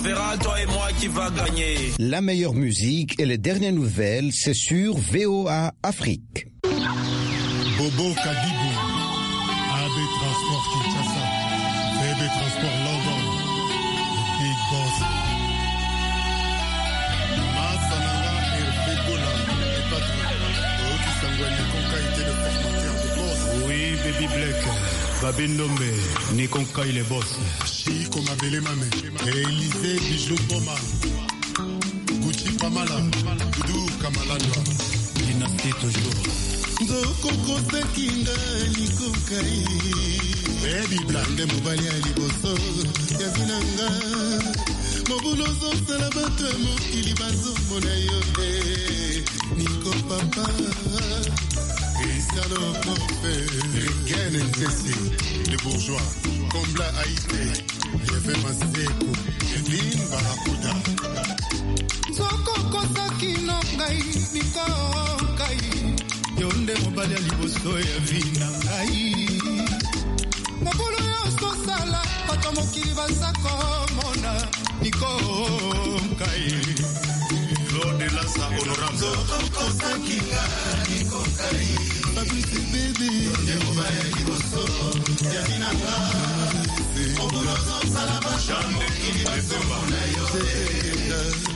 verra toi et moi qui va gagner. La meilleure musique et les dernières nouvelles, c'est sur VOA Afrique. Bobo Kadibou, AB Transport Kinshasa, VB Transport London, le Big Boss. Masananga Hervé Gola, le patron. Oki Sangwani Konka était le formateur de boss. Oui, Baby Black, Babi Ndombe, Nikonka il est boss. Chico Mabele Mame, Élysée Bijou Boma, Gucci Pamala, Doudou Kamalandwa. Dynastie toujours. Nzokokosekinga nikokai Baby Black nde mobali ya liboso ya vi na nga mobulu ozosala bato ya mokili bazomona yo te Niko papa Cristiano Kofe Regen Ntesi le bourgeois Kombla Aïté Yeve Maseko Lin Barakuda Nzokokosaki no ngai nikokai Yo nde mobali ya liboso ya vi na ngai mobulu nyonso osala bato mokili baza komona Nikonkai Claude Lassa honorable Fabrice Bébé nde mobali ya liboso ya vi na nga mobulu ozosala bato ya mokili bazomona yo te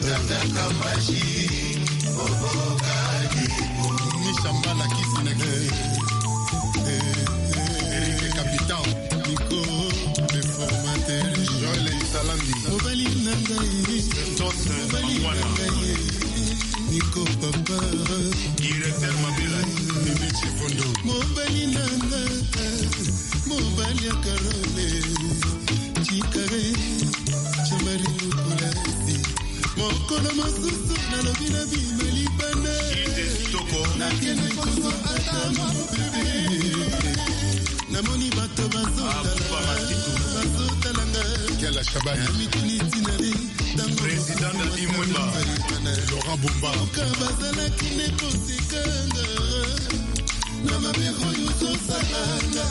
Tata Kambashi Mishambala kisi na kisi Eric Capitan Nico le formateur Joël Salambi Mobali na ngai Mobali na ngai Nico papa Directeur Mabela Mimi Chifondo Mobali na ngai Mobali ya Karole Chikare Chamari Lukulasi Mokolo mosusu nalobi na bima libanda nakende kozwa ata mobebe namoni bato bazotalanga na mituni ntina Président Dadi Mwemba Laurent Bumba oka bazalaki nde kosekanga na mabe oyo ozosalanga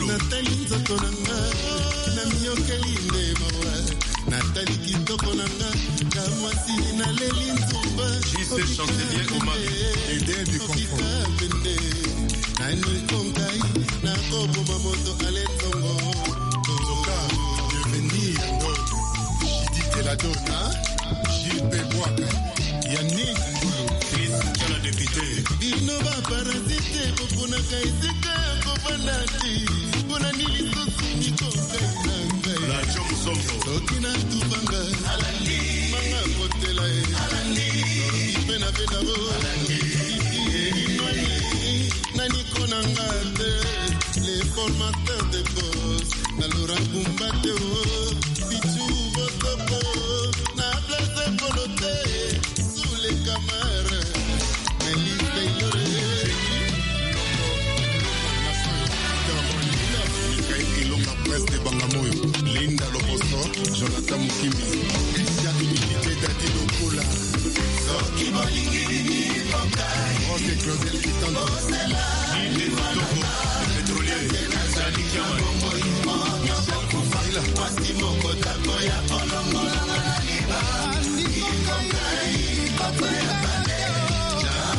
natali nzoto na nga na miyokeli nde mawa natali kitoko na nga ka mwasi naleli nzumba JC Chancelier Omar Ede du confort pende nani konkai nakoboma moto aletongo Zoka Bienvenue Yando Jidi Teladona JP Bwaka Yannick Ngulu Chris Kiala député bino baparasite boponaka esika ya kovanda te mpona nini lisusu mikongai na ngai Lacho Musombo soki natubanga manga kotela ye soki mpe na pe nabo naniko na nga te le formateur de bos na Laurent Bumba te o bichu botoko na place polo te sous les camara Melise Taylor Ilonga Presse de Bangamoyo, Linda Loposo, Jonathan Mukimi, Christian Imilité Dadi Lokola, Soki Bolingi Nikonkai, Roque Claudel Kitando, Inde Toko pétrolier Sani Kiaman Michel Koufaila,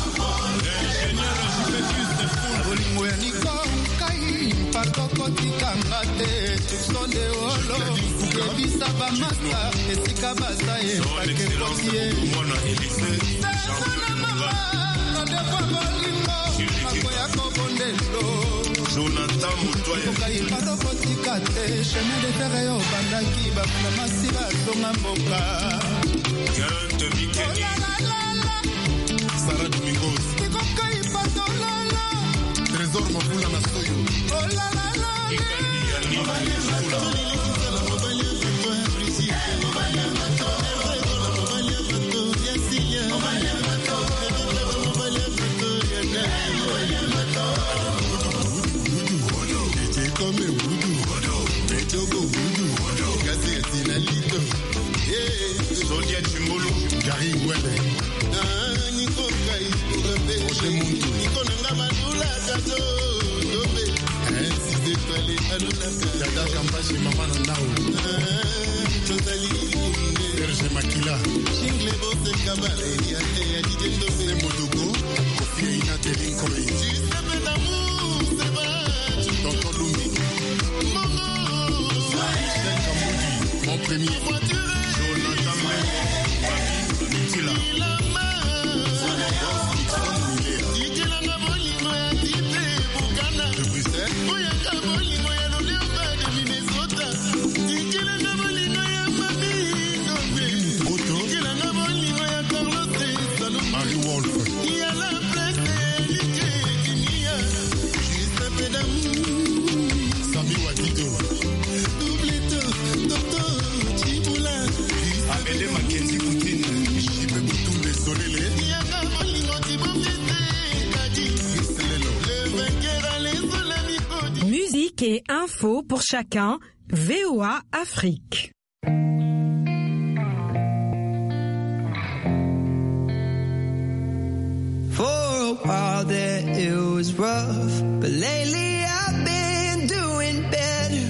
Ingénieur Juventus de Foul bolingo ya nikonkai pakokotikanga te soupçon de olo yebisa bamasa esika baza Son Excellence epakekotie Mwana Élysée Jean-Claude mama rendez-vous bolingo nakoya kobondelo Jonathan Moutoye Kokai pakokotika te chemin de fer oyo obandaki bamona masi bazonga mboka Ginte Mikeni Olalala, Sarah Domingos, nikokai patolala Trésor Mabula Nasoyo, olalala Ikandi Yannick Fula Comme Wudu, Etogo Wudu, Gazette Nalito, Sodia Chimbolo Gary Wele, Roger Muntu, Dada Kambashi Mama Nandao. Makila. Jingle Bose Kabale, Yate Yadidendo Modogo, Kofi Aina Telinkoi. Giuseppe D'amour, Seba, Tonton Lumi. Mongo, Michel Kamboudi, mon premier. Jonathan Mengo, Babi Mitila. De Bruxelles. Willy Mutoto. Marie Wolf. Sami Wadido. Amédée Mackenzie Poutine. Jipe Boutoumbe Solele. Musique et info pour chacun, VOA Afrique. For a while there it was rough, but lately I've been doing better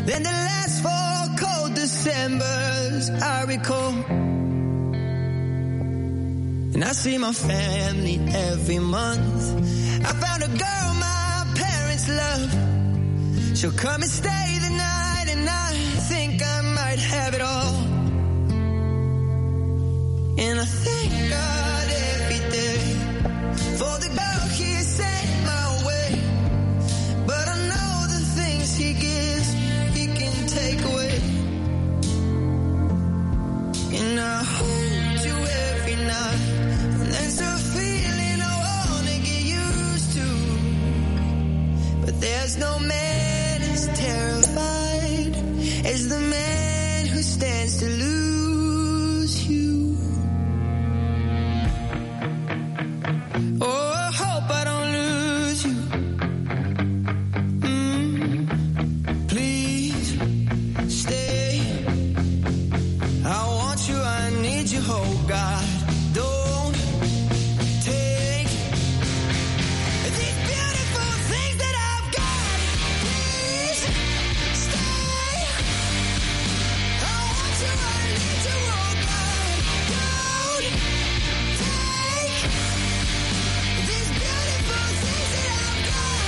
than the last four cold Decembers I recall. And I see my family every month. I found a girl my parents love. She'll come and stay the night, and I think I might have it all. And I thank God every day for the girl he sent my way. But I know the things he gives, he can take away. And I hold you every night, and that's a feeling I wanna get used to. But there's no man as terrified as the man who stands to lose you. Oh, I hope I don't lose you. Please stay. I want you, I need you, oh God. Don't take these beautiful things that I've got. Please stay. I want you, I need you, oh God. Don't take these beautiful things that I've got.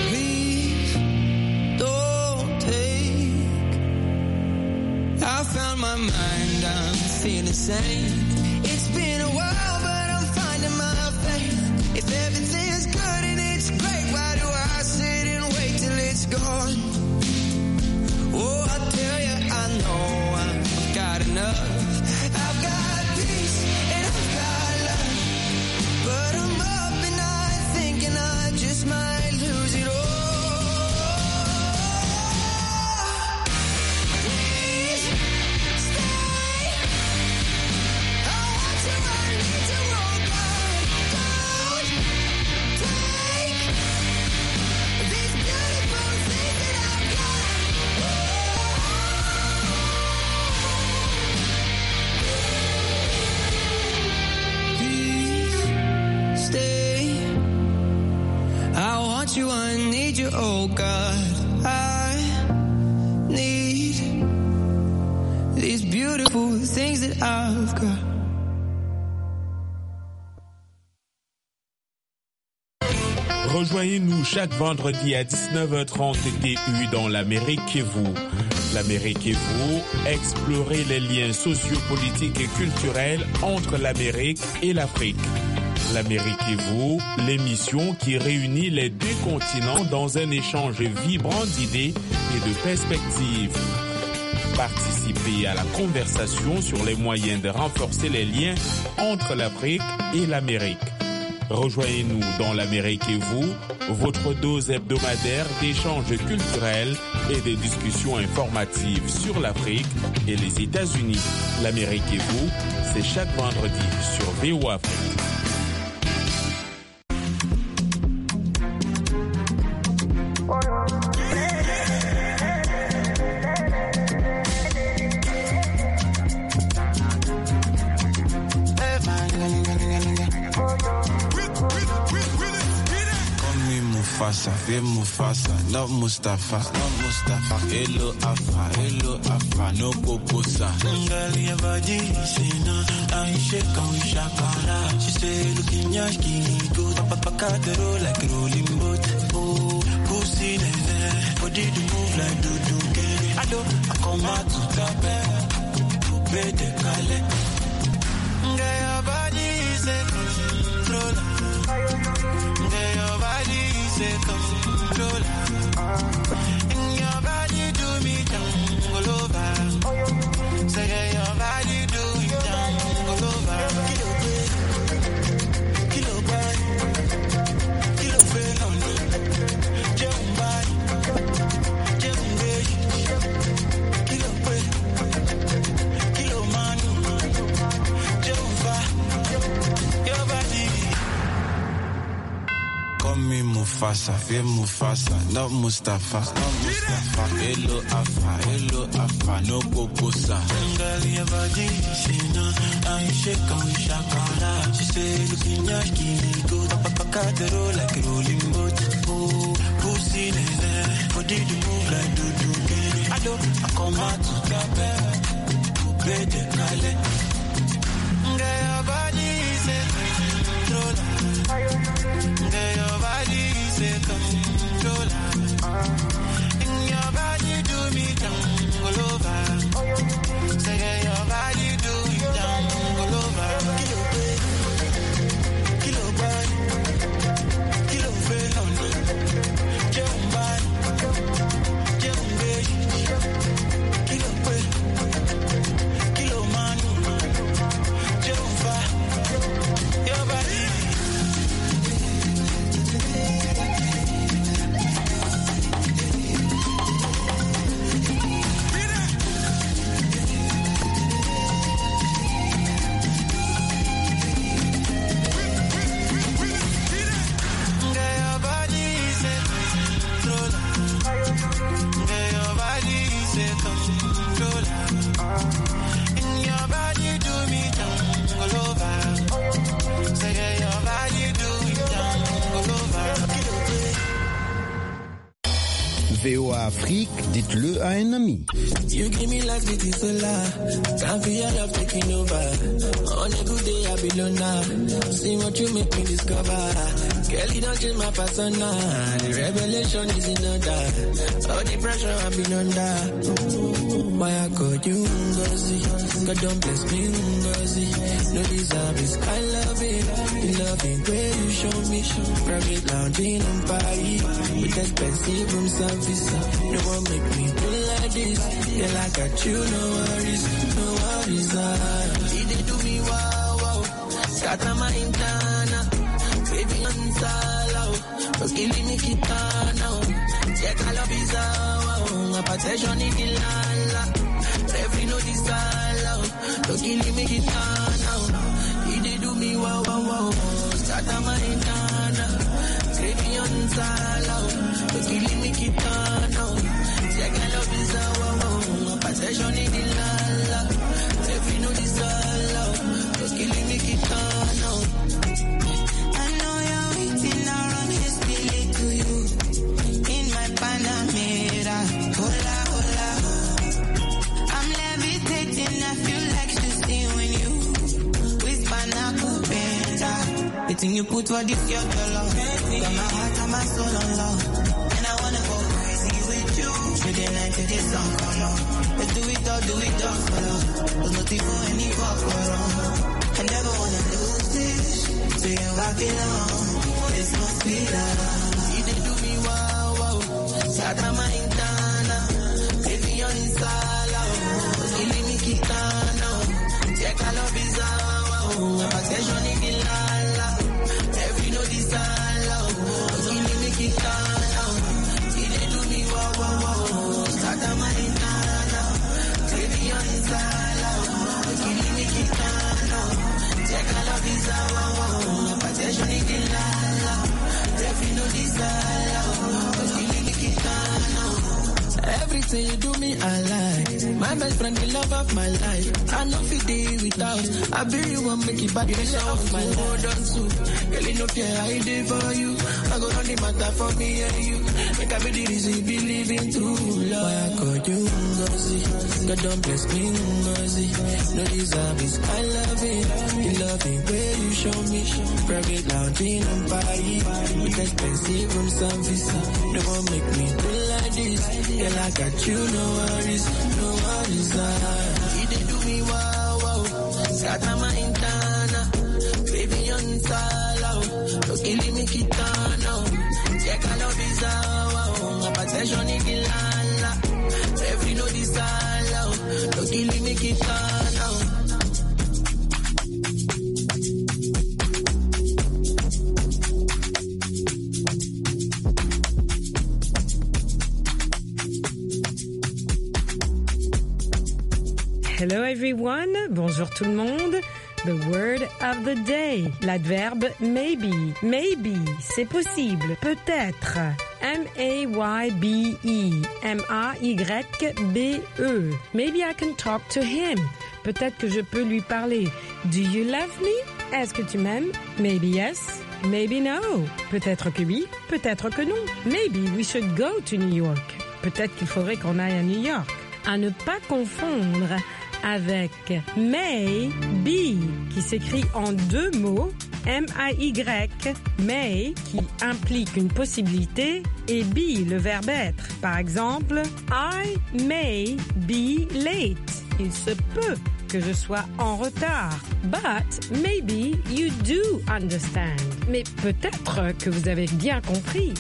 Please don't take. I found my mind, I'm feeling sane. It's been a while, but I'm finding my faith. If everything's good and it's great, why do I sit and wait till it's gone? Oh, I tell you, I know I've got enough. I've got peace and I've got love. But I'm up and I thinking I just might lose it all. Please stay. I want you, I need you, oh God. Don't take these beautiful things that I've got. Please stay. I want you, I need you, oh God. I need these beautiful things that I've got. Rejoignez-nous chaque vendredi à 19h30 TU dans l'Amérique et vous. L'Amérique et vous, explorez les liens sociopolitiques et culturels entre l'Amérique et l'Afrique. L'Amérique et vous, l'émission qui réunit les deux continents dans un échange vibrant d'idées et de perspectives. Participez à la conversation sur les moyens de renforcer les liens entre l'Afrique et l'Amérique. Rejoignez-nous dans l'Amérique et vous, votre dose hebdomadaire d'échanges culturels et des discussions informatives sur l'Afrique et les États-Unis. L'Amérique et vous, c'est chaque vendredi sur VOA Afrique. Mufasa, fais Mufasa, not Mustafa, not Mustafa. Hello Afa, no Poposa. Girl, your body, say no, I shake on shakara. She say, looking yashki, go papa roll like rolling boat. Oh, pussy nene, body do move like do do. I do, I come out to the bed, de Calais. Girl, your body is a controller. Girl, your body is a controller. And your body do me down all over. Say, girl, your body do me down all over. Kilo pay, kilo buy, kilo pay, no, no. Jump by, jump by. Kilo pay, kilo manu, jump by, your body. Call me Mufasa, fais Mufasa, not Mustafa, not Mustafa. Hello Afa, no Poposa. Girl, your body, say no, I shake on shakara. She say, looking yashki, go papa roll like rolling boat. Oh, pussy nene, body do move like do do. I do, I come out to the bed, de Calais. Girl, your body is a controller. Girl, your body is a controller. And your body do me down all over. Say, girl, your body do me down all over. Kilo pay, kilo buy, kilo pay, no, no. Jump by, jump by. Kilo pay, kilo manu, jump by, your body. Girl, your body is a controller. Girl, your body is a controller. And your body do me down all over. Say, girl, your body do me down all over. Kilo pay. VOA Afrique, dites-le à un ami. You give me life, it is a lie. Time for your love taking over. On a good day, I be loner. See what you make me discover. Girl, you don't change my persona. The revelation is in order. All the pressure I've been under. Why I call you Ngozi? God don't bless me, Ngozi. No deserve is I love it. The loving way you show me. Private lounge in Paris with expensive room service. No one make me feel like this. Girl, I got you, no worries, no worries. Ah. They do me wow wow, scatter my intana, baby I'm sala, oh, killing me kitana, check I love is wow, protection in the lala, every no this sala, oh, killing me kitana, they do me wow wow wow, scatter my intana, baby I'm sala, oh, killing me kitana, check I love is wow wow, protection in the lala. Every no this all, just killing me kitana. I know you're waiting, I'll run hastily to you. In my Panamera, hola, hola. I'm levitating, I feel like ecstasy when you whisper nakupenda. The thing you put for this your dollar, got my heart and my soul on love. And I wanna go crazy with you. Through the night till the sun come up. Let's do it all for love. There's nothing for any fuck around. I never wanna lose this. To you I belong. This must be love. You dey do me wow wow, scatter my intana, baby on sala, killing me kitana, check I love is wow, protection in the lala, every no this sala, killing me kitana, you dey do me wow wow wow, scatter my intana, baby on sala, killing me kitana, check I love is wow wow, protection in the lala, every no Everything you do me, I like. My best friend, the love of my life. I know fit day without. I be you one make it bad, you off my life. Hold on to, girl, you know fear I did for you. I go run the matter for me and you. Make I be the reason you believe in true love. Why I call you Ngozi? God don't bless me Ngozi. No deserve is I love it. The loving way you show me. Private lounge in Paris with expensive room service. No one make me do like this. Girl, I got you, no worries, no worries. You did do me wow wow. Scatter my internal, baby on sala. No killing me kitano. Check I love is wow. Attention ikilala. Every no disala. No killing me kitano. Hello everyone, bonjour tout le monde. The word of the day, l'adverbe maybe. Maybe, c'est possible, peut-être. M-A-Y-B-E, M-A-Y-B-E. Maybe I can talk to him. Peut-être que je peux lui parler. Do you love me? Est-ce que tu m'aimes? Maybe yes, maybe no. Peut-être que oui, peut-être que non. Maybe we should go to New York. Peut-être qu'il faudrait qu'on aille à New York. À ne pas confondre avec may be, qui s'écrit en deux mots, M-A-Y, may, qui implique une possibilité, et be, le verbe être. Par exemple, I may be late. Il se peut que je sois en retard. But maybe you do understand. Mais peut-être que vous avez bien compris.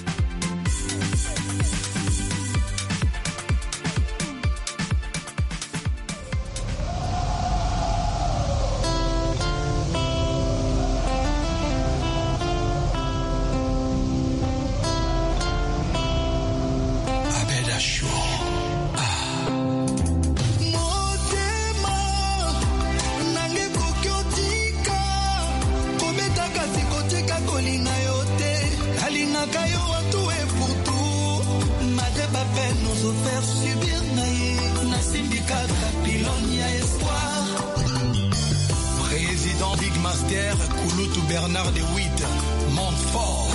Bernard de Witt, Montfort.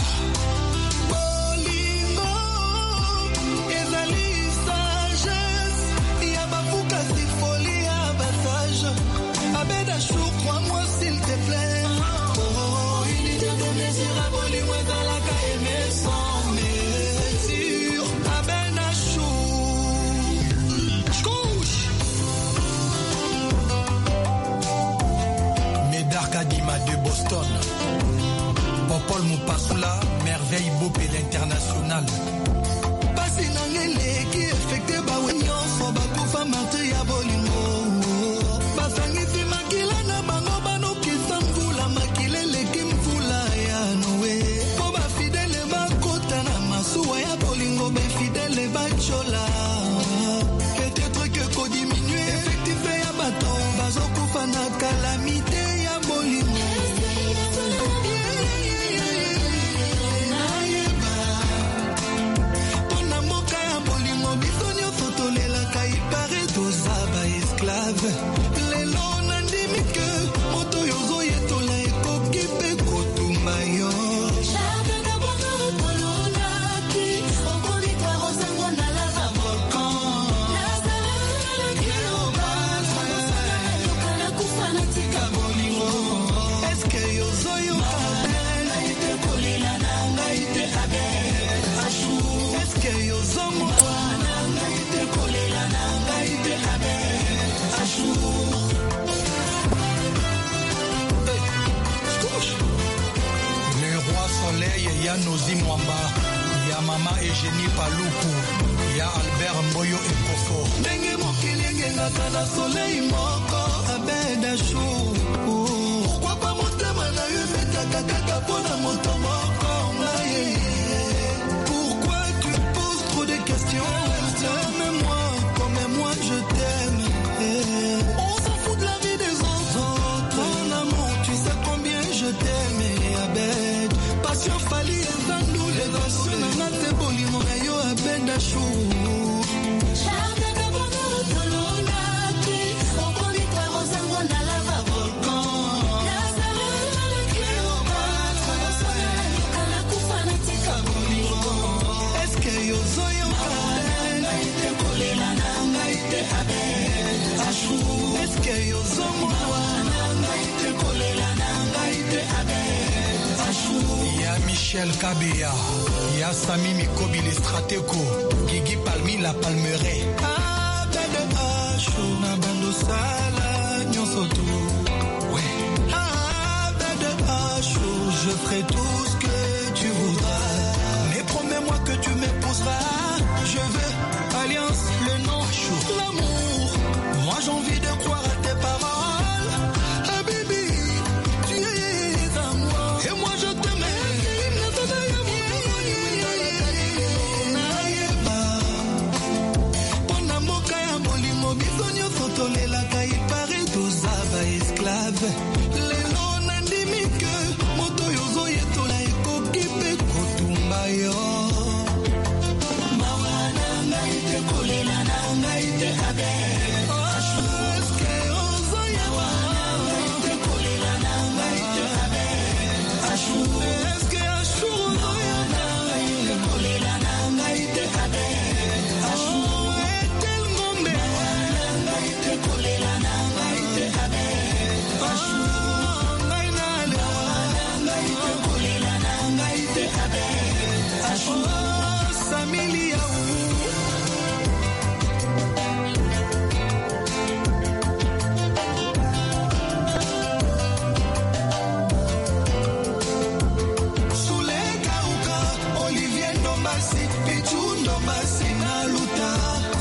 Bolingo, ezali sagesse, ya bafuka si folie ya basage. Abeda chou, crois-moi s'il te plaît. Oh, unité de mesure à bolingo ezalaka aimé sans mesure. Abeda chou, couche. Médard Kadima de Boston. Paul Mupasula, merveille Bopé l'international. Pasi nangele ki affecté ba nyonso bakufa martyr ya bolingo. Basangisi makila na bango banokisa mvula makila eleki mvula ya Noé. Po ba fidèle bakota na masuwa ya bolingo ba fidèle bachola. Peut-être que ko diminuer effectif ya bato bazokufa na calamité ya bolingo. Lelo nandimi ke moto yozo yetola ekoki mpe kotumba yo. Eske yozoyoka eske yozomona Le roi soleil, ya Nozi Mwamba, ya mama Eugénie Paluku, ya Albert Mboyo Ekofo. Ndenge mokili engengaka na soleil moko abeda chou. Pourquoi pas motema na yo ebetaka kaka mpona moto moko ngai? Pourquoi tu poses trop de questions? Aime-moi comme moi je t'aime. On s'en fout de la vie des autres. Mon amour, tu sais combien je t'aime. Abed, passion fali ezandu. L'émotion nanga te bolingo na yo abed achou. Eske yozomona Ya Michel Kabeya, Ya Sami Mikobi le Strateko, Gigi Palmi la Palmeraie. Ah, bébé Ashu, na bando sala, nyonso tout. Ouais. Ah, bébé Ashu, je ferai tout ce que tu voudras. Mais promets-moi que tu m'épouseras. Je veux alliance, le nom, l'amour. Moi j'ai envie de croire à tes paroles. Ah baby, tu es à moi. Et moi je t'aime. Mpona mboka ya bolingo biso nyonso tolelaka ipare toza ba esclave lelo nandimi ke moto oyo ozoyetola ekoki mpe kotumba yo mawa na ngai te kolela na ngai te abe eske ozoyeba te kolela na ngai te abe eske ashur ozoyeba te kolela na ngai te abe etel ngombe ngai te kolela na ngai te abe ngai nalewa ngai te kolela na ngai te abe Samilia. Sule Kauka, Olivier Ndombasi, Pichu Ndombasi na Luta,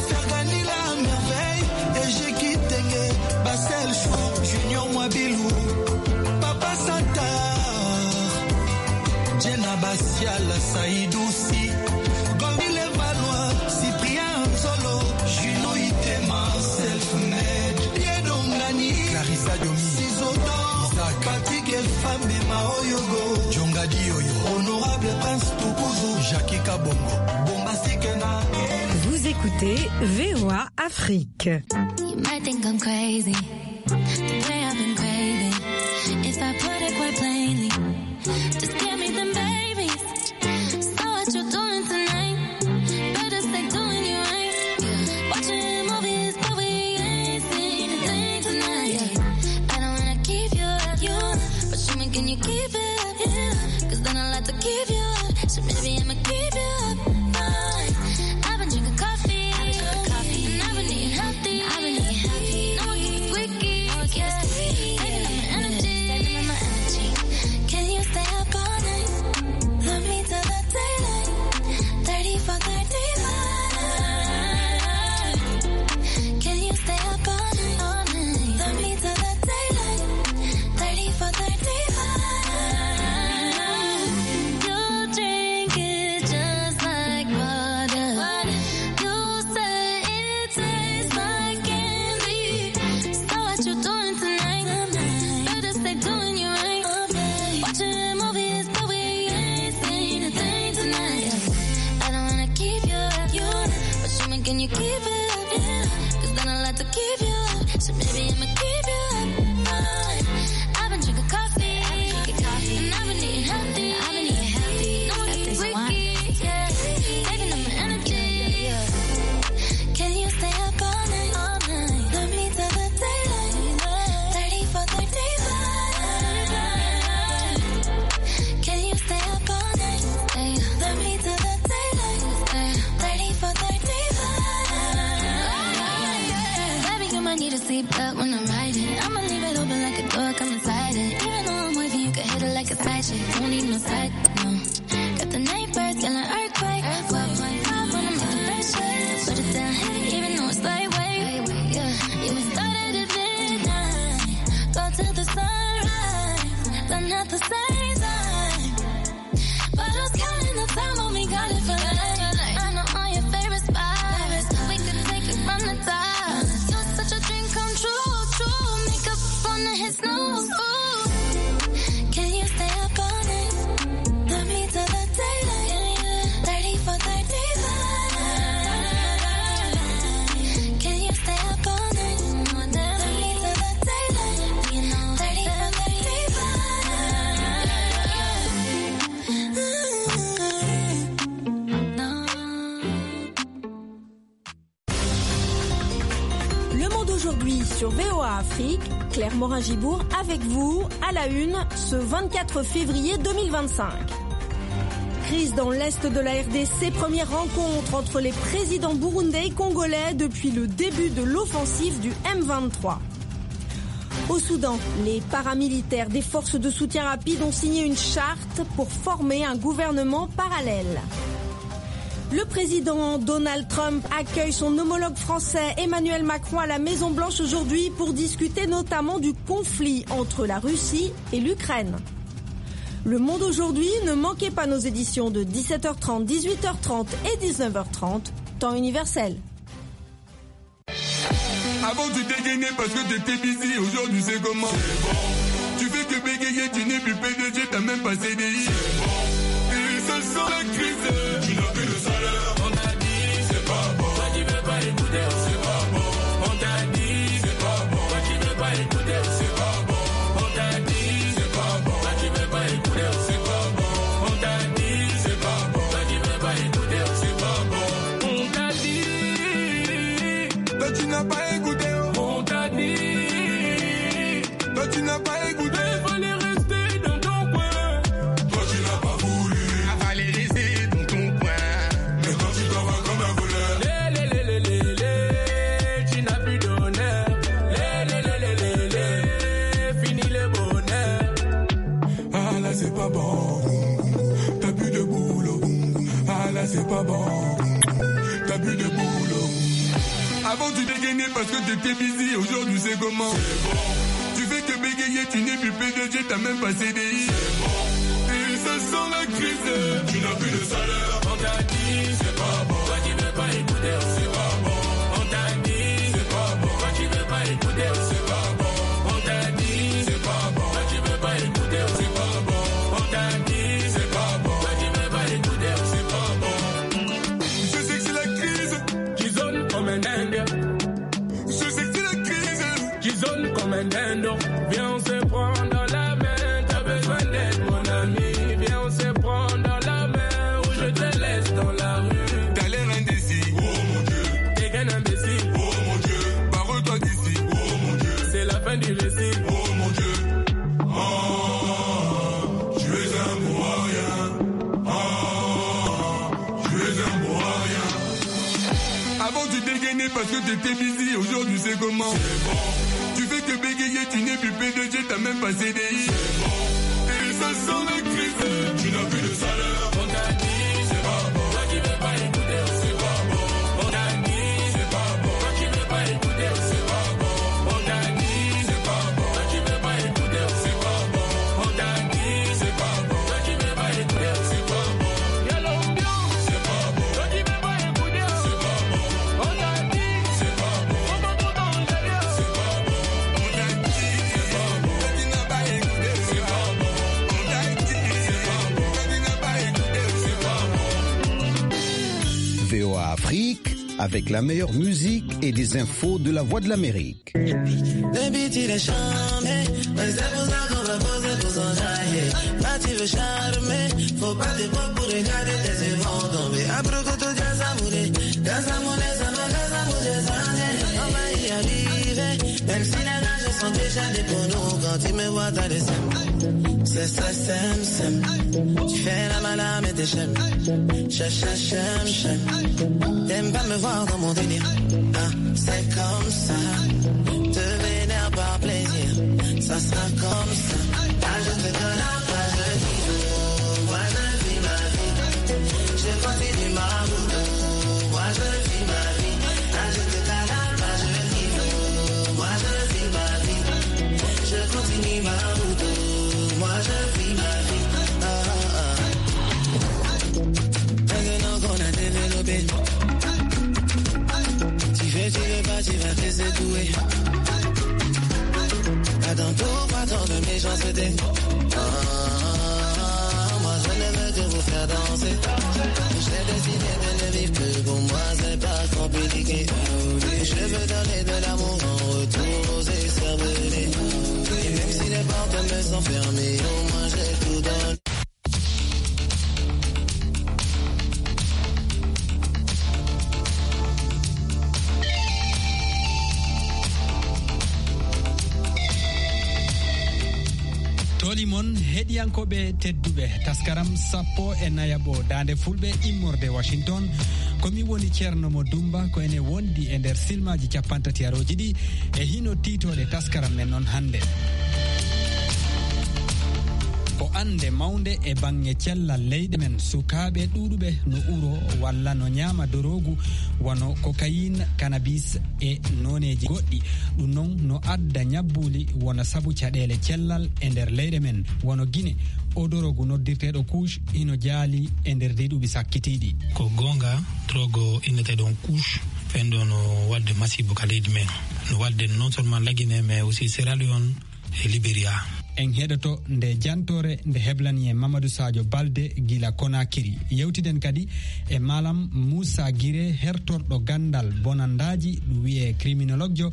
Fergani la merveille, Ejeki Tenge, Basel Chou, Junior Mwabilou, Papa Satar, Jenna Bassial, Saïdou Si, Gondi Levalois, Cyprien Nzolo, Juno Itema, Self-Made, Yedongani, Clarissa Domi, Ciseaux d'Or, Isaac. Patrick Elfambe Maoyogo, Djonga Dioyo, Honorable Prince Tukuzu, Jackie Kabongo, Bombastique na Vous écoutez VOA Afrique. You might think I'm crazy, the way I've been craving. If I put it quite plainly, just give me them babies. So what you doing tonight? Better stay doing you right. Watching movies, but we ain't seen a thing tonight. I don't wanna keep you up, but show me can you keep it up? Yeah. 'Cause then I like to keep you up, so maybe I'ma keep you up. I've been drinking coffee, and I've been eating healthy. I've been eating healthy. No one keeps squeaky, yeah. Saving up my energy, saving up my energy. Can you stay up all night? Love me till the daylight. 34, 35. Can you stay up all night? All night. Love me till the daylight. 34, 35. You drink it just like water. You say it tastes like candy. So what you doing tonight? Better stay doing you right. Watching movies, but we ain't seen a thing tonight. I don't wanna keep you up, but show me can you keep it up? Yeah. 'Cause then I like to keep you up, so maybe I'ma keep you up. I've been drinking coffee, and I've been eating healthy. I've been eating healthy. No one keeps squeaky, yeah. Saving up my energy. Can you stay up all night? All night. Love me till the daylight. 34, 35. Can you stay up all night? Love me till the daylight. 34, 35. Baby, you might need a seatbelt when I'm riding. I'ma leave it open like a door, come inside it. Even though I'm wavy, you can hit it like a side chick. Don't need no side, no. Got the night birds, yelling earthquake. 12.5 when I'm in the best shape. Put it down heavy, even though it's lightweight. Yeah, yeah, we started at midnight. Go till the sunrise, but not the same time. But I was counting the time when we got it for life. I know all your favorite spots. We could take it from the top. You're such a dream come true, true. Make up on the hit snooze, ooh. Can you stay up all night? Love me till the daylight. 34, 35. Can you stay up all night? Love me till the daylight. 34, 35. sur VOA Afrique. Claire Morin-Gibourg avec vous à la une ce 24 février 2025. Crise dans l'est de la RDC, première rencontre entre les présidents burundais et congolais depuis le début de l'offensive du M23. Au Soudan, les paramilitaires des forces de soutien rapide ont signé une charte pour former un gouvernement parallèle. Le président Donald Trump accueille son homologue français Emmanuel Macron à la Maison-Blanche aujourd'hui pour discuter notamment du conflit entre la Russie et l'Ukraine. Le Monde aujourd'hui, ne manquez pas nos éditions de 17h30, 18h30 et 19h30, temps universel. Avant tu dégainais parce que t'étais busy, aujourd'hui c'est comment? C'est bon. Tu fais que bégayer, tu n'es plus PDG, t'as même pas CDI. C'est bon. Et ça sent la crise. Tu n'as plus de salaire. On t'a dit, c'est pas bon. Toi qui veux pas écouter, c'est pas bon. On t'a dit, c'est pas bon. Toi qui veux pas écouter, c'est pas bon. On t'a dit, c'est pas bon. Toi qui veux pas écouter, c'est pas bon. On t'a dit, c'est pas bon. Toi qui veux pas écouter, c'est pas bon. On t'a dit, toi tu n'as pas écouté. On t'a dit, toi tu n'as pas écouté. Il fallait rester dans ton coin. Toi tu n'as pas voulu. Il fallait rester dans ton coin. Mais toi tu t'en vas comme un voleur. Lé, lé, lé, lé, lé, tu n'as plus d'honneur. Lé, lé, lé, lé, lé, lé, fini le bonheur. Ah là c'est pas bon. T'as plus de boulot. Ah là c'est pas bon. T'as plus de boulot. Avant tu dégainais parce que t'étais busy, aujourd'hui c'est comment? C'est bon. Tu fais que bégayer, tu n'es plus PDG, t'as même pas CDI. C'est bon. Et ça sent la crise. Tu n'as plus de salaire. On t'a dit, c'est pas bon. Toi qui veux pas écouter, c'est pas bon. On t'a dit, c'est pas bon. Toi qui veux pas écouter, c'est pas bon. On t'a dit, c'est pas bon. Toi qui veux pas écouter, c'est pas bon. On t'a dit, c'est pas bon. Toi qui veux pas écouter, c'est pas bon. Je sais que c'est la crise. Qui zone comme un dingue. Je sais que c'est la crise. Qui zone comme un dindon. Viens, on se prend dans la main. T'as besoin d'aide, mon ami. Viens, on se prend dans la main. Ou je te laisse dans la rue. T'as l'air indécis. Oh mon Dieu. T'es qu'un imbécile. Oh mon Dieu. Barre-toi d'ici. Oh mon Dieu. C'est la fin du récit. Oh mon Dieu. Oh, tu es un bon à rien. Oh, tu es un bon à rien. Avant tu dégainais parce que t'étais busy, aujourd'hui c'est comment? C'est bon. Tu fais que bégayer, tu n'es plus PDG, t'as même pas CDI. C'est bon. Et ça sent la crise. Tu n'as plus de salaire. On t'a dit, c'est pas bon. Toi qui veux pas écouter, c'est pas bon. On t'a dit, c'est pas bon. Toi qui veux pas écouter, c'est pas bon. On t'a dit, c'est pas bon. Toi qui veux pas écouter, c'est pas bon. On t'a dit, c'est pas bon. Toi qui veux pas écouter, c'est pas bon. Y'a l'ambiance, c'est pas bon. Toi qui veux pas écouter, c'est pas bon. On t'a dit, c'est pas bon. On va tout enjailler, c'est pas bon. On t'a dit, c'est pas bon. Toi tu n'as pas écouté, c'est pas bon. On t'a dit, c'est pas bon. Toi tu n'as pas écouté, c'est pas bon. VOA Afrique, avec la meilleure musique et des infos de la Voix de l'Amérique. Même si la nage sont déjà des ponos, quand tu me vois t'as des sems. C'est ça, sem, sem. Tu fais la malade mais t'es chem. Chem, chem, chem. T'aimes pas me voir dans mon délire. Ah, c'est comme ça. Te vénère par plaisir. Ça sera comme ça. Ah, je te donne la page, je vis. Moi, je vis ma vie. Je continue ma route. Moi, je vis ma vie. Ah, je te donne la page, je vis. Moi, je vis ma vie. Je continue ma route. Moi, je vis ma vie. Ah, ah. Maintenant qu'on a développé. Tu veux pas, tu vas te laisser douer. Attends, pourquoi tant de méchanceté? Ah, moi je ne veux que vous faire danser. J'ai décidé de ne vivre que pour moi, c'est pas compliqué. Je veux donner de l'amour en retour aux écervelés. Et même si les portes me sont fermées, au moins j'ai tout donné. Heɗiyankoɓe tedduɓe, taskaram 14ɓo dande Fulɓe immorde Washington, komi woni Ceerno mo Dumba ko ene wondi e nder silmaji 30 aroji ɗi e hino titoɗe taskaram men noon hannde. Ko ande mawde e bange cellal leyɗe men, sukaɓe ɗuɗuɓe no uro walla no ñaama dorogu wano cocaïne, cannabis e noneji goɗɗi. Ɗum noon no adda ñabbuli wona saabu caɗele cellal e nder leyɗe men wono Guine. O dorogu noddirteɗo couche ino jaali e nder ndi ɗuuɓi sakkitiɗi. Ko gonga, drogue inneteɗon couche fenɗo no wadde masibo ka leydi men, no wadde non seulement la Guinée mais aussi Sierra Leone e Libéria. En heɗoto nde jantore nde heblani e Mamadou Sadio Balde gila Konakiri. Yewtiden kadi e Malam Moussa Guiré, hertorɗo gandal bonandaji, ɗum wiye criminologue jo.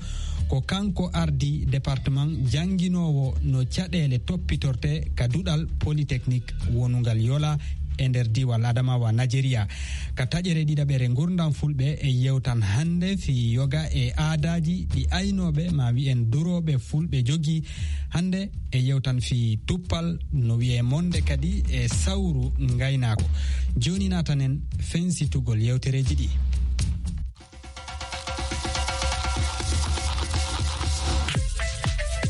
Ko kanko ardi département jangguinowo no caɗele toppitorte ka duɗal polytechnique wonungal Yola e nder diwal Adamawa, Nigéria. Ka taƴere ɗiɗaɓere gurdam Fulɓe e yewtan hande fi yoga e aadaji ɗi aynoɓe ma wiyen duroɓe Fulɓe jogui. Hande e yewtan fi tuppal no wiye monde kadi e sawru gaynako. Joni natanen fensitugol yewtereji ɗi.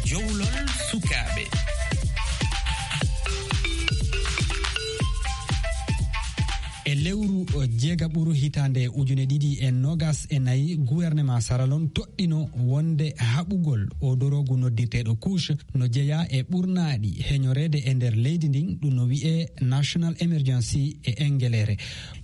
Jowlol sukaɓe. E lewru jeegaɓuru hitande 2024, gouvernement Saralon toɗɗino wonde haɓugol o dorogu noddirteɗo couche no jeeya e ɓurnaɗi heñorede e nder leydi ndin, ɗum no wiye national emergency e engelere.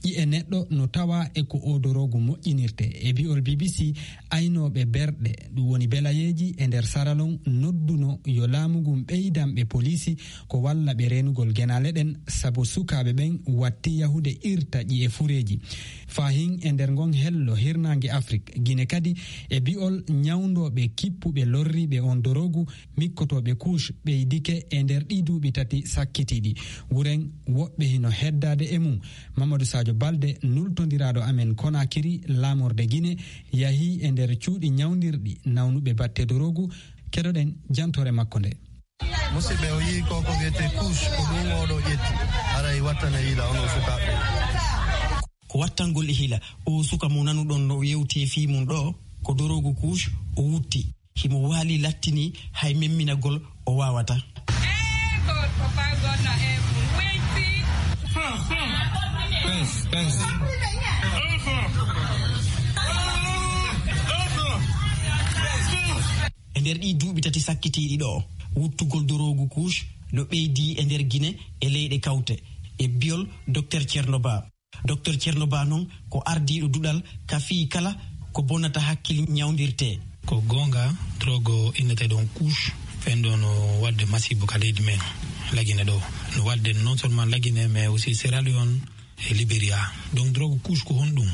Ƴi e neɗɗo no tawa e ko o dorogu moƴƴinirte. E bi'ol BBC, aynoɓe berɗe ɗum woni belayeji e nder Saralon nodduno yo laamu ngun ɓeydanɓe polisi ko walla ɓe renugol genale ɗen, saabu sukaɓe ɓen watti yahude irta ƴi e fureji fahin e nder ngon hello hirnangue Afrique. Guine kadi, e bi'ol ñawdoɓe kippuɓe lorriɓe on dorogu mikkotoɓe couche ɓeydike e nder ɗi duuɓi 3 sakkitiɗi. Wuren woɓɓe hino heddade e mum. Mamadou Sadio Balde nultodiraɗo amen Konakiri, lamorde Guine, yahi e nder cuuɗi ñawdirɗi nawnuɓe batte dorogu. Keɗoɗen jantore makko nde. Musidɓe, o yii ko ko wiyete couche, ko ɗum oɗo ƴetti aray wattana yiila ono sukaɓe. Ko wattangol e hila o suka mo nanuɗon no yewti fi mum ɗo ko dorogu couche o wutti himo waali lattini hay memminagol o wawata. E nder ɗi duuɓi 3 sakkitiɗi ɗo, wuttugol dorogu couche no ɓeydi e nder Guine e leyɗe kawte, e biol docteur Ceerno Ba. Docteur Ceerno Ba noon ko ardiɗo duɗal ka fii kala ko bonnata hakkille ñawdirte. Ko gonga, drogue inneteɗon couche fenɗo no wadde masibo ka leydi men la Guinée ɗo, no wadde non seulement la Guinée mais aussi Sierra Leone e Libéria. Donc drogue couche ko honɗum?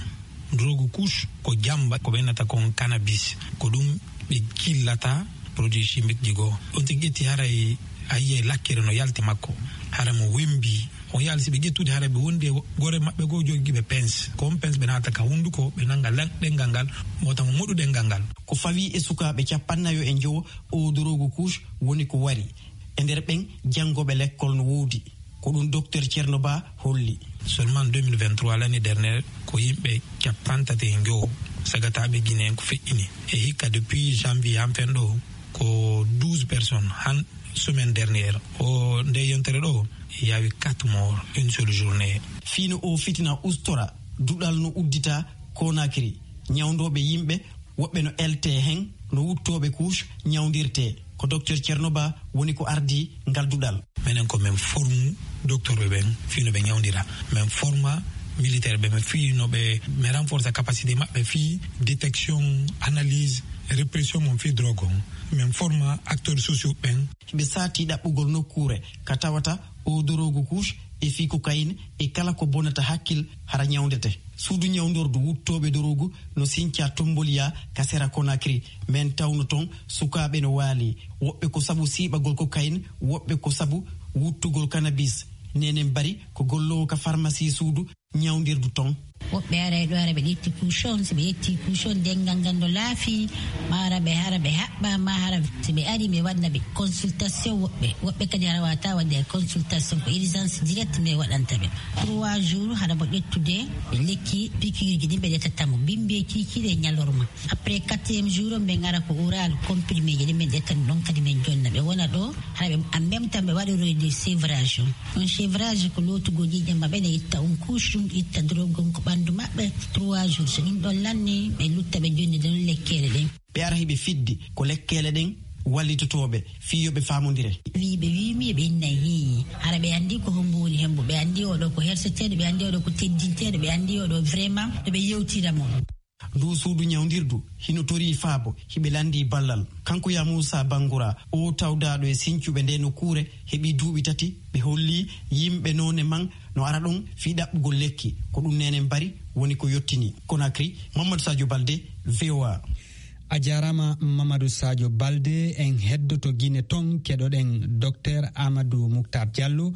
Drogue couche ko jamba ko ɓennata kon cannabis, ko ɗum ɓe killata produit chimique ji goo. On tigi ƴetti haray a yiyay lakkere no yalti makko, hara mo wembi on yaali si ɓe ƴettude hara ɓe wondi e gore maɓɓe goo jogiiɓe pince, ko on pince ɓe naata ka hunnduko ɓe nannga ɗengal ngal mota mo moɗu ɗengal ngal. Ko fawi e sukaaɓe 45 o dorogu couche woni ko wari e nder ɓen janngoɓe l'école no woodi. Ko ɗum docteur Ceerno Ba holli. Seulement 2023, l'année dernière, ko yimɓe 35 sagataɓe Guinéen ko feƴƴini e hikka depuis janvier han fen ɗo ko 12 personnes. Han semaine dernière o nde yontere ɗo yawi 4 morts une seule journée. Fiino o fitina ustora duɗal no uddita Konakiri, ñawdoɓe yimɓe woɓɓe no elte hen no wuttoɓe couche ñawdirte. Ko docteur Ceerno Ba woni ko ardi ngal duɗal. Minen ko min formu docteur ɓe ɓen fiino ɓe ñawdira, min forma militaire ɓe min fiino ɓe min renforce capacité maɓɓe fi détection, analyse, répression mon fi drogue on, min forma acteurs sociaux ɓen. Ɓe saati ɗaɓɓugol nokkure ka tawata o dorogu couche e fi cocaïne e kala ko bonnata hakkil hara ñawdete. Suudu ñawdordu wuttoɓe dorogu no sinca tomboliya ka sera Konakiri. Min tawno toon sukaɓe no waali, woɓɓe ko sabu siiɓagol cocaïne, woɓɓe ko sabu wuttugol cannabis. Nenen Bari ko gollowo ka pharmacie suudu ñawdirdu toon. Woɓɓe aray ɗo ara ɓe ƴetti couche on, si ɓe ƴetti couche on dengal ngal no laafi, ma ara ɓe hara ɓe haɓɓa, ma hara si ɓe ari ɓe waɗna ɓe consultation. Woɓɓe kadi hara wata wadde consultation, ko urgence direct ɓe waɗanta ɓe 3 jours hara mo ƴettude lekki piqûre ji ɗin ɓe ƴettatamo bimbi e kikiɗe ñalorma. Après 4e jour on ɓe gara ko oral comprimé ji ɗin ɓe ƴettani ɗon kadi min jonna ɓe wona ɗo hara ɓe en même temps ɓe waɗoroyde sevrage on. Sevrage ko lootugo ƴiƴam maɓɓe ne itta on couche ɗum, itta drogue on ko ɓandu maɓɓe 3 jours. So ɗum ɗon lanni ɓe lutta ɓe jonni ɗon lekkele ɗen. Ɓe ara hiɓe fiddi ko lekkele ɗen wallitotoɓe fiyoɓe famodire. Wiɓe wimi ɓe innayi hiyi hara ɓe andi ko hombo woni hembo, ɓe andi oɗo ko herseteɗo, ɓe andi oɗo ko teddinteɗo, ɓe andi oɗo vraiment no ɓe yewtiramo. Ndu suudu ñawdirdu hino tori faabo hiɓe landi ballal. Kanko ya Moussa Bangoura o tawdaɗo e sincuɓe nde no kuure heɓi duuɓi 3 ɓe holli yimɓe none man no ara ɗon fii ɗaɓɓugol lekki ko ɗum nenen bari woni ko yettini. Conakry, Mamadou Sadio Balde, VOA. A jarama Mamadou Sadio Balde. En heddoto Guinée ton keɗoɗen docteur Amadou Mouctar Diallo,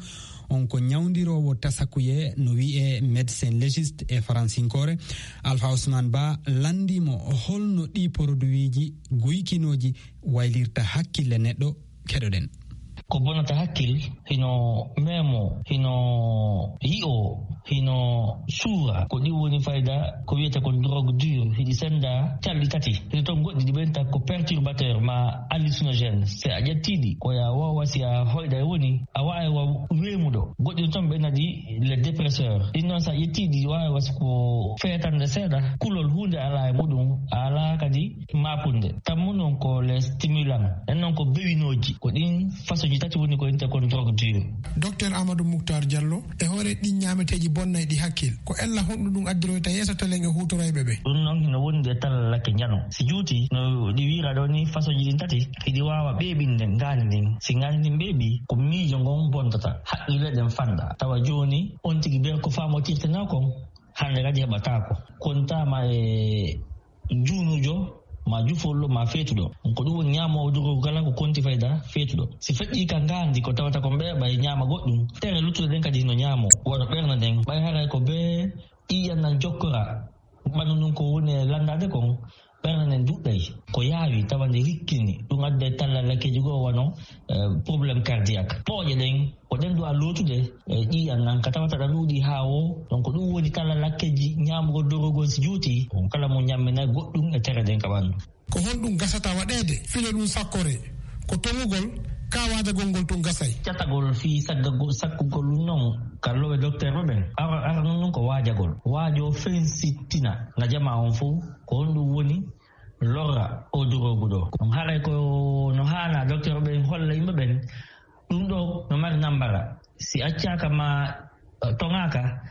on ko ñawdirowo tasakuye no wiye médecin légiste e faransinkore. Alpha Ousmane Ba landimo holno ɗi produit ji guykinoji waylirta hakkille neɗɗo, keɗoɗen. Ko bonata hakkil hino memo, hino yi'o, hino suura, ko ɗi woni fayda ko wiyete ko drogue dure. Hiɗi senda calɗi 3 hino toon goɗɗi ɗi ɓenta ko perturbateur ma hallucinogène. Si a ƴettiɗi koya wawa si a hoyɗa e woni a wawa wa wemuɗo. Goɗɗi no toon ɓe nadi les dépresseur, ɗin noon sa ƴettiɗi wawi wasi ko feetande seeɗa, kulol hunde ala e muɗum, a ala kadi mapunde. Tammu noon ko les stimulant ɗen noon ko bewinoji, ko ɗin façon ji tati woni ko inte kon drogue dure. Docteur Amadou Mouctar Diallo, e hoore ɗin ñameteji bonnay ɗi hakkil ko ella honɗum ɗum addiroyta yeeso telen e hutorayɓe ɓe. Ɗum noon hino wondi e tallalake jano si juuti no ɗi wiira ɗo ni façon ji ɗin 3 hiɗi wawa ɓeɓinde ngani ndin. Si ngani ndin ɓeeɓi ko miijo ngon bontata, haqqille ɗen fanɗa, tawa joni on tigi ɓe ko famotirtena kon hande kadi heɓatako kontama e juunujo ma jufollo ma feetuɗo. Ko ɗum woni ñaamowo drogue kala ko konti fayda feetuɗo. Si feƴƴi ka ngaandi ko tawata ko ɓeeɓa e ñaama goɗɗum, tere luttuɗe ɗen kadi no ñaamo wono ɓerna nden ɓay haray ko be ƴiƴam nan jokkora ɓanndu ndun ko woni e landade kon, ɓernde nden duɗɗay ko yaawi tawa nde rikkini ɗum adda tallalakeji goo wano probléme cardiaque. Pooƴe ɗen ko ɗen ɗo a lootude ƴiƴam nan ka tawata ɗa ɗuuɗi haa o. Donc ɗum woni tallalakkeji ñaamugo dorogol si juuti on kala mo ñamminayi goɗɗum e tere ɗen ka ɓanndu. Ko honɗum gasata waɗeede filo ɗum sakkore ko toŋugol ka waadagol ngol tun gasay. Catagol fii sakkugol ɗum noon kalloɓe docteur ɓe ɓen ara noon ɗum ko waajagol waajo fensittina na jama on fof ko honɗum woni lorra o drogue ɗo. On haray ko no haana docteur ɓen holla yimɓe ɓen ɗum ɗo no mari nambara si accaka ma toŋaka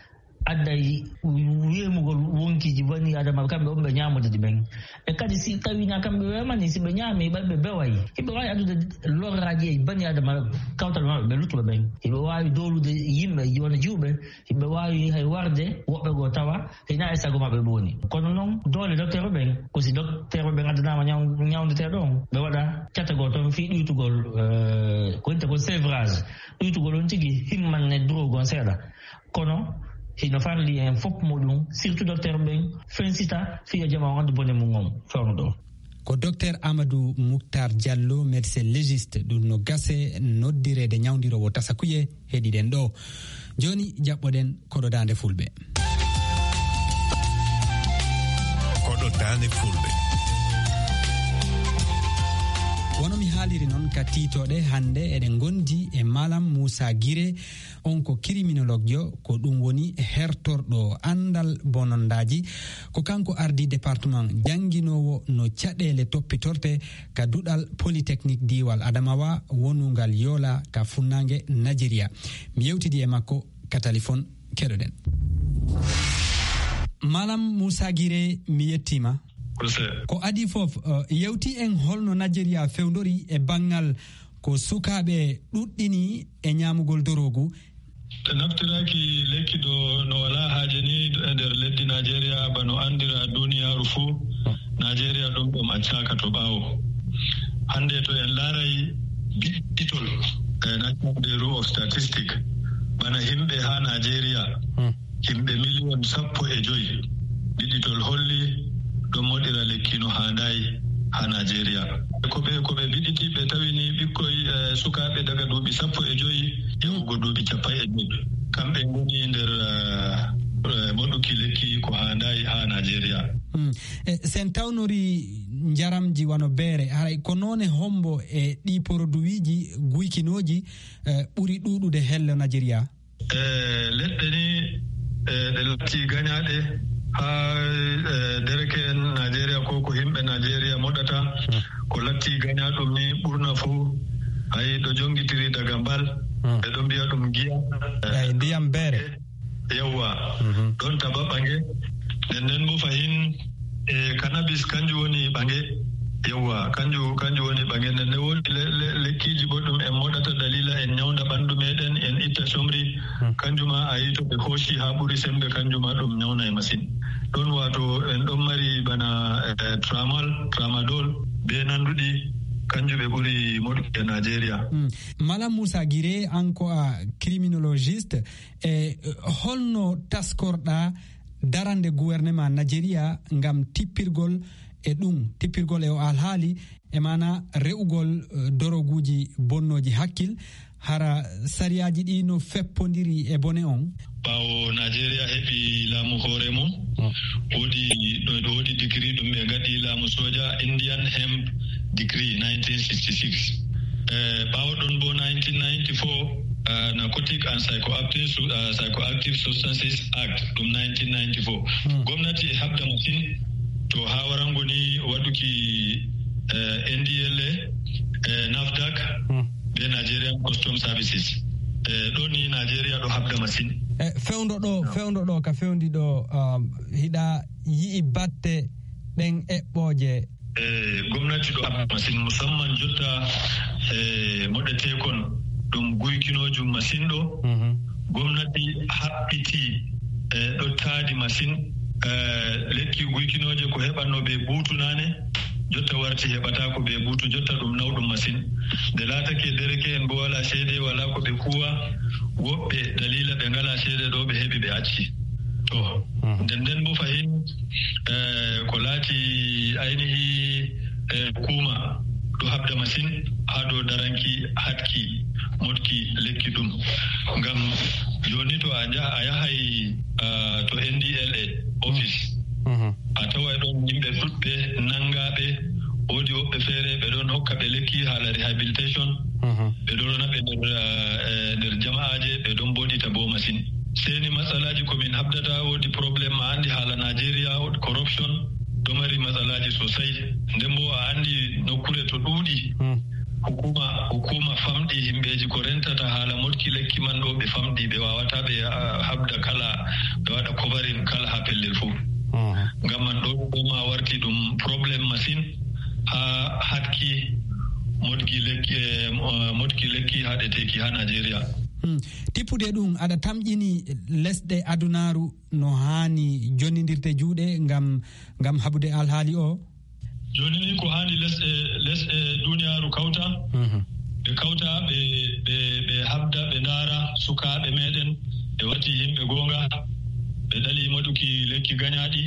adday wemugol wonkiji bani adama kamɓe on ɓe ñamude ɗi ɓen. E kadi si tawina kamɓe wemani si ɓe ñaami ɓe bewayi hiɓe wawi addude lorraji e bani adama kawtal maɓɓe ɓe luttuɓe ɓen, hiɓe wawi dowlude yimɓe wona jiwɓe, hiɓe wawi hay warde woɓɓe goo tawa hina e sago maɓɓe ɓe woni. Kono noon doole docteur ɓen ko si docteur ɓen addanama ñawdeteɗo on ɓe waɗa catagoo toon fi ɗuytugol ko wiyete ko sévrage, ɗuytugol on tigi himmanne drogue on seeɗa. Kono hino farli en fof muɗum surtout docteur ɓen fensita fiya jama o andu bone mum on fewno ɗo. Ko docteur Amadou Mouctar Diallo, médecin légiste, ɗum no gase noddirede ñawdirowo tasakuye heɗiɗen ɗo. Joni jaɓɓoɗen koɗo dande fulɓe. Koɗo dande fulɓe. Wono mi haaliri noon ka tiitoɗe hannde eɗen gondi e Malam Moussa Guiré, on ko criminologue jo, ko ɗum woni hertorɗo andal bonondaji. Ko kanko ardi département janginowo no caɗele toppitorte ka duɗal polytechnique diwal Adamawa wonungal Yola ka funnangue Nigeria. Mi yewtidi e makko ka téléphone, keɗoɗen. Malam Moussa Guiré, mi yettima. Ko adi fof yewti en holno Nigeria fewndori e bangal ko sukaɓe ɗuɗɗini e ñamugol dorogu. Ɓe naftiraki lekki ɗo no wala haaje ni e nder leddi Nigeria bano andira duniyaaru fuu. Nigeria ɗum ɗum accaka to ɓaawo. Hannde to en laaray biɗitol e National Bureau of Statistics bana himɓe haa Nigeria Himɓe miliyon 15 ɗiɗitol holli ɗon moɗira lekki no handayi ha Nigeria. Ko ɓe biɗiti ɓe tawi ni ɓikkoy sukaaɓe daga duuɓi 15 yahugo duuɓi 45 kamɓe ngoni nder moɗuki lekki ko handayi ha Nigeria. Sen tawnori jaramji wano beere haray ko noone hombo e ɗi produit ji guykinoji ɓuri ɗuɗude hello Nigeria? Leɗɗe ni ɗe latti gañaaɗe ha dereke en Nigeria ko ko himɓe Nigeria moɗata ko latti gañaaɗum ni ɓurna fuu ayi ɗo jongitiri daga mbal ɓe ɗo mbiya ɗum giya eyi ndiyam beere yawwa ɗon taba ɓange nden nden bo fahin e cannabis kanjum woni ɓange yawwa kanjum woni ɓange. Nden nde woni lekkiiji bo ɗum en moɗata dalila en ñawnda ɓanndu meɗen en itta somri kanjuma a yi to ɓe hooci haa ɓuri sembe kanjuma ɗum ñawna e masin. Ɗon wato en ɗon mari bana tramadol be nanduɗi kanjum ɓe ɓuri moɗuki e Nigeria. Malam Moussa Guiré, an ko a criminologiste, e holno taskorɗa darande gouvernement Nigeria ngam tippirgol e ɗum tippirgol e o alhaali e mana re'ugol doroguji bonnoji hakkil hara sariyaji ɗi no feppodiri e bone on? Ɓaawo Nigeria heɓi laamu hoore mum woodi degree ɗum ɓe gaɗi laamu soja Indian Hemp Decree 1966. Ɓaawo ɗon bo 1994 Narcotic and Psychoactive Substances Act ɗum 1994. Gomnati e habda masin to haa warango ni waɗuki NDLA, NAFDAC be Nigerian Custom Services. Ɗo ni Nigeria ɗo habda masin. Fewndo ɗo ka fewndi ɗo hiɗa yi'i batte ɗen eɓɓooje. Gomnati ɗo habda masin musamman jotta moɗeteekon ɗum guykinojum masin ɗo. Gomnati haɓɓiti ɗo taadi masin. Lekki guykinoje ko heɓanno ɓe buutu naane jotta warti heɓata ko ɓe buutu jotta ɗum nawɗum masin. Nde laatake dereke en bo wala seede wala ko ɓe kuwa woɓɓe dalila ɓe ngala seede ɗo ɓe heɓi ɓe acci. To nden nden bo fahin ko laati aynihi hukuma ɗo habda masin haa dow daranki hatki motki lekki ɗum. Ngam joni to a yahay to NDLA office a taway ɗon yimɓe ɗuɗɓe nanngaɓe woodi woɓɓe feere ɓe ɗon hokka ɓe lekki haala rehabilitation ɓe ɗon rona ɓe nder jama'aje ɓe ɗon boɗita bo masin. Seni matsalaji ko min habdata woodi probléme a anndi haala Nigeria corruption ɗo mari matsalaji sosai. Nden bo a anndi nokkure to ɗuuɗi hukuma famɗi himɓeji ko rentata haala motki lekki man ɗo ɓe famɗi ɓe wawata ɓe habda kala ɓe waɗa coverin kala ha pellel fuu. Ngam man ɗo ɗo ma warti ɗum probléme masin ha hatki motki lekki haɗeteki ha Nigeria. Tippude ɗum aɗa tamƴini lesɗe adunaaru no haani jonnidirde juuɗe ngam haɓude alhaali o? Joni ni ko haani lesɗe duniyaaru kawta ɓe kawta ɓe habda ɓe ndaara sukaaɓe meɗen ɓe wati yimɓe goonga ɓe ɗali moɗuki lekki gañaaɗi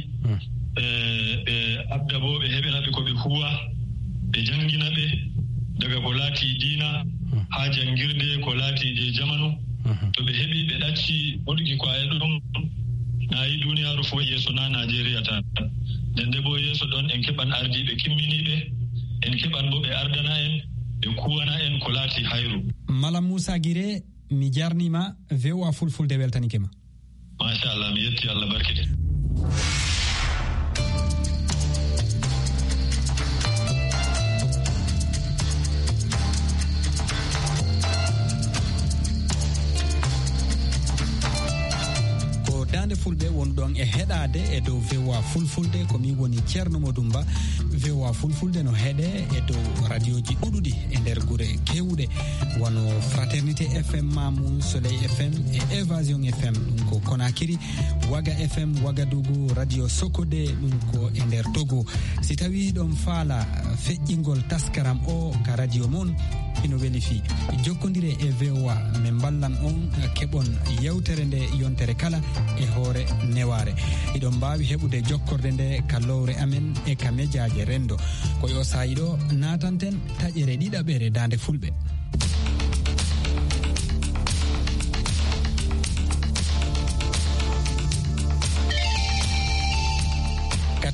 ɓe habda bo ɓe heɓina ɓe ko ɓe huwa ɓe janngina ɓe daga ko laati diina haa janngirde ko laati je jamanu. To ɓe heɓi ɓe ɗacci moɗuki kwaye ɗum nayi duniyaaru fof yeeso na Nigeria tan. Nden nde bo yeeso ɗon en keɓan ardiiɓe kimminiiɓe en keɓan bo ɓe ardana en ɓe kuwana en ko laati hayru. Malam Moussa Guiré, mi jarnima VOA Fulfulde weltanike ma. Machallah, mi yetti Allah barkide. Dande Fulɓe wonɗon e heɗade e dow VOA Fulfulde ko min woni Ceerno Modumba. VOA Fulfulde no heɗe e dow radio ji ɗuɗuɗi e nder gure kewɗe wano Fraternité FM, Mamou, Soleil FM e Évasion FM ɗum ko Conakry, Waga FM Ouagadougou, radio Sokode ɗum ko e nder Togo. Si tawi ɗon faala feƴƴingol taskaram o ka radio mon Hino weeli fi jokkodire e VOA, min ballan on keɓon yewtere nde yontere kala e hoore neware. Iɗon mbawi heɓude jokkorde nde ka lowre amen e ka médiaje rendo. Koye o saayi ɗo natanten taƴere ɗiɗaɓere dande Fulɓe.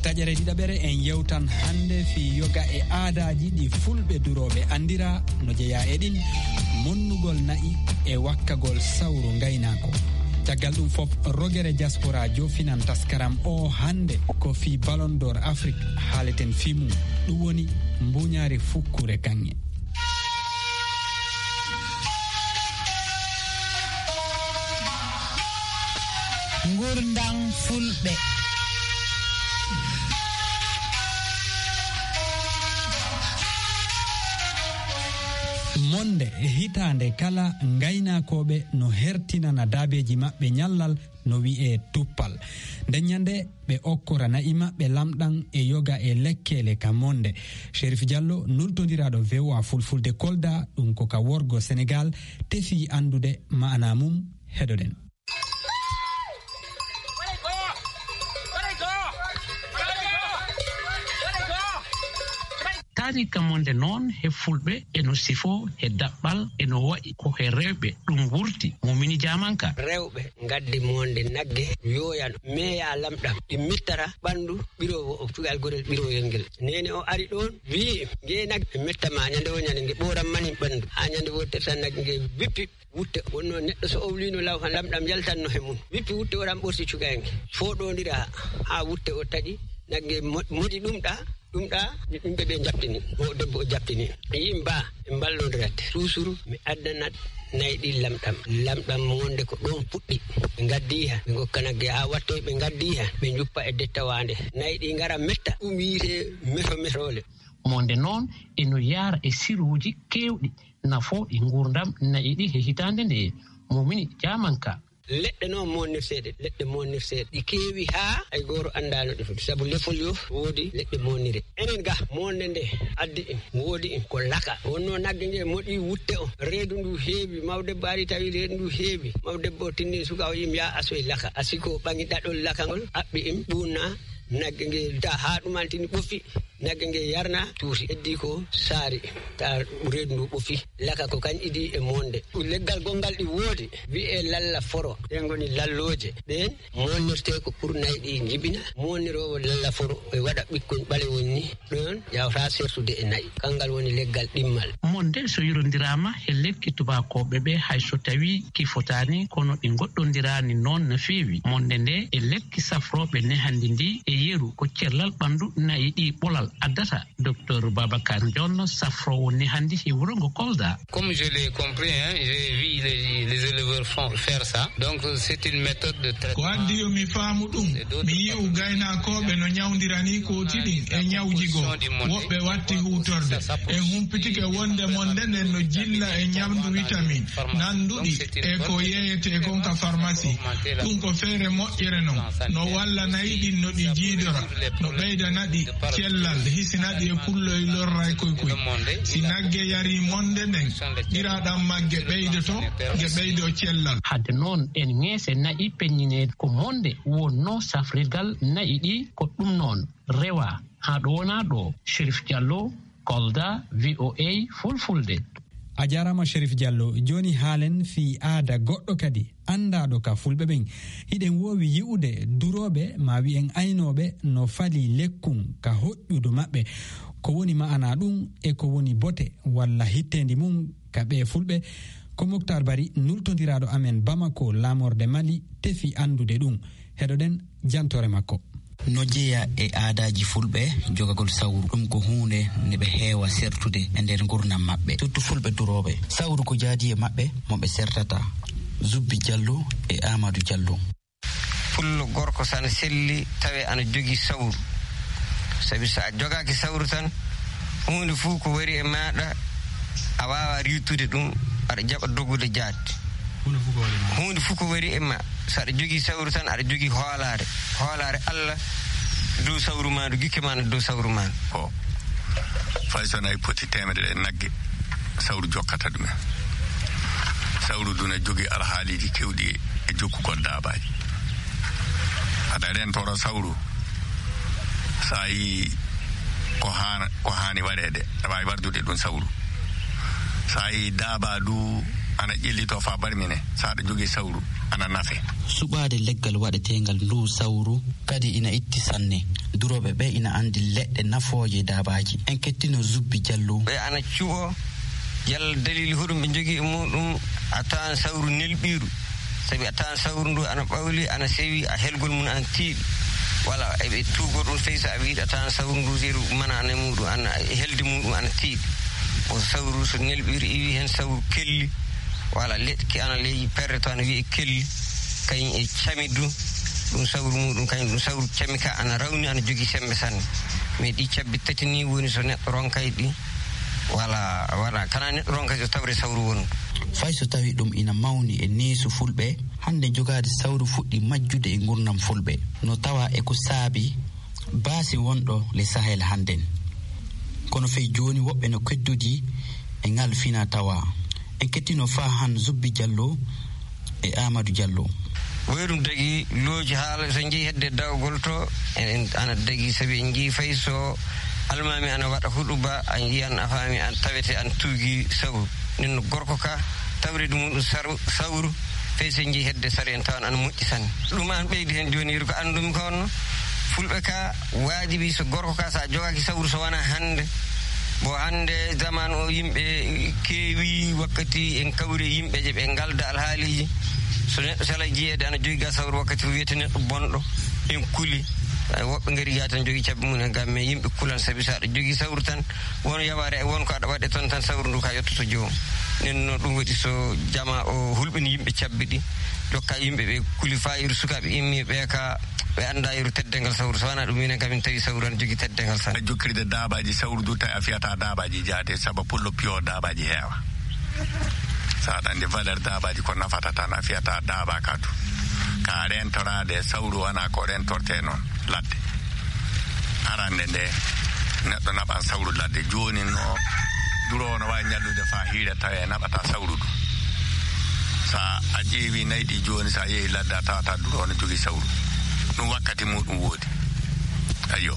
Taƴere ɗiɗaɓere en yewtan hannde fi yoga e aadaji ɗi Fulɓe duroɓe andira, no jeeya e ɗin monnugol na'i e wakkagol sawru gaynako. Caggal ɗum fof, rogere diaspora jofinan taskaram o hannde ko fi Ballon d'Or Afrique haaleten fi mum, ɗum woni mbuñaari fukkure kanŋe. Gurdam Fulɓe. Monde hitande kala gaynakoɓe no hertinana daabeji maɓɓe ñallal no wi'e tuppal. Nden ñande ɓe okkora na'i maɓɓe lamɗan e yoga e lekkele ka monde. Chérif Diallo, nultodiraɗo VOA Fulfulde Kolda, ɗum ko ka worgo Sénégal, tefi andude ma'ana mum. Heɗoɗen. Tarika monde noon he Fulɓe eno sifo he daɓɓal eno wayi ko he rewɓe ɗum wurti mumini jamanka. Rewɓe gaddi monde nagge yoyan meeya lamɗam ɗi mettara ɓandu ɓirowo o cugal gorel ɓiroyel ngel. Nene o ari ɗon wi nge nagge mettama ñande o ñande nge ɓoran mani ɓandu ha ñande wottere tan nagge nge wippi wutte. Wonno neɗɗo so owlino law han lamɗam yaltanno he mum, wippi wutte oran ɓorti cugayel nge foɗodira ha wutte o taƴi nagge moɗi ɗum ɗa ɗum ɗa yimɓe ɓe jaɓtini o debbo o jaɓtini yim ba ɓe mballodirat susuru mi addanat nayi ɗi lamɗam lamɗam wonde ko ɗon puɗɗi ɓe gaddi ha ɓe gokka nagge ha wattoy ɓe gaddi ha ɓe juppa e dettawande nayi ɗi gara metta ɗum wiite meto metole. Monde noon eno yaara e siruuji keewɗi nafooɗi nguurdam nayi ɗi he hitaande nde mumini jamanka. Leɗɗe noon monnirteɗe, leɗɗe monnirteɗe ɗi keewi haa hay goto anndano ɗi foti, sabu lefol yo woodi leɗɗe monnire. Enen ga monde nde addi en woodi en ko laka wonno nagge nge moɗi wutte o reedu ndu heewi mawdebbo ari tawi reedu ndu heewi mawdebbo o tinni suka o yim ya asoye laka asi ko ɓangi ɗaɗol laka ngol aɓɓi en ɓuunna nagge nge ta haa ɗumantini ɓofi nagge nge yarna tuuti heddi ko saari ta reedu ndu ɓofi laka ko kañ idi e monde. Leggal gongal ɗi woodi wi'e lalla foro ɗen ngoni lallooje ɗen monnirte ko pour nayi ɗi jibina monnirowo lalla foro e waɗa ɓikkon ɓalewon ni ɗon yawta sertude e nayi kangal woni leggal ɗimmal. Monde so yurondiraama he lekki tubakoɓe ɓe hay so tawi ki fotani kono ɗi goɗɗondirani noon no feewi. Monde nde e lekki safroɓe nehandi ndi e yeru ko cellal ɓandu nayi ɗi ɓolal addata. Docteur Babacar Ndione, safrowo nehandi e wuro ngo Kolda. Comme je l'ai compris, hein, j'ai vu les éleveurs faire ça. Donc c'est une méthode de traitement. Ko addi yo mi faamu ɗum, mi yi'u gaynakoɓe no ñawdirani kooti ɗin e ñawji goo woɓɓe watti hutorde en humpitike wonde monde nden no jilla e ñamdu vitamine nanduɗi e ko yeeyete kon ka pharmacie. Ɗum ko feere moƴƴere non no walla nayi ɗin no ɗi jiidora no ɓeydana ɗi cellal hisinaɗi e pulloy lorray koy koy. Si nagge yari monde nden ɓiraɗam magge ɓeydoto nge ɓeydo cellal. Hadde noon en ŋeese na'i peññine ko monde wonno safrirgal na'i ɗi ko ɗum noon rewa haa ɗo wonaa ɗo. Chérif Diallo, Kolda, VOA Fulfulde. A jarama Chérif Diallo. Joni haalen fi aada goɗɗo kadi andaɗo ka Fulɓe ɓen. Hiɗen wowi yi'ude duroɓe ma wi'en aynoɓe no fali lekkun ka hoƴƴudu maɓɓe. Ko woni ma'ana ɗum e ko woni bote walla hittendi mum ka ɓe Fulɓe, ko Moctar Bari nultodiraɗo amen Bamako lamorde Mali tefi andude ɗum. Heɗoɗen jantore makko. No jeeya e aadaji Fulɓe jogagol sawru, ɗum ko hunde nde ɓe heewa sertude e nder gurdam maɓɓe, surtout Fulɓe duroɓe. Sawru ko jaadi e maɓɓe mo ɓe sertata. Zubbi Diallo e Amadou Diallo. Pullo gorko sana selli tawe ana jogii sawru, sabi so a jogaaki sawru tan hunde fuu ko wari e maɗa a wawa riwtude ɗum, aɗa jaɓa dogude jaade. Hunde fuu ko wari e ma so aɗa jogii sawru tan aɗa jogii hoolaare, hoolaare Allah dow sawru ma ndu gikke ma no dow sawru ma. O fay so nayi poti temedere e nagge Sawru jokkata ɗumen. Sawru du ne jogii alhaaliji kewɗi e jokkugol daabaji. Aɗa rentoro sawru sa yi ko haani waɗede aɗa wawi wardude ɗum sawru. Sa yi daaba du ana ƴellito fa barmine sa aɗa jogii sawru ana nafe. Suɓaade leggal waɗetengal ndu sawru kadi ina itti sanne. Durooɓe ɓe ina andi leɗɗe nafooje daabaji. En kettino Zubbi Diallo. Ɓe ana cuɓo yalla dalili hoɗum ɓe jogii e muɗum a tawan sawru nelɓiiru. Sabi a tawan sawru ndu ana ɓawli ana sewi a helgol mum ana tiiɗi. Wala eɓe tuugo ɗum fewi so a wiiɗi a tawan sawru ndu seeru mana ana muɗum ana helde muɗum ana tiiɗi. O sawru so nelɓiiru iwi hen sawru kelli. Wala leɗɗi ana ley perre to ana wiye kelli. Kañum e cami du ɗum sawru muɗum kañum ɗum sawru cami ka ana rawni ana jogii sembe sanne. Mais ɗi cabbi tati ni woni so neɗɗo ronkay ɗi. Wala wala kana neɗɗo ronkay so tawre sawru woni. Fay so tawi ɗum ina mawni e neesu fulɓe hande jogaade sawru fuɗɗi majjude e gurdam fulɓe no tawa e ko saabi baasi wonɗo le Sahel hannden. Kono fey jooni woɓɓe no keddudi e ngal fina tawa. En kettino faa han Zubbi Diallo e Amadou Diallo. Woyi ɗum dagii looji haala so njehi hedde dawgol to ana dagii sabi en njii fay so almami ana waɗa huɗuba a yiyan a faami an tawete an tuugii sawru. Nen no gorko ka tawre ɗum ɗum sawru fay so njehi hedde sare en tawan ana moƴƴi sanne. Ɗum an ɓeydi hen jooni ko anndumi ko honno fulɓe ka waajibi so gorko ka so a jogaaki sawru so wona hannde. Bo hannde zamanu o yimɓe keewi wakkati en kawri yimɓe je ɓe ngalda alhaaliji. So neɗɗo sala jiyeede ana jogii ga sawru wakkati wiyete neɗɗo bonɗo en kuli. Woɓɓe ngari gaa tan jogii cabbi mum en gam mais yimɓe kulan sabi so aɗa jogii sawru tan won yawaare e won ko aɗa waɗe toon tan sawru ndu ka yettoto joomum. Nden noon ɗum waɗi so jama o hulɓini yimɓe cabbi ɗi jokka yimɓe ɓe kuli faa yeru sukaaɓe immi ɓe ka ɓe annda yeru teddengal sawru so wona ɗum minen kam min tawi sawru ana jogii teddengal sanne. Jokkirde daabaji sawru du tawi a fiyata daabaji jaate sabu pullo piyo daabaji heewa. Sa aɗa anndi valeur daabaji ko nafata tan a fiyata daaba ka du. Ka rentoraade sawru wona ko rentorte noon ladde. Arande nde neɗɗo naɓan sawru ladde jooni no duroowo no waawi ñallude faa hiira tawi e naɓata sawru du. Sa a ƴeewi nayi ɗi jooni sa yehi ladde a tawata duroowo no jogii sawru. Ɗum wakkati muɗum woodi. Ayyo.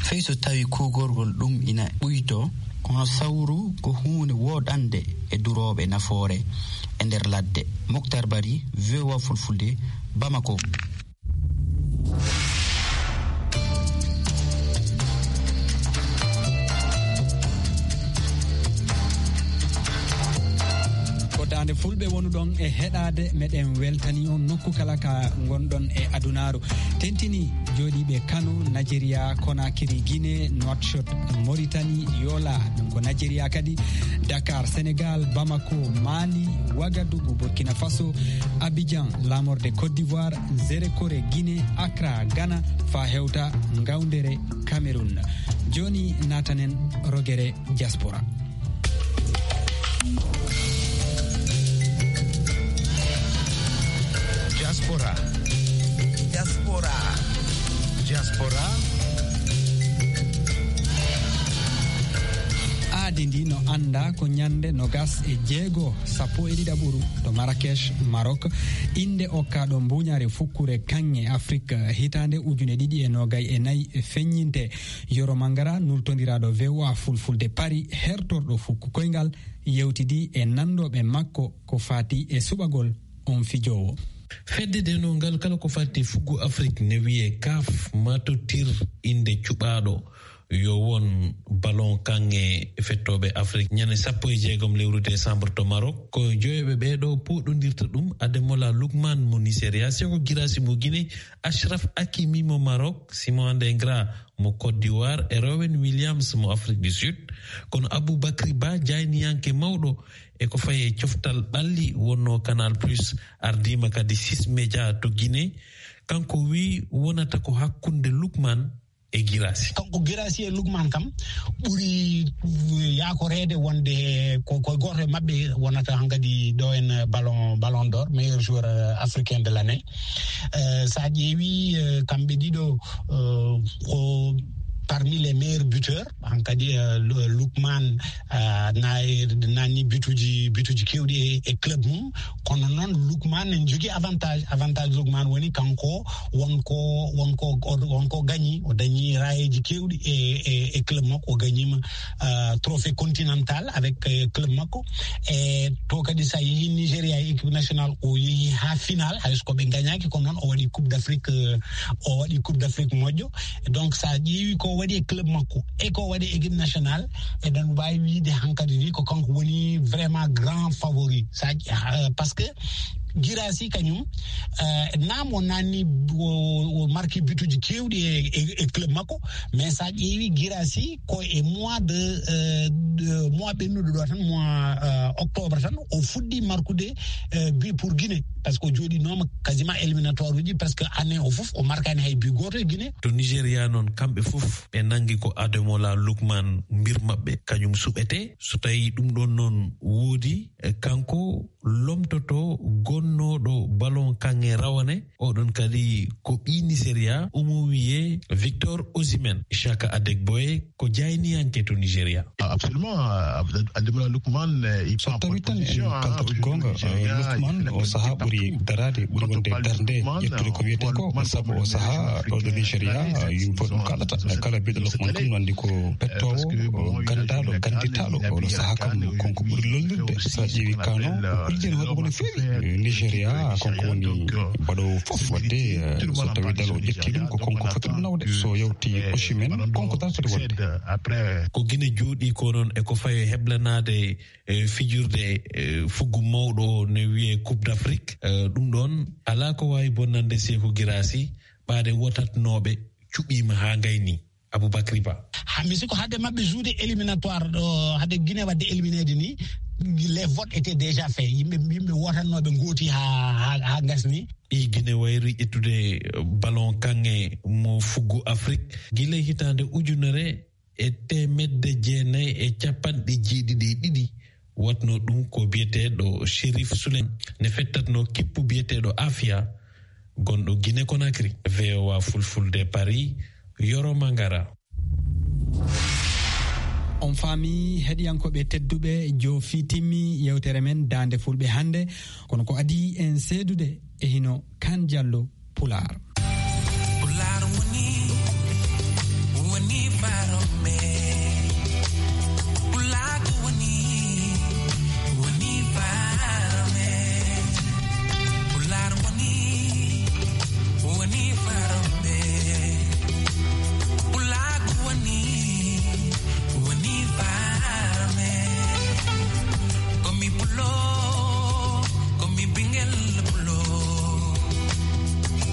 Fey so tawi kuugorgol ɗum ina ɓuyto kono sawru ko huunde wooɗande e durooɓe nafoore e nder ladde. Moctar Bari, VOA Fulfulde, Bamako. Dande fulɓe wonuɗon e heɗade meɗen weltani on nokku kala ka gonɗon e adunaru. Tentini jooɗiɓe Kano, Nigeria, Conakry, Guinée, Nouakchott, Mauritanie, Yola ɗum ko Nigeria kadi, Dakar, Sénégal, Bamako, Mali, Ouagadougou, Burkina Faso, Abidjan, lamorde Côte d'Ivoire, Nzérékoré, Guinée, Accra, Ghana, fa hewta Ngaoundéré, Cameroun. Joni natanen rogere diaspora. Diaspora. Diaspora. Diaspora. Aadi ndi no anda ko ñande 26 11 to Marrakech, Maroc. Inde okkaɗo mbuñaare fukkure kanŋe Afrique hitande 2024 feññinte. Yoro Mangara nultodiraɗo VOA Fulfulde Paris hertorɗo fukku koyngal yewtidi e nandoɓe makko ko fati e suɓagol on fijowo. Fedde denongal kala ko fati fuggu Afrique ne wiye CAF matotir inde cuɓaaɗo yo won ballon kanŋe fettoɓe Afrique ñande 16 lewru décembre to Maroc. Ko joyoɓe ɓeɗo poɗodirta ɗum Ademola Lookman mo Nigeria, Seko Girassi mo Guinée, Achraf Hakimi mo Maroc, Simon Adingra mo Côte d'Ivoire e Rowan Williams mo Afrique du Sud. Kono Aboubacry Ba jayniyanke mawɗo e ko fayi e coftal ɓalli wonno Canal Plus ardima kadi 6 média to Guinée. Kanko wi wonata ko hakkunde Lookman e Girassi. Kanko Girassi e Lookman kam ɓuri yakoreede wonde ko goto e maɓɓe wonata hankadi ɗo en ballon d'or meilleur joueur africain de l'année. Sa ƴeewi kamɓe ɗiɗo ko par parmi les meilleurs buteurs hankadi Lookman nani butuji kewɗi e club mum. Kono noon Lookman en jogui avantage Lookman woni kanko wonko gagni, o dañi rayeji kewɗi e club makko, o gagnima trophée continental avec club makko. E to kadi sa yeehi Nigéria équipe nationale o yeehi ha final hayso ko ɓe gagnaki, kono noon o waɗi coupe d'Afrique moƴƴo. Donc sa ƴeewi ko waɗi e club makko e ko waɗi équipe nationale, eɗen mbawi wiide hankkadi ni ko kanko woni vraiment grand favori sa par ce que Guirassy kañum nam o nanni o marqué butuji kewɗi e club makko, mais sa ƴeewi Guirassy ko e mois de mois ɓennuɗo ɗo tan, mois octobre tan o fuɗɗi markude but pour Guinée, par ce que o jooɗinoma quasiment éliminatoire uji presque année o fof o markani hay but goto e Guinée. To Nigéria noon kamɓe fof ɓe nangi ko Ademola Lookman mbir maɓɓe kañum suɓete. So tawi ɗum ɗon noon woodi, kanko lomtoto gonnoɗo ballon kanŋe rawane oɗon kadi ko ɓi Nigeria, omo wiye Victor Osimhen. Chaka Adegboye ko jayniyanke to Nigeria. Absolument, Ademola Lookman so tawi tan en kaltat gonga, Lookman o saha ɓuri darade, ɓuri wonde darde ƴettude ko wiyete ko, saabu o saha ɗo ɗo Nigeria yimɓe fof ɗum kalata, kala mbiɗo Lookman kam no andi ko pettowo gandaɗo ganditaɗo. Oɗo saha kam konko ɓuri lollirde, sa ƴeewi kano o holliri hoore makko no feewi. Nigeria konko woni mbaɗowo fof wadde, so tawi dal o ƴetti ɗum ko konko foti ɗum nawde, so yawti Osimhen konko tan foti wonde. Ko Guinée jooɗi ko noon eko fayi heblanade fijirde fuggu mawɗo ne wiye Coupe d'Afrique, ɗum ɗon ala ko wawi bonnande Sékou Guirassy ɓaade wotatnoɓe cuɓima ha gayni. Aboubacry Ba mi sikko hade mabɓe joude éliminatoire ɗo, hade Guinée wadde éliminede ni, les votes étaient déjà faits, yimɓe wotannoɓe gooti ha gasni. Ɗi Guinée wayri ƴettude ballon kanŋe mo fuggu Afrique gila hitande 1972 watno ɗum ko biyeteɗo Chérif Souley ne fettatno kippu biyeteɗo Afia gonɗo Guinée Conakry. VOA Fulfulde Paris, Yoro Mangara. On faami heɗiyankoɓe tedduɓe, joofi timmi yewtere men Dande Fulɓe hannde, kono ko adi en seedude e hino Kan Diallo Pulaar. Pulaar woni farome, Pulaar woni farome, Pulaar woni farome, Pulaar woni farome. Komi pulo, komi bingel pulo,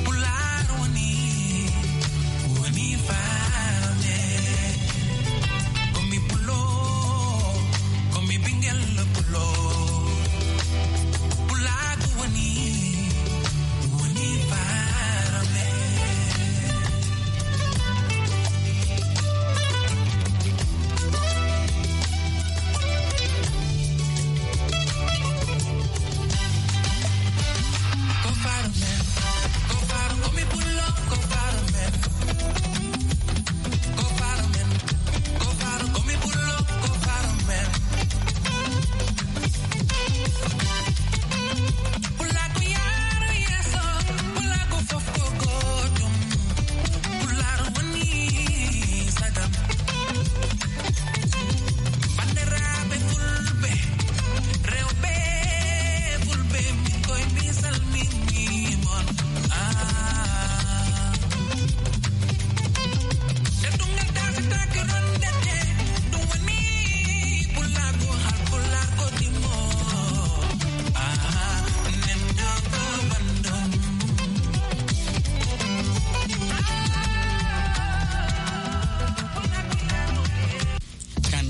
Pulaar woni farome. Komi pulo, komi bingel pulo, Pulaar woni farome.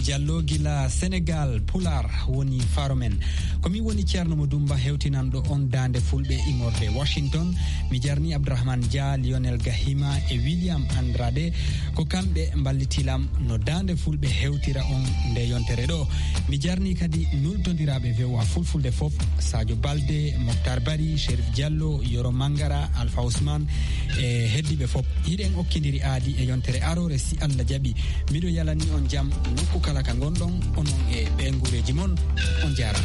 Diallo gila Sénégal Pular woni faro men. Komin woni ceerno mo Dumba hewtinanɗo on dande Fulɓe immorde Washington. Mi jarni Abdourahmane Dia, Lionel Gahima e William Andrade, ko kamɓe ballitilam no dande Fulɓe hewtira on nde yontere ɗo. Mi jarni kadi nultodiraɓe VOA Fulfulde foof, Sadio Balde, Moctar Bari, Chérif Diallo, Yoro Mangara, Alpha Ousmane e heddiɓe foof. Hiɗen okkidiri aadi e yontere arore si Allah jaaɓi. Miɗo yalani on jaam nokku kala ka gonɗon, onon e ɓe guureji moon, on jarama.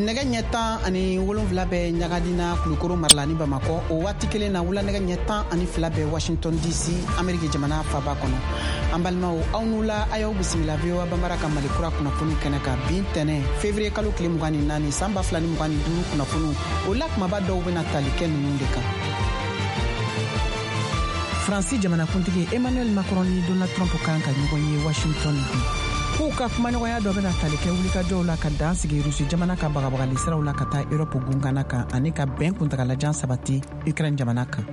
Nɛgɛ ɲɛ 17 bɛ Ɲagadina Kulukoro marala ni Bamakɔ. O waati kelen na wula nɛgɛ ɲɛ 12 bɛ Washington DC, Ameriki jamana faba kɔnɔ. An balimaw, aw n'u la, a y'aw bisimila VOA Bambara ka Mali kura kunnafoni kɛnɛ kan bi tɛnɛ février kalo tile 24 san 2025 kunnafoniw. O la kumaba dɔw bɛna tali kɛ ninnu de kan. Faransi jamanakuntigi Emmanuel Macron ni Donald Trump kan ka ɲɔgɔn ye Washington bi. K'u ka kumaɲɔgɔnya dɔ bɛna tali kɛ wulikajɔw la ka dan sigi Rusi jamana ka bagabagali siraw la ka taa Europe gungana kan ani ka bɛn kuntagalajan sabati Ukraine jamana kan.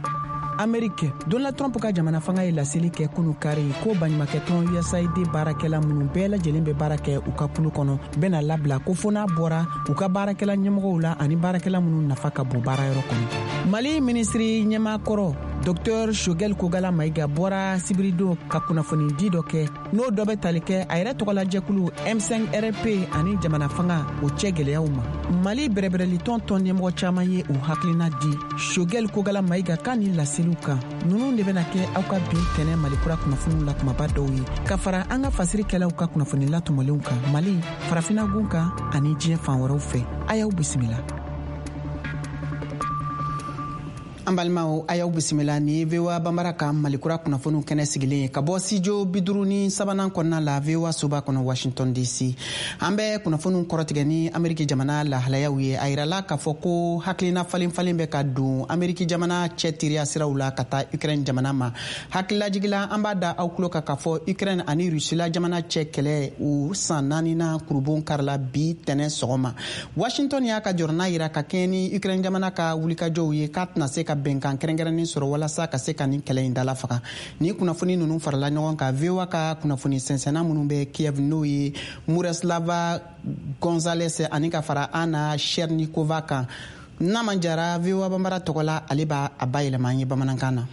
Amerique, Donald Trump ka jamana fanga ye laseli kɛ kunu kari ko baɲumakɛtɔn USAID baarakɛla minnu bɛɛ lajɛlen bɛ baara kɛ u ka kulu kɔnɔ bɛna labila ko fo n'a bɔra u ka baarakɛla ɲɛmɔgɔw la ani baarakɛla minnu nafa ka bon baarayɔrɔ kɔnɔ. Mali minisiri ɲɛmaakɔrɔ Dr Choguel Kokalla Maïga bɔra sibiridon ka kunnafoni di dɔ kɛ, n'o dɔ bɛ tali kɛ a yɛrɛ tɔgɔlajɛkulu M5 RP ani jamana fanga o cɛ gɛlɛyaw ma. Mali bɛrɛbɛrɛlitɔn tɔn ɲɛmɔgɔ caman ye u hakilina di Choguel Kokalla Maïga kan ni laseliw kan. Ninnu de bɛna kɛ aw ka bi tɛnɛ Mali kura kunnafoniw la kumaba dɔw ye ka fara an ka fasirikɛlaw ka kunnafoni latɔmɔlenw kan Mali, Farafina gun kan ani diɲɛ fan wɛrɛw fɛ. A y'aw bisimila. An balimaw, a y'aw bisimila ni VOA Bambara ka Malikura kunnafoniw kɛnɛ sigilen ye ka bɔ studio 53nan kɔnɔna la VOA soba kɔnɔ Washington DC. An bɛ kunnafoniw kɔrɔtigɛ ni Ameriki jamana lahalayaw ye. A yirala k'a fɔ ko hakilina falen falen bɛ ka don Ameriki jamana cɛ teriya siraw la ka taa Ukraine jamana ma. Hakililajigila, an b'a da aw tulo kan k'a fɔ Ukraine ani Rusila jamana cɛ kɛlɛ u san naaninan kurubon karila bi tɛnɛ sɔgɔma. Washington y'a ka jɔrɔna yira ka kɛɲɛ ni Ukraine jamana ka wulikajɔw ye k'a tɛna se ka bɛnkan kɛrɛnkɛrɛnnen sɔrɔ walasa ka se ka nin kɛlɛ in dala faga. Ni kunnafoni ninnu farala ɲɔgɔn kan, VOA ka kunnafoni sɛnsɛnna minnu bɛ Kiev, n'o ye Miroslava Gonzales ani ka fara Anna Chernikova kan, Naman Jara VOA Bambara tɔgɔ la, ale b'a a bayɛlɛma an ye bamanankan na.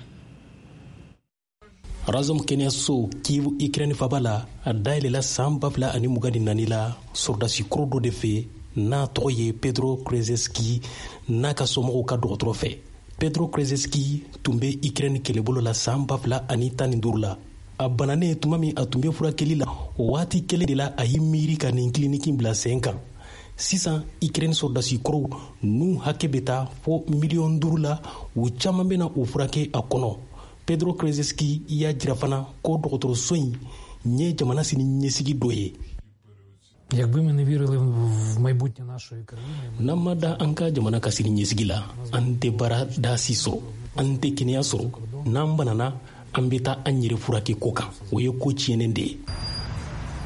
Razom kɛnɛyaso Kiev, Ukraine faba la, a dayɛlɛla san 2024 la sɔrɔdasi kɔrɔ dɔ de fɛ n'a tɔgɔ ye Pedro Krzeski n'a ka somɔgɔw ka dɔgɔtɔrɔ fɛ. Pedro Krzeski tun bɛ Ukraine kɛlɛbolo la san 2015 la. A bananen tuma min a tun bɛ furakɛli la, o waati kelen de la a y'i miiri ka nin kiliniki bila sen kan. Sisan Ukraine sɔrɔdasi kɔrɔw n'u hakɛ bɛ taa fo miliyɔn 5 la, u caman bɛna u furakɛ a kɔnɔ. Pedro Krzeski y'a jira fana ko dɔgɔtɔrɔso in ye jamana sini ɲɛsigi dɔ ye. N'an ma da an ka jamana ka sini ɲɛsigi la, an tɛ baarada si sɔrɔ, an tɛ kɛnɛya sɔrɔ. N'an banana, an bɛ taa an yɛrɛ furakɛ ko kan, o ye ko tiɲɛnen de ye.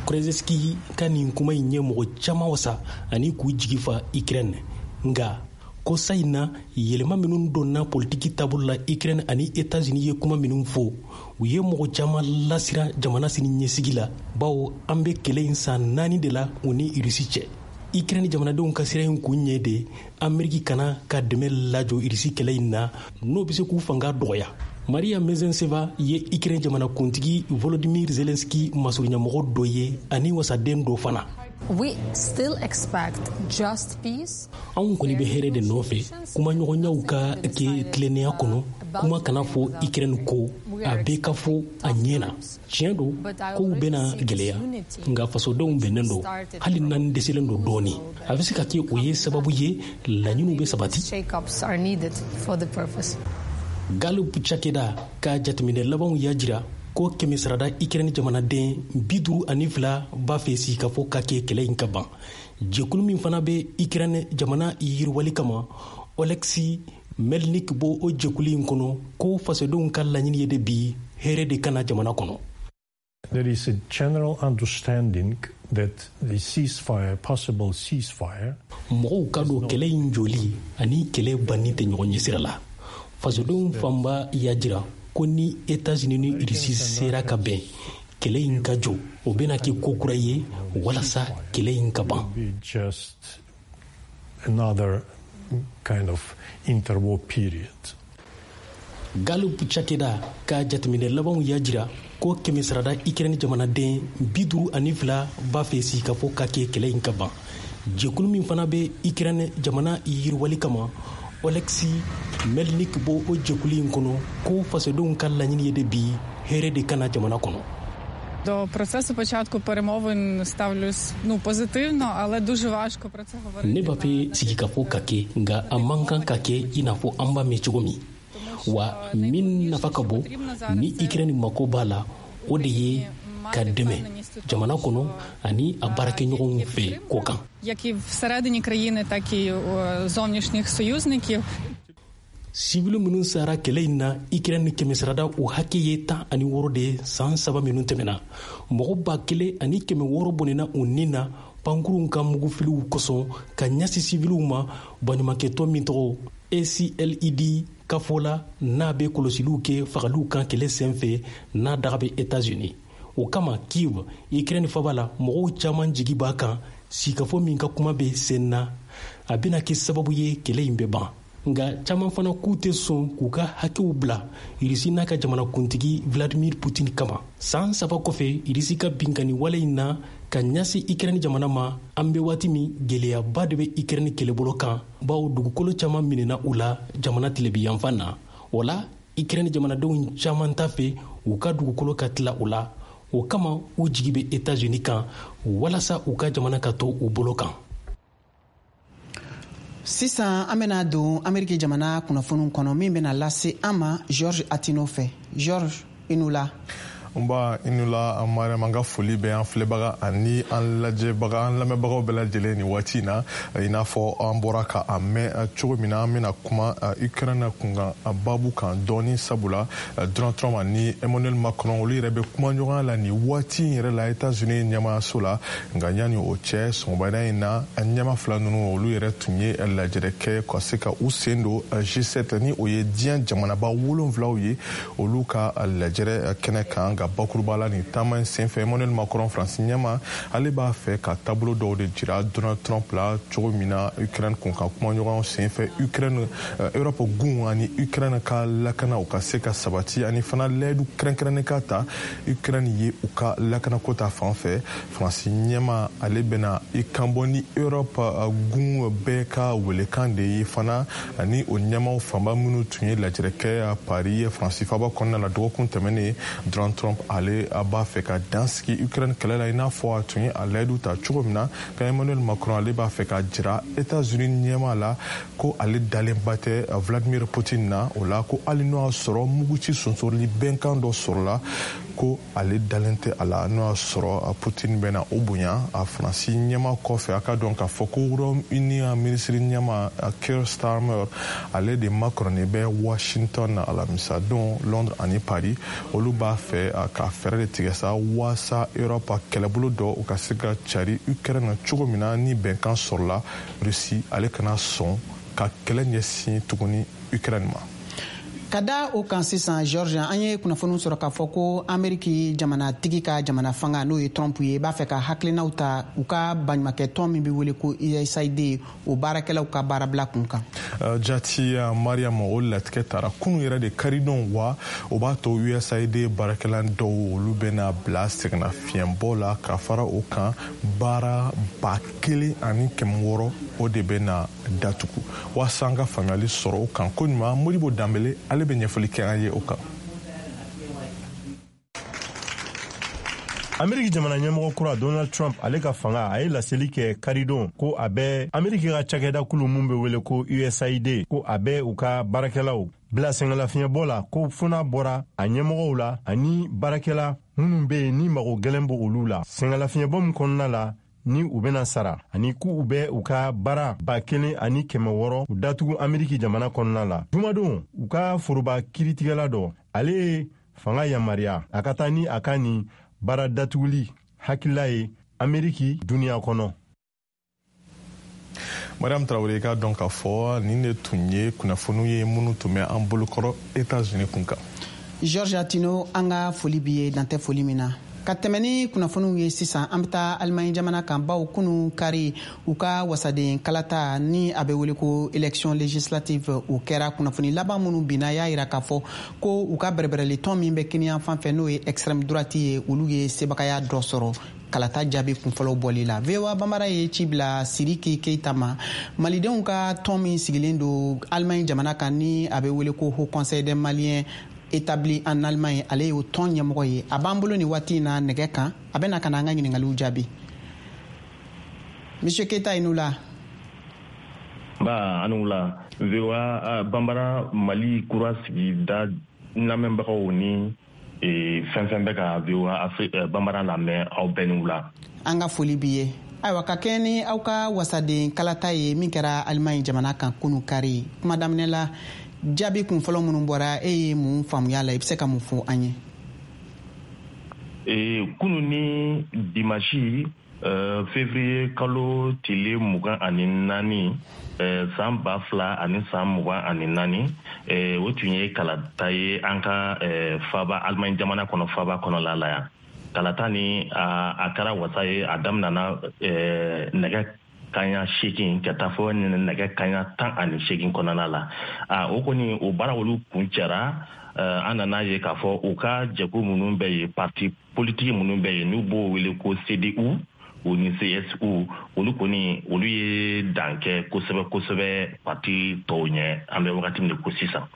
Krzeski ka nin kuma in ye mɔgɔ caman wasa ani k'u jigi fa Ukraine. Nka ko sa in na, yɛlɛma minnu donna politiki taabolo la Ukraine ani États-Unis ye kuma minnu fɔ, u ye mɔgɔ caman lasiran jamana sini ɲɛsigi la, bawo an bɛ kɛlɛ in san 4 de la u ni Irisi cɛ. Ukraine jamanadenw ka sira in kun ye de Ameriki kana ka dɛmɛ lajɔ Irisi kɛlɛ in na, n'o bɛ se k'u fanga dɔgɔya. Maria Mezenseva ye Ukraine jamanakuntigi Volodymyr Zelensky masurunyamɔgɔ dɔ ye ani wasaden dɔ fana. We still expect just peace. Anw kɔni bɛ hɛrɛ de nɔfɛ, kumaɲɔgɔnyaw ka kɛ tilennenya kɔnɔ, kuma kana fɔ Ukraine ko, a bɛɛ ka fɔ a ɲɛ na. Tiɲɛ don, kow bɛna gɛlɛya, nka fasodenw bɛnnen don, hali n'an dɛsɛlen don dɔɔni. A bɛ se ka kɛ o ye sababu ye laɲiniw bɛ sabati. Shake-ups are needed for the purpose. Gallup cakɛda ka jateminɛ labanw y'a jira ko kɛmɛ sarada Ukraine jamanaden 52 b'a fɛ sigikafɔ ka kɛ kɛlɛ in ka ban. Jɛkulu min fana bɛ Ukraine jamana yiriwali kama, Oleksiy Melnik b'o o jɛkulu in kɔnɔ, ko fasodenw ka laɲini ye de bi hɛrɛ de kana jamana kɔnɔ. There is a general understanding that the ceasefire, possible ceasefire. Mɔgɔw ka don kɛlɛ in joli ani kɛlɛ banni tɛ ɲɔgɔn ɲɛsira la. Fasodenw fanba y'a jira ko ni États-Unis ni Russie sera ka bɛn kɛlɛ in ka jɔ, o bɛna kɛ ko kura ye walasa kɛlɛ in ka ban. Just another kind of interwar period. Gallup cakɛda ka jateminɛ labanw y'a jira ko kɛmɛsarada Ukraine jamanaden 52 b'a fɛ sigikafɔ ka kɛ kɛlɛ in ka ban. Jɛkulu min fana bɛ Ukraine jamana yiriwali kama, Oleksiy Melnik b'o o jɛkulu in kɔnɔ, ko fasodenw ka laɲini ye de bi hɛrɛ de ka na jamana kɔnɔ. До процесу початку перемовин ставлюсь, ну, позитивно, але дуже важко про це говорити. Ne b'a fɛ sigikafɔ ka kɛ, nka a man kan ka kɛ i n'a fɔ an b'a mɛn cogo min. Wa min nafa ka bon ni Ukraine mako b'a la, o de ye ka dɛmɛ jamana kɔnɔ ani a baarakɛɲɔgɔnw fɛ kɔ kan. Як і всередині країни, так і зовнішніх союзників. Sivili minnu sara kɛlɛ in na Ukraine kɛmɛsarada, o hakɛ ye 16 de ye san 3 minnu tɛmɛna. Mɔgɔ 1600 bɔnɛna u ni na pankurunw ka mugufiliw kosɔn ka ɲɛsin siviliw ma. Baɲumankɛtɔn min tɔgɔ ACLED ka fɔ la, n'a bɛ kɔlɔsiliw kɛ fagaliw kan kɛlɛ senfɛ, n'a daga bɛ États-Unis. O kama Kiev, Ukraine faba la, mɔgɔw caman jigi b'a kan sigikafɔ min ka kuma bɛ sen na, a bɛna kɛ sababu ye kɛlɛ in bɛ ban. Nka caman fana k'u tɛ sɔn k'u ka hakɛw bila Irisi n'a ka jamanakuntigi Vladimir Putin kama. San 3 kɔfɛ Irisi ka binkanni wale in na ka ɲɛsin Ukraine jamana ma, an bɛ waati min, gɛlɛyaba de bɛ Ukraine kɛlɛbolo kan, bawo dugukolo caman minɛna u la jamana tilebiyanfan na. O la Ukraine jamanadenw caman t'a fɛ u ka dugukolo ka tila u la. O kama u jigi bɛ États-Unis kan walasa u ka jamana ka to u bolo kan. Sisan an bena don Ameriki jamana kunnafoniw kɔnɔ min bena lase an ma George Atino fɛ. George, i nu la. Nba, i nu la Mariam. An ka foli bɛ an filɛbaga ani an lajɛbaga, an lamɛnbagaw bɛɛ lajɛlen nin waati in na. I n'a fɔ an bɔra ka a mɛn cogo min na, an bɛna kuma Ukraine kunkan babu kan dɔɔni, sabula Donald Trump ani Emmanuel Macron, olu yɛrɛ bɛ kuma ɲɔgɔnya la nin waati in yɛrɛ la États-Unis ɲɛmaayaso la. Nka yanni o cɛ, sɔgɔmada in na, ɲɛma fila ninnu, olu yɛrɛ tun ye lajɛrɛ kɛ ka se ka u sen don G7, ni o ye diɲɛ jamanaba 7 ye, olu ka lajɛrɛ kɛnɛ kan. Nka bakuruba la, nin taama in senfɛ, Emmanuel Macron, Faransi ɲɛma, ale b'a fɛ ka taabolo dɔw de jira Donald Trump la cogo min na Ukraine kun ka kumaɲɔgɔnw senfɛ, Ukraine, Europe gun ani Ukraine ka lakana, u ka se ka sabati, ani fana layidu kɛrɛnkɛrɛnnen ka ta Ukraine ye u ka lakanako ta fan fɛ. Faransi ɲɛma, ale bɛna i kanbɔ ni Europe gun bɛɛ ka welekan de ye fana, ani o ɲɛmaw fanba minnu tun ye lajɛrɛ kɛ Paris, Faransi faba kɔnɔna la dɔgɔkun tɛmɛnen. Donald Trump, ale a b'a fɛ ka dan sigi Ukraine kɛlɛ la i n'a fɔ a tun ye a layidu ta cogo min na. Ka Emmanuel Macron, ale b'a fɛ ka jira États-Unis ɲɛma la ko ale dalenba tɛ Vladimir Poutine na. O la ko hali n'o y'a sɔrɔ muguci sonsorili bɛnkan dɔ sɔrɔla, ko ale dalen tɛ a la n'o y'a sɔrɔ Poutine bɛna o bonya a Faransi ɲɛma kɔfɛ. A ka dɔn k'a fɔ ko Royaume-Uni minisiri ɲɛma Keir Starmer, ale de makɔrɔnen bɛ Washington na alamisa don. Londres ani Paris, olu b'a fɛ ka fɛɛrɛ de tigɛ sa waasa Europe kɛlɛbolo dɔ, u ka se ka cari Ukraine cogo min na, ni bɛnkan sɔrɔla, Russie ale kana sɔn ka kɛlɛ ɲɛsin tuguni Ukraine ma. Ka da o kan sisan, George, an ye kunnafoniw sɔrɔ k'a fɔ ko Ameriki jamanatigi ka jamana fanga, n'o ye Trump ye, b'a fɛ ka hakilinaw ta u ka baɲumakɛtɔn min bɛ wele ko USAID, o baarakɛlaw ka baarabila kun kan. Jati Mariam, o latigɛ tara kunu yɛrɛ de, karidon. Wa o b'a to USAID baarakɛla dɔw, olu bɛna bila sɛgɛnnafiɲɛbɔ la. Ka fara o kan, baara 1600, o de bɛna datugu. Waasa an ka faamuyali sɔrɔ o kan ko ɲuman, Modibo Danbele, ale bɛ ɲɛfɔli kɛ an ye o kan. Ameriki jamana ɲɛmɔgɔ kura Donald Trump, ale ka fanga, a ye laseli kɛ karidon ko a bɛ Ameriki ka cakɛda kulu mun bɛ wele ko USAID, ko a bɛ u ka baarakɛlaw bila sɛgɛnlafiɲɛbɔ la, ko fo n'a bɔra a ɲɛmɔgɔw la ani baarakɛla minnu bɛ yen ni mago gɛlɛn b'o olu la, sɛgɛnlafiɲɛbɔ min kɔnɔna la ni u bɛna sara, ani k'u bɛ u ka baara 1600 u datugu Ameriki jamana kɔnɔna la. Jumadon, u ka foroba kiritigɛla dɔ, ale ye fanga yamaruya a ka taa ni a ka nin Baara datuguli hakilila ye Ameriki duniya kɔnɔ. Mariam Traoré, k'a dɔn k'a fɔ nin de tun ye kunnafoniw ye minnu tun bɛ an bolokɔrɔ États-Unis kun kan. Georges Atino, an ka foli b'i ye, dantɛ foli min na. Ka tɛmɛ ni kunnafoniw ye sisan, an bɛ taa Alimaɲi jamana kan, baw kunu kari, u ka wasaden kalata ni a bɛ wele ko élection législative, o kɛra. Kunnafoni laban minnu binna y'a yira k'a fɔ ko u ka bɛrɛbɛrɛli tɔn min bɛ kiniyan fan fɛ, n'o ye extrême droite ye, olu ye sebagaya dɔ sɔrɔ kalata jaabi kunfɔlɔw bɔli la. VOA Bambara ye ci bila Siriki Keita ma, malidenw ka tɔn min sigilen don Alimaɲi jamana kan ni a bɛ wele ko Haut Conseil des Maliens établi en Allemagne. Ale y'o tɔn ɲɛmɔgɔ ye. A b'an bolo nin waati in na nɛgɛ kan, a bɛna ka na an ka ɲiningaliw jaabi. Monsieur Keita, i ni wula. Ba, ani wula. VOA Bambara, Mali kura sigida lamɛnbagaw ni fɛn fɛn bɛ ka VOA Bambara lamɛn, aw bɛɛ ni wula. An ka foli b'i ye. Ayiwa, ka kɛɲɛ ni aw ka wasaden kalata ye min kɛra Alimaɲi jamana kan kunu kari, kuma daminɛ la, jaabi kun fɔlɔ minnu bɔra, e ye mun faamuya la? I bɛ se ka mun fɔ an ye? Kunu ni dimanche, février kalo tile 24, san 2024, o tun ye kalata ye an ka faba Alimaɲi jamana kɔnɔ, faba kɔnɔla la yan. Kalata ni a kɛra wasa ye. A daminɛna nɛgɛ kaɲa 8 ka taa fɔ nɛgɛ kaɲa 18 kɔnɔna la. A o kɔni, o baara olu kun cɛra. An nana ye k'a fɔ u ka jɛkulu minnu bɛ yen, parti politique minnu bɛ yen, n'u b'o wele ko CDU o ni CSU, olu kɔni, olu ye dan kɛ kosɛbɛ kosɛbɛ parti tɔw ɲɛ, an bɛ wagati min de ko sisan.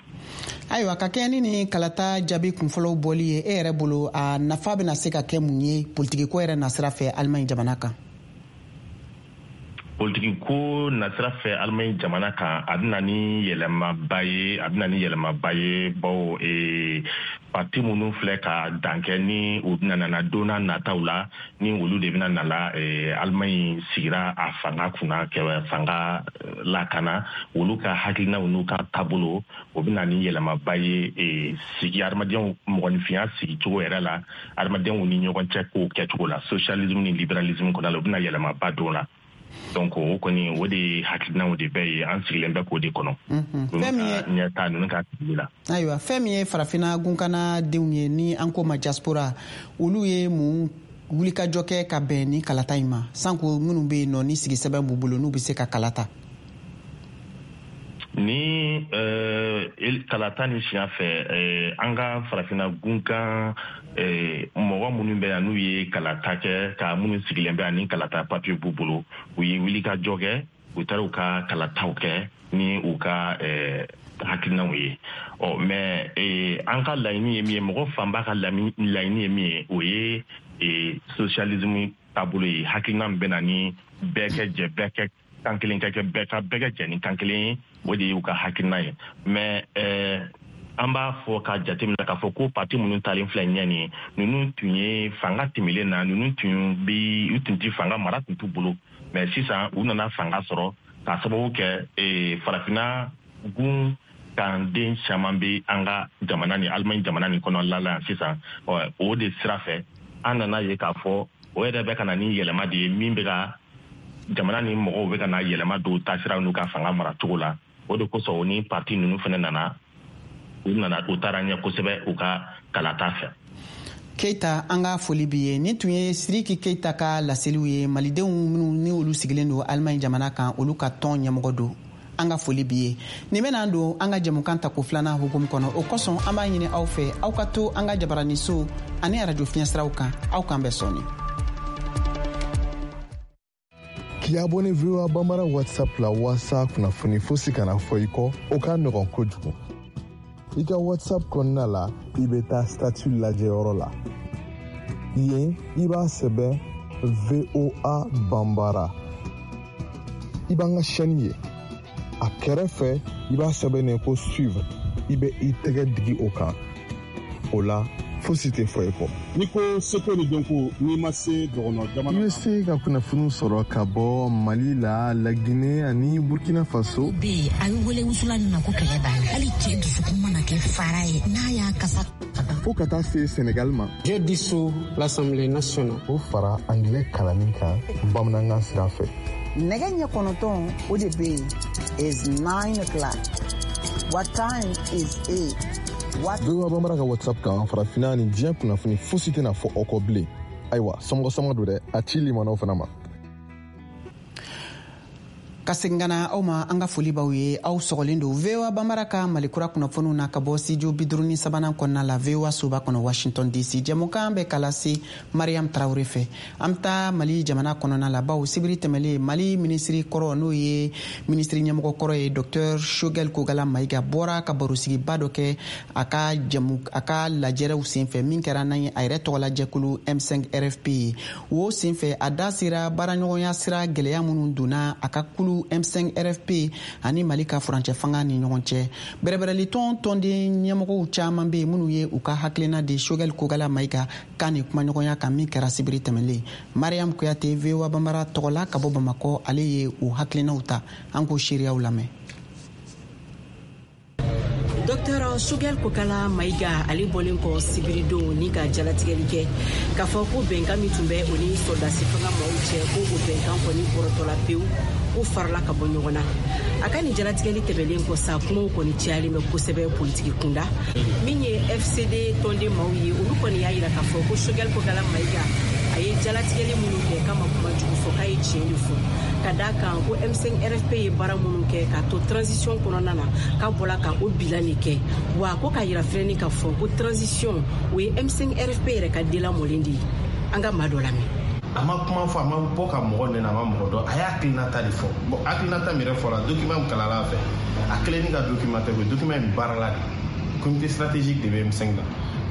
Ayiwa, ka kɛɲɛ ni kalata jaabi kunfɔlɔw bɔli ye, e yɛrɛ bolo, a nafa bɛna se ka kɛ mun ye politikiko yɛrɛ nasira fɛ Alimaɲi jamana kan? Politiki ko nasira fɛ Alimaɲi jamana kan, a bɛna ni yɛlɛmaba ye, a bɛna ni yɛlɛmaba ye, bawo parti minnu filɛ ka dan kɛ ni u bɛna nana don n'a nataw la, ni olu de bɛna nala Alimaɲi sigira a fanga kunna kɛ fanga lakana, olu ka hakilinaw n'u ka taabolo, o bɛna ni yɛlɛmaba ye sigi adamadenw mɔgɔninfinya sigicogo yɛrɛ la, adamadenw ni ɲɔgɔn cɛ kow kɛcogo la, socialisme ni libéralisme kɔnɔna la, o bɛna yɛlɛmaba don la. Donc o kɔni, o de hakilinaw de bɛ ye, an sigilen bɛ k'o de kɔnɔ. Fɛn min ye ɲɛta ninnu ka sigili la. Ayiwa, fɛn min ye farafinna gunkana denw ye ni an ko ma diaspora, olu ye mun wulikajɔ kɛ ka bɛn ni kalata in ma, sanko minnu bɛ yen nɔ ni sigisɛbɛn b'u bolo n'u bɛ se ka kalata? Ni kalata ni siɲɛ fɛ, an ka farafinna gunkan mɔgɔ minnu bɛ yan n'u ye kalata kɛ, ka minnu sigilen bɛ yan ni kalata papiye b'u bolo, u ye wulikajɔ kɛ, u taara u ka kalataw kɛ ni u ka hakilinaw ye. Ɔ mais an ka laɲini ye min ye, mɔgɔ fanba ka laɲini ye min ye, o ye socialisme taabolo ye, hakilina min bɛ na ni bɛɛ kɛ jɛ, bɛɛ kɛ kan kelen ka kɛ, bɛɛ ka bɛɛ kɛ jɛ ni kan kelen ye, o de y'u ka hakilina ye. Mais an b'a fɔ ka jateminɛ k'a fɔ ko parti minnu talen filɛ ɲɛ nin ye, ninnu tun ye fanga tɛmɛlen na, ninnu tun bi u tun ti fanga mara tun t'u bolo, mais sisan u nana fanga sɔrɔ k'a sababu kɛ farafinna gun kan den caman bɛ an ka jamana ni Alimaɲi jamana nin kɔnɔla la yan sisan. O de sira fɛ, an nana ye k'a fɔ o yɛrɛ bɛ ka na ni yɛlɛma de ye min bɛ ka jamana ni mɔgɔw bɛ ka na yɛlɛma don taasiraw n'u ka fanga maracogo la. O de kosɔn, o ni parti ninnu fana nana, u nana, u taara ɲɛ kosɛbɛ u ka kalata fɛ. Keita, an ka foli b'i ye. Nin tun ye Siriki Keita ka laseliw ye. Malidenw minnu ni olu sigilen don Alimaɲi jamana kan, olu ka tɔn ɲɛmɔgɔ don. An ka foli b'i ye. Nin bɛna don an ka jɛmukan tako filanan hukumu kɔnɔ. O kosɔn, an b'a ɲini aw fɛ, aw ka to an ka jabaraniso ani arajo fiɲɛsiraw kan. Aw k'an bɛn sɔɔni. K'i abonné VOA Bambara WhatsApp la waasa kunnafoni fosi kana fɔ i kɔ, o ka nɔgɔn kojugu. I ka WhatsApp kɔnɔna la, i bɛ taa statut lajɛyɔrɔ la. Yen, i b'a sɛbɛn VOA Bambara. I b'an ka chaîne ye. A kɛrɛfɛ, i b'a sɛbɛnnen ko suivre. I bɛ i tɛgɛ digi o kan. O la, Fosi tɛ fɔ i kɔ. N'i ko seko ni dɔnko, n'i ma se dɔgɔnɔ jamana. I bɛ se ka kunnafoniw sɔrɔ ka bɔ Mali la, Laginɛ ani Burkina Faso. Bɛ yen, a bɛ wele wusulan min ma ko kɛlɛ b'a la. Hali cɛ dusukun mana kɛ fara ye, n'a y'a kasa. Fo ka taa se Senegal ma. J'ai dissous l'Assemblée nationale. O fara angilɛ kalanni kan bamanankan sira fɛ. Nɛgɛ ɲɛ 9, o de bɛ yen, is 9 o'clock. What time is it? What? VOA Bambara ka WhatsApp kan, farafinna ni diɲɛ kunnafoni fosi tɛna fɔ aw kɔ bilen. Ayiwa, somɔgɔ sama don dɛ, a ci limanaw fana ma. Ka segin ka na aw ma, an ka foli b'aw ye. Aw sɔgɔlen don VOA Bambara ka Malikura kunnafoniw na ka bɔ studio 53nan kɔnɔna la, VOA soba kɔnɔ, Washington DC. Jɛmukan bɛ ka lase Mariam Tarawure fɛ. An bɛ taa Mali jamana kɔnɔna la, bawo sibiri tɛmɛlen, Mali minisiri kɔrɔ, n'o ye minisiri ɲɛmɔgɔ kɔrɔ ye, Docteur Choguel Kokalla Maïga, bɔra ka barosigiba dɔ kɛ a ka jamu, a ka lajɛrɛw senfɛ min kɛra n'a ye a yɛrɛ tɔgɔla jɛkulu M5 RFP ye. O senfɛ, a da sera baaraɲɔgɔnya sira gɛlɛya minnu donna a ka kulu M5 RFP ani Mali ka furancɛ fanga ni ɲɔgɔn cɛ. Bɛrɛbɛrɛlitɔn tɔnden ɲɛmɔgɔw caman bɛ yen minnu ye u ka hakilina di Choguel Kokalla Maïga kan ni kumaɲɔgɔnya kan min kɛra sibiri tɛmɛlen. Mariam Kuyate, VOA Bambara tɔgɔ la ka bɔ Bamakɔ, ale ye u hakilinaw ta. An k'o seereyaw lamɛn. Dr Choguel Kokalla Maïga, ale bɔlen kɔ sibiridon ni ka jalatigɛli kɛ k'a fɔ ko bɛnkan min tun bɛ o ni sɔrɔdasi fanga maaw cɛ, ko o bɛnkan kɔni bɔrɔtɔla pewu, ko farala ka bɔ ɲɔgɔn na. A ka nin jalatigɛli tɛmɛlen kɔ sa, kumaw kɔni cayalen bɛ kosɛbɛ politiki kunda. Min ye FCD tɔnden maaw ye, olu kɔni y'a yira k'a fɔ ko Choguel Kokalla Maïga, a ye jalatigɛli minnu kɛ, k'a ma kuma jugu fɔ, k'a ye tiɲɛ de fɔ, ka da kan ko M5 RFP ye baara minnu kɛ k'a to transition kɔnɔna na, k'a bɔla ka o bilan de kɛ. Wa ko k'a yira fɛnɛ k'a fɔ ko transition, o ye M5 RFP yɛrɛ ka delamɔlen de ye. An ka maa dɔ lamɛn. A ma kuma fɔ, a ma bɔ ka mɔgɔ nɛnɛ, a ma mɔgɔ dɔn, a y'a hakilinata de fɔ. Bon, hakilinata min yɛrɛ fɔra, document min kalanla a fɛ, a kelen ni ka document tɛ koyi, document in baarala de. Comité stratégique de bɛ M5 la,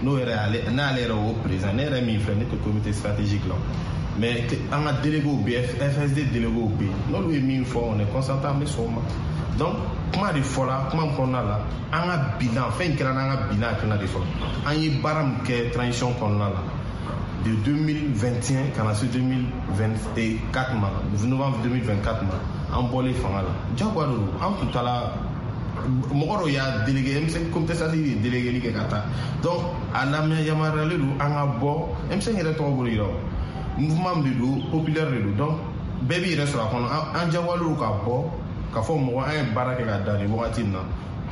n'o yɛrɛ ale n'ale yɛrɛ o président. Ne yɛrɛ min filɛ, ne tɛ comité stratégique la, mais an ka délégués bɛ yen, FSD délégués bɛ yen, n'olu ye min fɔ, on est consentant, an bɛ sɔn o ma. Donc kuma de fɔla, kuma min kɔnɔna la, an ka bilan, fɛn kɛra n'an ka bilan hakilina de fɔlɔ, an ye baara min kɛ transition kɔnɔna la de 2021 ka na se 2024 ma, novembre 2024 ma, an bɔlen fanga la, jagoya de don. An tun taara, mɔgɔ dɔw y'a délégué, M5 comité stratégique ye délégué kɛ ka taa. Donc a lamɛn yamaruyalen don an ka bɔ. M5 yɛrɛ tɔgɔ bolo yira, o mouvement min de don, populaire de don, donc bɛɛ b'i yɛrɛ sɔrɔ a kɔnɔ. An jagoyalen don ka bɔ ka fɔ mɔgɔ an ye baara kɛ ka dan nin wagati in na,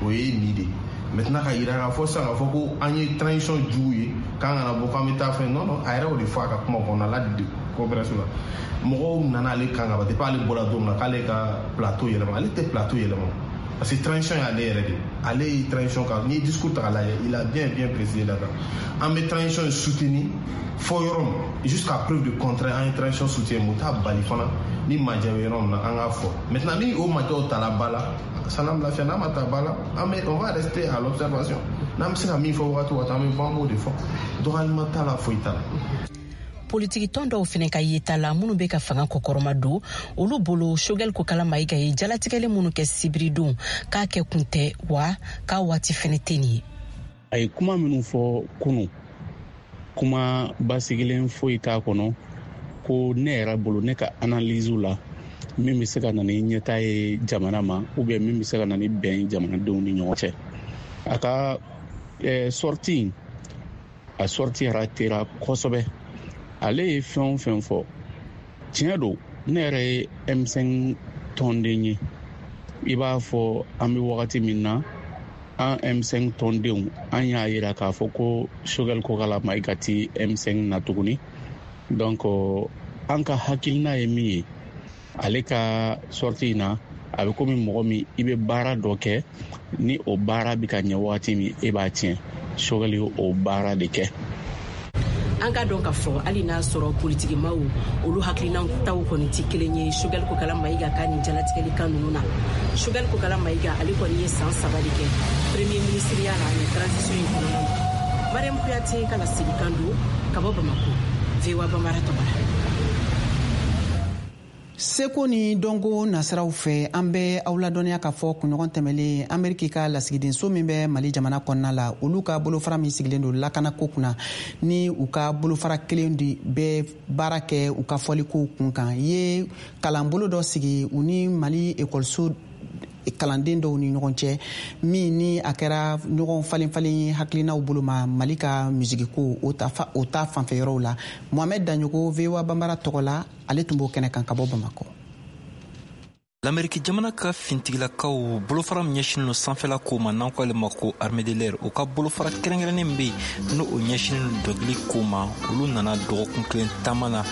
o ye nin de ye. Maintenant, ka yira k'a fɔ sisan k'a fɔ ko an ye transition jugu ye, k'an kana bɔ, k'an bɛ taa fɛn, non non, a yɛrɛ y'o de fɔ a ka kuma kɔnɔna la conférence la. Mɔgɔw nana ale kan ka ban depuis ale bɔra don min na k'ale ka plateau yɛlɛma. Ale tɛ plateau yɛlɛma, parce que transition y'ale yɛrɛ de, ale ye transition kan. N'i ye discours ta k'a lajɛ, il a bien bien précisé là-dedans, an bɛ transition soutenir fɔ yɔrɔ min, jusqu'à preuve du contraire, an ye transition soutien. Mun t'a bali fana, ni majɛ bɛ yɔrɔ min na, an k'a fɔ. Maintenant, ni o majɛw tala ba la, sanam lafiya, n'a ma ta ba la, an bɛ, on va rester à l'observation. N'an bɛ se ka min fɔ wagati o wagati, an bɛ bɔ, an b'o de fɔ. Dɔgɔyalima t'a la, foyi t'a la. Politiki tɔn dɔw fɛnɛ ka yeta la, minnu bɛ ka fanga kɔkɔrɔma don, olu bolo, Choguel Kokalla Maïga ye jalatigɛli minnu kɛ sibiridon, k'a kɛ kun tɛ wa k'a waati fɛnɛ tɛ nin ye. A ye kuma minnu fɔ kunu, kuma basigilen foyi t'a kɔnɔ ko ne yɛrɛ bolo, ne ka analyse la, min bɛ se ka na ni ɲɛta ye jamana ma, ou bien min bɛ se ka na ni bɛn ye jamanadenw ni ɲɔgɔn cɛ. A ka sortie, a sortie ratera kosɛbɛ. Ale ye fɛn o fɛn fɔ, tiɲɛ don, ne yɛrɛ ye M5 tɔnden ye. I b'a fɔ an bɛ wagati min na, an M5 tɔndenw, an y'a yira k'a fɔ ko Choguel Kokalla Maïga ti M5 na tuguni. Donc an ka hakilina ye min ye, ale ka sortie in na, a bɛ komi mɔgɔ min i bɛ baara dɔ kɛ, ni o baara bɛ ka ɲɛ wagati min, e b'a tiɲɛ. Choguel ye o baara de kɛ. An ka dɔn k'a fɔ hali n'a sɔrɔ politikimaw, olu hakilinaw taw kɔni tɛ kelen ye Choguel Kokalla Maïga ka nin jalatigɛli kan ninnu na. Choguel Kokalla Maïga, ale kɔni ye san 3 de kɛ premier ministeriya la nin transition in kɔnɔna na. Mariam Kuyate ka laselikan don ka bɔ Bamako, VOA Bambara tɔgɔ la. Seko ni dɔnko nasiraw fɛ, an bɛ aw ladɔnniya k'a fɔ kunɲɔgɔn tɛmɛlen, Ameriki ka lasigidenso min bɛ Mali jamana kɔnɔna la, olu ka bolofara min sigilen don lakanako kunna, ni u ka bolofara kelen de bɛ baara kɛ u ka fɔlikow kun kan, ye kalanbolo dɔ sigi u ni Mali ekɔliso kalanden dɔw ni ɲɔgɔn cɛ, min ni a kɛra ɲɔgɔn falen falen ye hakilinaw bolo ma Mali ka musigiko o ta fanfɛ yɔrɔw la. Mohamɛd Daɲogo, VOA Banbara tɔgɔ la, ale tun b'o kɛnɛ kan ka bɔ Bamakɔ. Lameriki jamana ka fintigilakaw bolofara min ɲɛsinin don sanfɛla ko ma, n'an ko ale ma ko armée de l'air, o ka bolofara kɛrɛnkɛrɛnnen bɛ yen, n'o o ɲɛsinin don dɔnkili ko ma, olu nana dɔgɔkun kelen taama na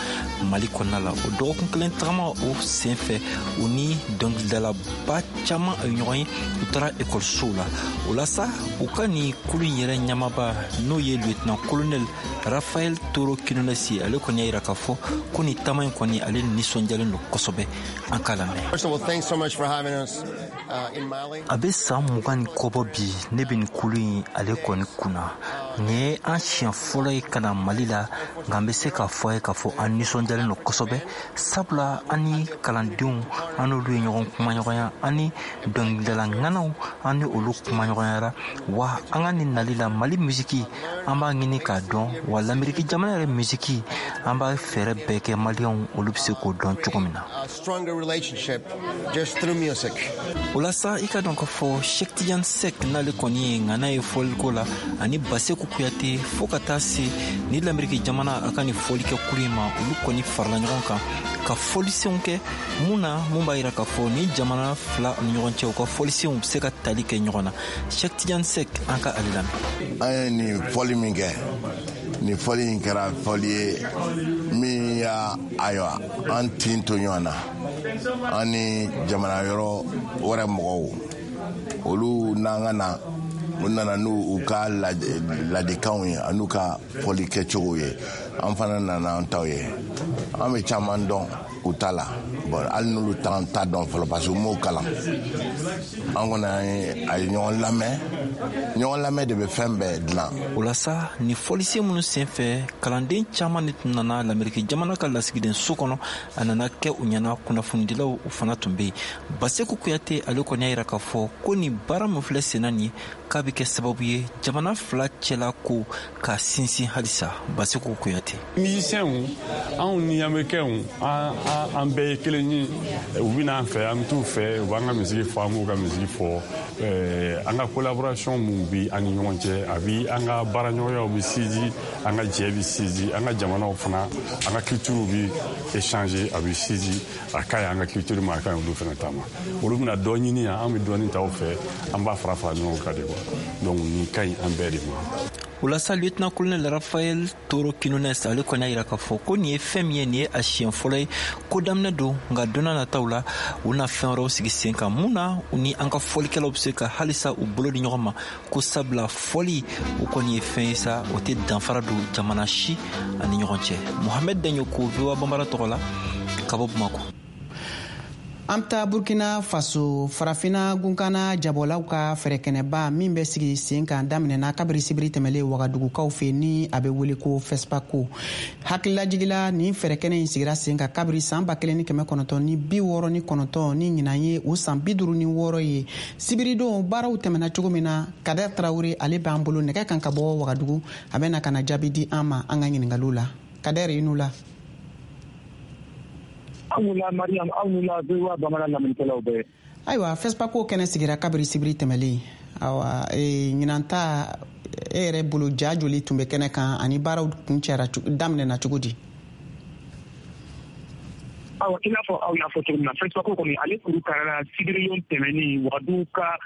Mali kɔnɔna la. O dɔgɔkun kelen tagama o senfɛ, u ni dɔnkilidalaba caman a ye ɲɔgɔn ye, u taara ekɔlisow la. O la sa, u ka nin kulu in yɛrɛ ɲɛmaaba, n'o ye lieutenant colonel Rafael Toro Quinones ye, ale kɔni y'a yira k'a fɔ ko nin taama in kɔni, ale nisɔndiyalen don kosɛbɛ. An k'a lamɛn. A bɛ san 20 ni kɔ bɔ bi, ne bɛ nin kulu in ale kɔni kunna. Nin ye an siɲɛ fɔlɔ ye ka na Mali la, nka an bɛ se k'a fɔ a ye k'a fɔ an nisɔndiyalen don kosɛbɛ, sabula an ni kalandenw, an n'olu ye ɲɔgɔn kumaɲɔgɔnya, an ni dɔnkilidala ŋanaw, an ni olu kumaɲɔgɔnyara. Wa an ka nin nali la, Mali misiki an b'a ɲini k'a dɔn, wa Lameriki jamana yɛrɛ misiki, an b'a fɛɛrɛ bɛɛ kɛ Maliyɛnw olu bɛ se k'o dɔn cogo min na. O la sa, i ka dɔn k'a fɔ Cheick Tidiane Seck, n'ale kɔni ye ŋana ye fɔliko la, ani Baseku Kuyate, fo ka taa se ni Lameriki jamana a ka nin fɔlikɛ kulu in ma, olu kɔni farala ɲɔgɔn kan ka fɔlisenw kɛ mun na, mun b'a yira k'a fɔ ni jamana fila ni ɲɔgɔn cɛ, u ka fɔlisenw bɛ se ka tali kɛ ɲɔgɔn na. Cheick Tidiane Seck, an ka ale lamɛn. An ye nin fɔli min kɛ, nin fɔli in kɛra fɔli ye min y'a, ayiwa, an tin to ɲɔgɔn na, an ni jamana yɔrɔ wɛrɛ mɔgɔw. Olu n'an ka na, u nana n'u u ka ladikanw ye an'u ka fɔli kɛcogow ye, an fana nana an taw ye. An bɛ caman dɔn u ta la. Bon, hali n'olu t'an ta dɔn fɔlɔ, parce que u m'o kalan. An kɔni, an ye a ye ɲɔgɔn lamɛn. Ɲɔgɔn lamɛn de bɛ fɛn bɛɛ dilan. O la sa, ni fɔlisen minnu senfɛ, kalanden caman de tun nana Lameriki jamana ka lasigiden so kɔnɔ. A nana kɛ u ɲɛna, kunnafonidilaw u fana tun bɛ yen. Baseku Kuyate, ale kɔni y'a yira k'a fɔ ko nin baara min filɛ senna nin ye, k'a bɛ kɛ sababu ye jamana fila cɛla ko ka sinsin halisa. Baseku Kuyate. Musiciens, anw ni Américains, an bɛɛ ye kelen ye. U bɛ n'an fɛ, an bɛ t'u fɛ, u b'an ka misigi fɔ, an b'u ka misigi fɔ. An ka collaboration mun bi an ni ɲɔgɔn cɛ, a bi an ka baaraɲɔgɔnyaw bɛ sinsin, an ka jɛ bɛ sinsin, an ka jamanaw fana, an ka culture bɛ échanger, a bɛ sinsin. A ka ɲi an ka culture ma, a ka ɲi olu fana ta ma. Olu bɛna dɔ ɲini yan, an bɛ dɔɔni ta u fɛ, an b'a fara fara ɲɔgɔn kan de quoi. Donc nin ka ɲi an bɛɛ de ma. O la sa, lieutenant colonel Rafael Toro Quinones, ale kɔni y'a yira k'a fɔ ko nin ye fɛn min ye, nin ye a siɲɛ fɔlɔ ye, ko daminɛ don, nka don n'a nataw la, u na fɛn wɛrɛw sigi sen kan mun na u ni an ka fɔlikɛlaw bɛ se ka halisa u bolo di ɲɔgɔn ma, ko sabula fɔli o kɔni ye fɛn ye sa, o tɛ danfara don jamana si ani ɲɔgɔn cɛ. Mohamed Daɲoko, VOA Banbara tɔgɔ la, ka bɔ Bamakɔ. An bɛ taa Burkina Faso. Farafina gunkana jabɔlaw ka fɛrɛkɛnɛba min bɛ sigi sen kan daminɛna kabiri sibiri tɛmɛlen Wagadugukaw fɛ, ni a bɛ wele ko FESPACO. Hakililajigila, nin fɛrɛkɛnɛ in sigira sen kan kabiri san 1969, ni ɲinan ye o san 56 ye. Sibiridon baaraw tɛmɛna cogo min na, Kader Tarawele, ale b'an bolo nɛgɛ kan ka bɔ Wagadugu, a bɛ na ka na jaabi di an ma an ka ɲiningaliw la. Kader, i n'u la. Aw la Mariam, aw ni la VOA bamanan lamɛnnikɛlaw bɛɛ. Ayiwa, FESPACO kɛnɛ sigira kabiri sibiri tɛmɛlen. Awa, ɲinan ta, e yɛrɛ bolo, ja joli tun bɛ kɛnɛ kan ani baaraw kun cɛra daminɛna cogo di? Awa, i n'a fɔ aw y'a fɔ cogo min na, FESPACO kɔni, ale kuru karila sibirilon tɛmɛnen Wagadugu ka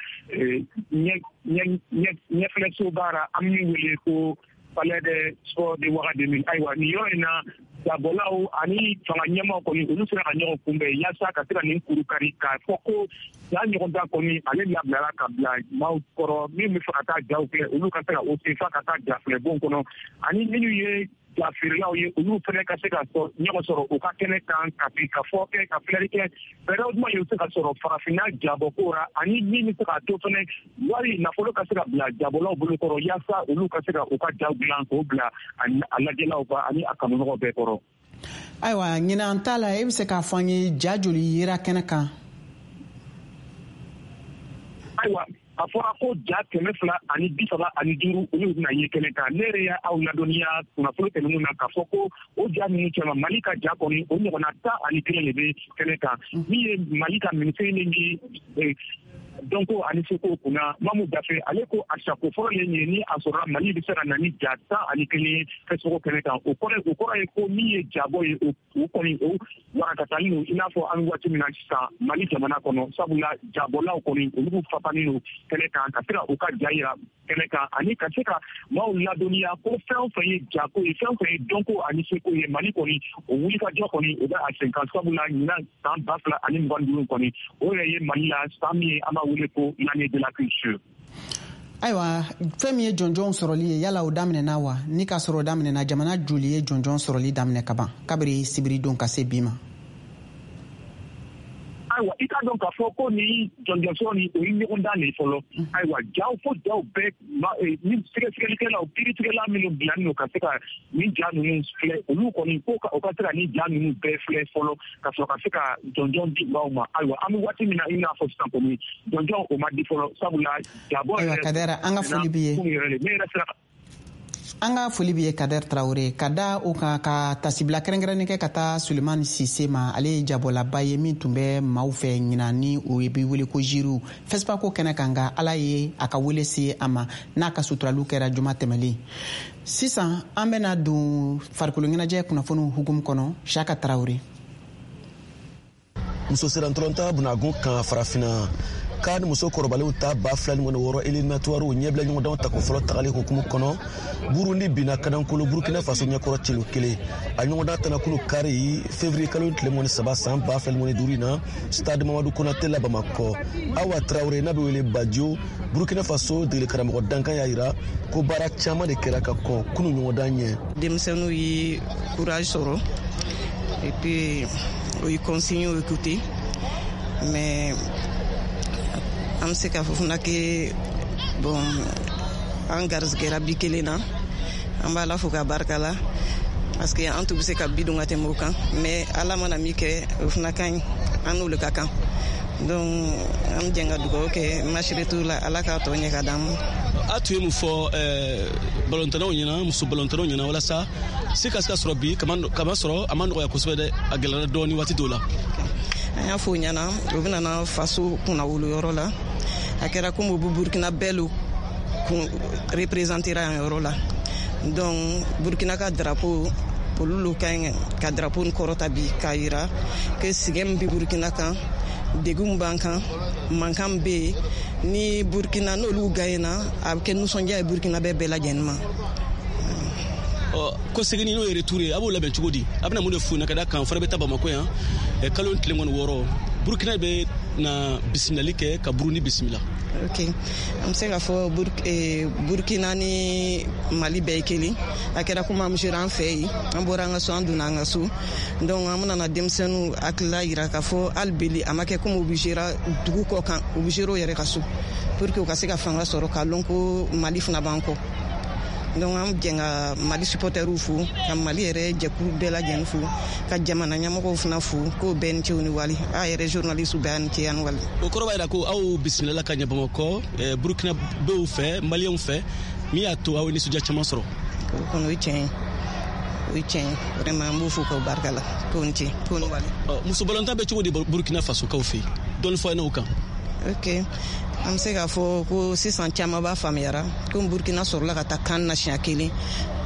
ɲɛfilɛsoba ra, an min wele ko Palais des Sports de Ouagadougou. Ayiwa, nin yɔrɔ in na, jabɔlaw ani fanga ɲɛmaaw kɔni, olu sera ka ɲɔgɔn kunbɛn yaasa ka se ka nin kuru kari, k'a fɔ ko ja ɲɔgɔn da kɔni, ale labilara ka bila maaw kɔrɔ. Min bɛ fɛ ka taa jaw filɛ, olu ka se ka o sen fa ka taa ja filɛ bon kɔnɔ, ani minnu ye ja feerelaw ye, olu fana ka se ka ɲɔgɔn sɔrɔ u ka kɛnɛ kan, ka sigi ka fɔ kɛ, ka filɛli kɛ fɛɛrɛw jumɛn ye u bɛ se ka sɔrɔ farafinna jabɔko ra, ani min bɛ se k'a to fana wari nafolo ka se ka bila jabɔlaw bolo kɔrɔ, yaasa olu ka se ka u ka jaw dilan k'o bila a lajɛlaw ka ani a kanumɔgɔw bɛɛ kɔrɔ. Ayiwa, ɲinan ta la, e bɛ se k'a fɔ an ye ja joli yera kɛnɛ kan? Ayiwa, a fɔra ko ja 235, olu bɛna ye kɛnɛ kan. Ne yɛrɛ y'aw ladɔnniya kunnafoni tɛmɛnenw na k'a fɔ ko o ja ninnu cɛma, Mali ka ja kɔni, o ɲɔgɔnna 11 de bɛ kɛnɛ kan. Min ye Mali ka minisiri min bi dɔnko ani seko kunna, Mamu Dafe, ale ko a sako fɔlɔ ye nin ye ni a sɔrɔla Mali bɛ se ka na ni ja 11 ye festival kɛnɛ kan. O kɔrɔ ye ko min ye jabɔ ye, o kɔni o warakatalen don i n'a fɔ an bɛ waati min na sisan Mali jamana kɔnɔ, sabula jabɔlaw kɔni, olu fapanen don kɛnɛ kan ka se ka u ka ja yira kɛnɛ kan ani ka se ka maaw ladɔnniya ko fɛn o fɛn ye jako ye, fɛn o fɛn ye dɔnko ani seko ye, Mali kɔni o wulikajɔ kɔni, o bɛ a sen kan, sabula ɲinan san 2025 kɔni, o yɛrɛ ye Mali la san min ye an b'a wele ko l'année de la culture. Ayiwa, fɛn min ye jɔnjɔnw sɔrɔli ye, yala o daminɛna wa? Ni k'a sɔrɔ o daminɛna, jamana joli ye jɔnjɔn sɔrɔli daminɛ ka ban kabiri sibiridon ka se bi ma? Ayiwa, i k'a dɔn k'a fɔ ko ni jɔnjɔn sɔrɔ ni o ye ɲɔgɔndan de ye fɔlɔ. Ayiwa, jaw fo jaw bɛɛ, ni sɛgɛsɛgɛlikɛlaw, kiiritigɛla minnu bilannen don ka se ka nin ja ninnu filɛ, olu kɔni ko o ka se ka nin ja ninnu bɛɛ filɛ fɔlɔ ka sɔrɔ ka se ka jɔnjɔn di maaw ma. Ayiwa, an bɛ waati min na i n'a fɔ sisan kɔni, jɔnjɔn o ma di fɔlɔ, sabula jabɔ yɛrɛ. Ayiwa Kadɛrɛ, an ka foli b'i ye. Ne yɛrɛ sera. An ka foli b'i ye, Kader Tarawele. Ka da o kan, ka tasibila kɛrɛnkɛrɛnnen kɛ ka taa Sulemani Sise ma. Ale ye jabɔlaba ye min tun bɛ maaw fɛ ɲinan, ni o ye bi wele ko jiriw fɛsipako kɛnɛ kan, nka Ala ye a ka wele se a ma n'a ka suturaliw kɛra juma tɛmɛlen. Sisan an bɛna don farikolo ɲɛnajɛ kunnafoniw hukumu kɔnɔ. Siyaka Tarawele. Muso sennantolatan bunagun kan Farafinna, CAN muso kɔrɔbalenw ta 2026 éliminatoires ɲɛbila ɲɔgɔndanw tako fɔlɔ tagali hukumu kɔnɔ, Burundi binna kanankolo Burkina Faso ɲɛkɔrɔ celu kelen. A ɲɔgɔndan tana kunu kari, février kalo tile 23 san 2025 na, stade Mamadu Konate la Bamakɔ. Awa Traore, n'a bɛ wele Bajo, Burkina Faso degeli karamɔgɔ dankan, y'a yira ko baara caman de kɛra ka kɔn kunu ɲɔgɔndan ɲɛ. Denmisɛnninw ye courage sɔrɔ et puis o ye consigne écouter, mais an bɛ se k'a fɔ fana ke bon, an garisɛgɛra bi kelen na. An b'Ala fo k'a barika la, parce que an tun bɛ se ka bi don ka tɛmɛ o kan, mais Ala mana min kɛ, o fana ka ɲi, an n'olu ka kan. Donc an bɛ jɛ ka dugawu kɛ match retour la, Ala k'a tɔ ɲɛ ka d'an ma. A tun ye mun fɔ balontannaw ɲɛna, muso balontannaw ɲɛna, walasa se ka se ka sɔrɔ bi? Kama sɔrɔ a ma nɔgɔya kosɛbɛ dɛ, a gɛlɛyara dɔɔni waati dɔw la. An y'a fɔ o ɲɛna, u bɛna na faso kunnawolo yɔrɔ la. A kɛra komi u bɛ Burkina bɛɛ lo kun représentera yan yɔrɔ la. Donc Burkina ka drapeau, olu lo ka ɲi ka drapeau nin kɔrɔta bi k'a yira ke sɛgɛn min bɛ Burkina kan, degun min b'an kan, mankan min bɛ yen ni Burkina, n'olu gagnena, a bɛ kɛ nisɔndiya ye Burkina bɛɛ lajɛlen ma. Ko seginni, n'o ye retour ye, a b'o labɛn cogo di? A bɛna mun de f'u ɲɛna? Ka da kan fana bɛ taa Bamako yan kalo tile 26, Burukina bɛ na bisimilali kɛ ka Burundi bisimila. Ok, an bɛ se k'a fɔ Burkina ni Mali bɛɛ ye kelen. A kɛra komi an sera an fɛ yen, an bɔra an ka so, an donna an ka so. Donc an bɛna na denmisɛnninw hakilila yira k'a fɔ hali beli a ma kɛ komi u bɛ sera dugu kɔ kan, u bɛ sera u yɛrɛ ka so, pour que u ka se ka fanga sɔrɔ k'a lɔn ko Mali fana b'an kɔ. Donc an jɛn ka Mali supporteriw fo, ka Mali yɛrɛ jɛkulu bɛɛ lajɛlen fo, ka jamana ɲɛmɔgɔw fana fo, k'o bɛɛ ni ce ni wali. A yɛrɛ journaliste bɛɛ ni ce ani wali. O kɔrɔ b'a yira ko aw bisimilala ka ɲɛ Bamakɔ Burukina bew fɛ, Maliyɛnw fɛ, min y'a to aw ye nisɔndiya caman sɔrɔ. O kɔni, o ye tiɲɛ ye, o ye tiɲɛ ye vraiment. An b'u fo k'o barika la, k'o ni ce, k'o ni wali. Muso balontan bɛ cogo di Burukina Fasokaw fɛ yen? Dɔɔni fɔ an ɲɛna o kan. Ok, an bɛ se k'a fɔ ko sisan caman b'a faamuyara ko Burkina sɔrɔla ka taa CAN na siɲɛ kelen,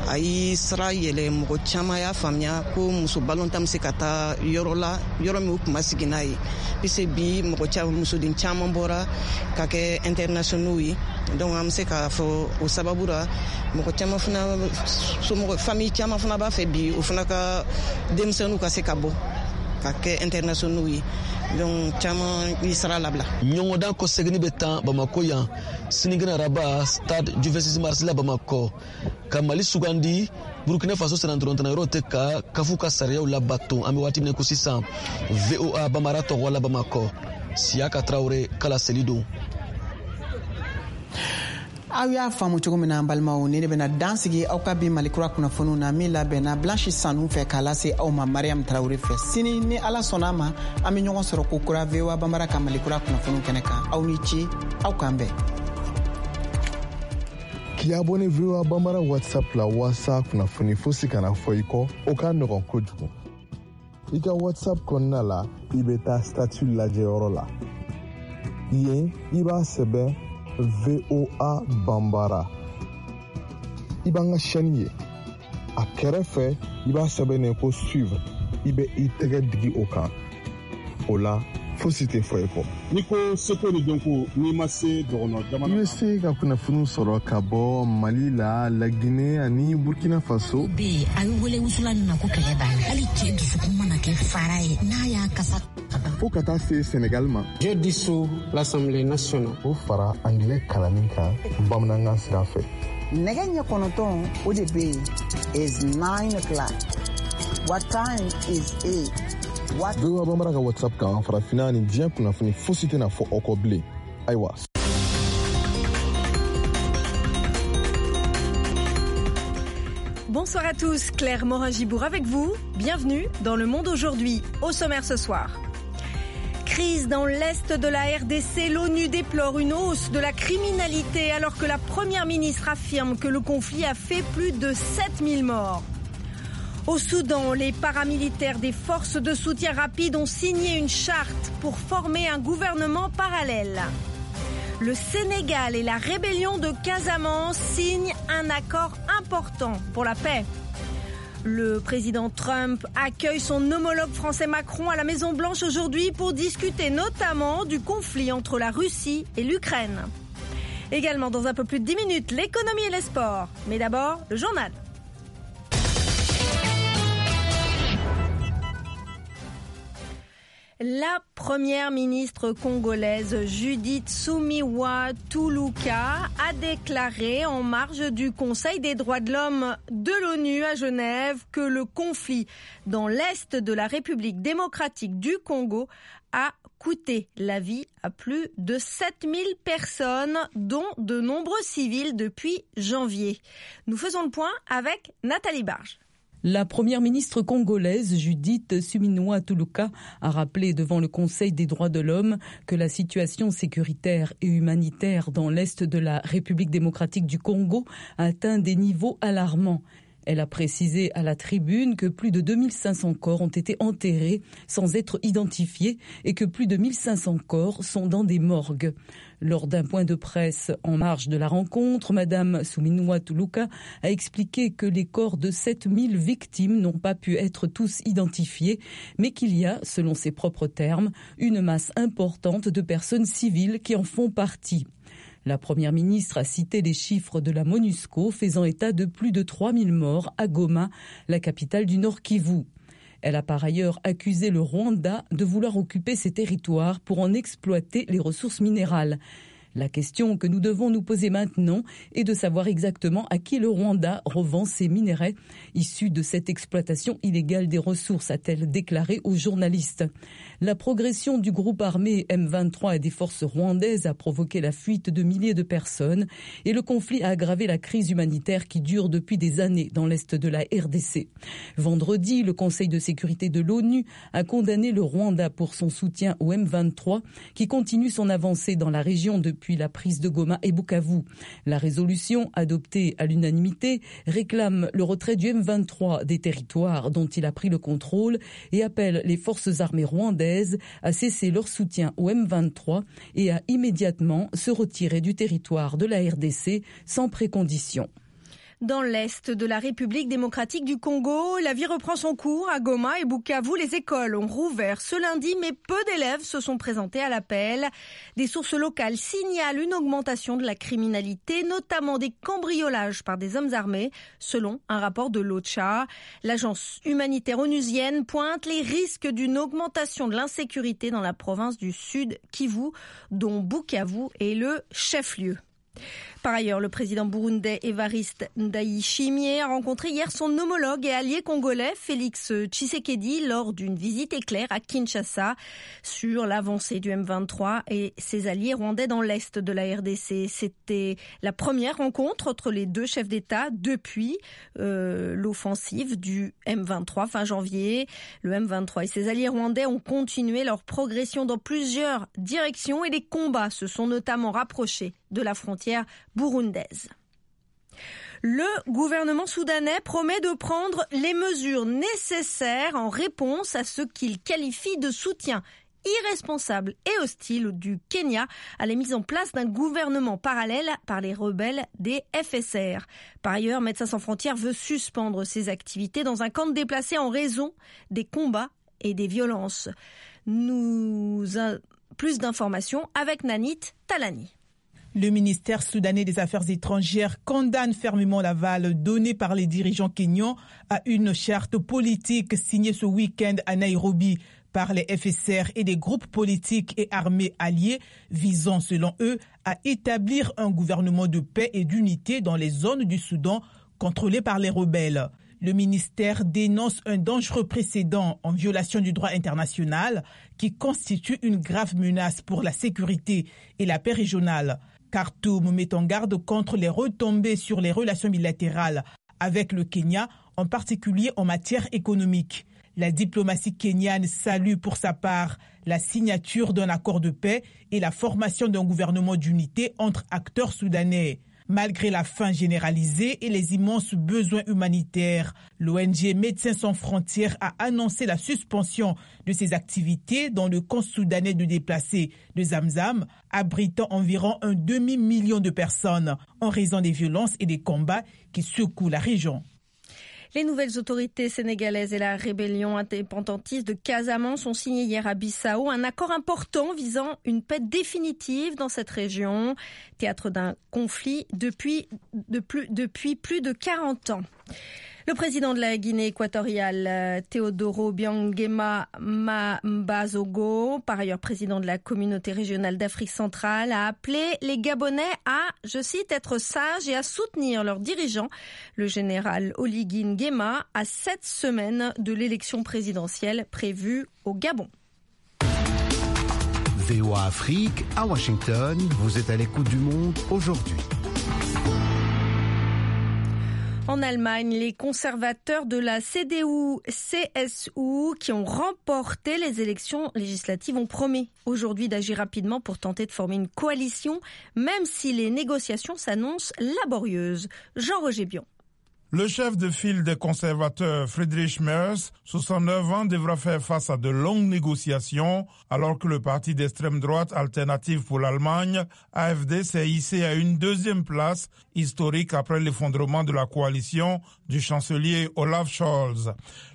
a y'i sira yɛlɛ. Mɔgɔ caman y'a faamuya ko muso balontan bɛ se ka taa yɔrɔ la, yɔrɔ min u tun ma sigi n'a ye, puisque bi mɔgɔ caman, musoden caman bɔra ka kɛ internationaux ye. Donc an bɛ se k'a fɔ o sababu la, mɔgɔ caman fana, somɔgɔ, famille caman fana b'a fɛ bi o fana ka denmisɛnninw ka se ka bɔ ka kɛ internationaux ye. Donc caman y'i sira labila. Ɲɔgɔndan kɔseginni bɛ tan Bamako yan sinikɛnɛ araba, stade du 26 mars la Bamakɔ, ka Mali sugandi Burkina Faso sennantolatan yɔrɔ tɛ ka kafu ka sariyaw labato. An bɛ waati min ko sisan, VOA Bamara tɔgɔ la Bamakɔ, Siyaka Tarawele kala seli don. Aw y'a faamu cogo min na, an balimaw, ni ne bɛna dan sigi aw ka bi Malikura kunnafoniw na min labɛnna Blanche Sanu fɛ k'a lase aw ma Mariam Tarawele fɛ. Sini, ni Ala sɔnna a ma, an bɛ ɲɔgɔn sɔrɔ ko kura VOA Banbara ka Malikura kunnafoniw kɛnɛ kan. Aw ni ce, aw k'an bɛn. K'i abonné VOA Banbara WhatsApp la waasa kunnafoni fosi kana fɔ i kɔ, o ka nɔgɔn kojugu. I ka WhatsApp kɔnɔna la, i bɛ taa statut lajɛyɔrɔ la. Yen, i b'a sɛbɛn VOA Banbara, i b'an ka chaîne ye. A kɛrɛfɛ, i b'a sɛbɛnnen ko suivre. I bɛ i tɛgɛ digi o kan. O la, fosi tɛ fɔ i kɔ. N'i ko seko ni dɔnko, n'i ma se dɔgɔnɔ jamana I bɛ se ka kunnafoniw sɔrɔ ka bɔ Mali la, Laginɛ ani Burkina Faso. Bɛ yen, a bɛ wele wusulan min ma ko kɛlɛ b'a la, hali cɛ dusukun mana kɛ fara ye, n'a y'a kasa. Fo ka taa se Senegal ma. Je dissous l'Assemblée nationale. O fara angilɛ kalanni kan bamanankan sira fɛ. Nɛgɛ ɲɛ 9, o de bɛ yen, is 9 o'clock. What time is it? What VOA Banbara ka WhatsApp kan, farafinna ni diɲɛ kunnafoni fosi tɛna fɔ aw kɔ bilen. Ayiwa. Bonsoir à tous, Claire Morin-Gibourg avec vous. Bienvenue dans Le Monde aujourd'hui, au sommaire ce soir. Crise dans l'est de la RDC, l'ONU déplore une hausse de la criminalité alors que la première ministre affirme que le conflit a fait plus de 7000 morts. Au Soudan, les paramilitaires des forces de soutien rapide ont signé une charte pour former un gouvernement parallèle. Le Sénégal et la rébellion de Casamance signent un accord important pour la paix. Le président Trump accueille son homologue français Macron à la Maison Blanche aujourd'hui pour discuter notamment du conflit entre la Russie et l'Ukraine. Également dans un peu plus de 10 minutes, l'économie et les sports. Mais d'abord, le journal. La première ministre congolaise Judith Suminwa Tuluka a déclaré en marge du Conseil des droits de l'homme de l'ONU à Genève que le conflit dans l'est de la République démocratique du Congo a coûté la vie à plus de 7000 personnes, dont de nombreux civils depuis janvier. Nous faisons le point avec Nathalie Barge. La première ministre congolaise Judith Suminwa Tuluka a rappelé devant le Conseil des droits de l'homme que la situation sécuritaire et humanitaire dans l'est de la République démocratique du Congo a atteint des niveaux alarmants. Elle a précisé à la tribune que plus de 2500 corps ont été enterrés sans être identifiés et que plus de 1500 corps sont dans des morgues. Lors d'un point de presse en marge de la rencontre, Madame Suminwa Tuluka a expliqué que les corps de 7000 victimes n'ont pas pu être tous identifiés, mais qu'il y a, selon ses propres termes, une masse importante de personnes civiles qui en font partie. La première ministre a cité les chiffres de la MONUSCO faisant état de plus de 3000 morts à Goma, la capitale du Nord Kivu. Elle a par ailleurs accusé le Rwanda de vouloir occuper ces territoires pour en exploiter les ressources minérales. La question que nous devons nous poser maintenant est de savoir exactement à qui le Rwanda revend ces minerais issus de cette exploitation illégale des ressources, a-t-elle déclaré aux journalistes. La progression du groupe armé M23 et des forces rwandaises a provoqué la fuite de milliers de personnes et le conflit a aggravé la crise humanitaire qui dure depuis des années dans l'est de la RDC. Vendredi, le Conseil de sécurité de l'ONU a condamné le Rwanda pour son soutien au M23 qui continue son avancée dans la région depuis la prise de Goma et Bukavu. La résolution adoptée à l'unanimité réclame le retrait du M23 des territoires dont il a pris le contrôle et appelle les forces armées rwandaises à cesser leur soutien au M23 et à immédiatement se retirer du territoire de la RDC sans précondition. Dans l'est de la République démocratique du Congo, la vie reprend son cours à Goma et Bukavu. Les écoles ont rouvert ce lundi, mais peu d'élèves se sont présentés à l'appel. Des sources locales signalent une augmentation de la criminalité, notamment des cambriolages par des hommes armés, selon un rapport de l'OCHA. L'agence humanitaire onusienne pointe les risques d'une augmentation de l'insécurité dans la province du Sud Kivu, dont Bukavu est le chef-lieu. Par ailleurs, le président burundais Évariste Ndayishimiye a rencontré hier son homologue et allié congolais Félix Tshisekedi lors d'une visite éclair à Kinshasa sur l'avancée du M23 et ses alliés rwandais dans l'est de la RDC. C'était la première rencontre entre les deux chefs d'État depuis l'offensive du M23 fin janvier. Le M23 et ses alliés rwandais ont continué leur progression dans plusieurs directions et les combats se sont notamment rapprochés de la frontière burundaise. Le gouvernement soudanais promet de prendre les mesures nécessaires en réponse à ce qu'il qualifie de soutien irresponsable et hostile du Kenya à la mise en place d'un gouvernement parallèle par les rebelles des FSR. Par ailleurs, Médecins sans frontières veut suspendre ses activités dans un camp de déplacés en raison des combats et des violences. Plus d'informations avec Nanit Talani. Le ministère soudanais des Affaires étrangères condamne fermement l'aval donné par les dirigeants kenyans à une charte politique signée ce week-end à Nairobi par les FSR et des groupes politiques et armés alliés visant, selon eux, à établir un gouvernement de paix et d'unité dans les zones du Soudan contrôlées par les rebelles. Le ministère dénonce un dangereux précédent en violation du droit international qui constitue une grave menace pour la sécurité et la paix régionale. Khartoum met en garde contre les retombées sur les relations bilatérales avec le Kenya, en particulier en matière économique. La diplomatie kenyane salue pour sa part la signature d'un accord de paix et la formation d'un gouvernement d'unité entre acteurs soudanais. Malgré la faim généralisée et les immenses besoins humanitaires, l'ONG Médecins sans frontières a annoncé la suspension de ses activités dans le camp soudanais de déplacés de Zamzam, abritant environ un demi-million de personnes en raison des violences et des combats qui secouent la région. Les nouvelles autorités sénégalaises et la rébellion indépendantiste de Casamance ont signé hier à Bissau un accord important visant une paix définitive dans cette région, théâtre d'un conflit depuis plus de 40 ans. Le président de la Guinée équatoriale, Teodoro Obiang Nguema Mbasogo, par ailleurs président de la communauté régionale d'Afrique centrale, a appelé les Gabonais à, je cite, être sages et à soutenir leurs dirigeants, le général Oligui Nguema, à 7 semaines de l'élection présidentielle prévue au Gabon. VOA Afrique, à Washington, vous êtes à l'écoute du monde aujourd'hui. En Allemagne, les conservateurs de la CDU-CSU qui ont remporté les élections législatives ont promis aujourd'hui d'agir rapidement pour tenter de former une coalition, même si les négociations s'annoncent laborieuses. Jean-Roger Bion. Le chef de file des conservateurs, Friedrich Merz, 69 ans, devra faire face à de longues négociations alors que le parti d'extrême droite Alternative pour l'Allemagne, AfD, s'est hissé à une deuxième place historique après l'effondrement de la coalition du chancelier Olaf Scholz.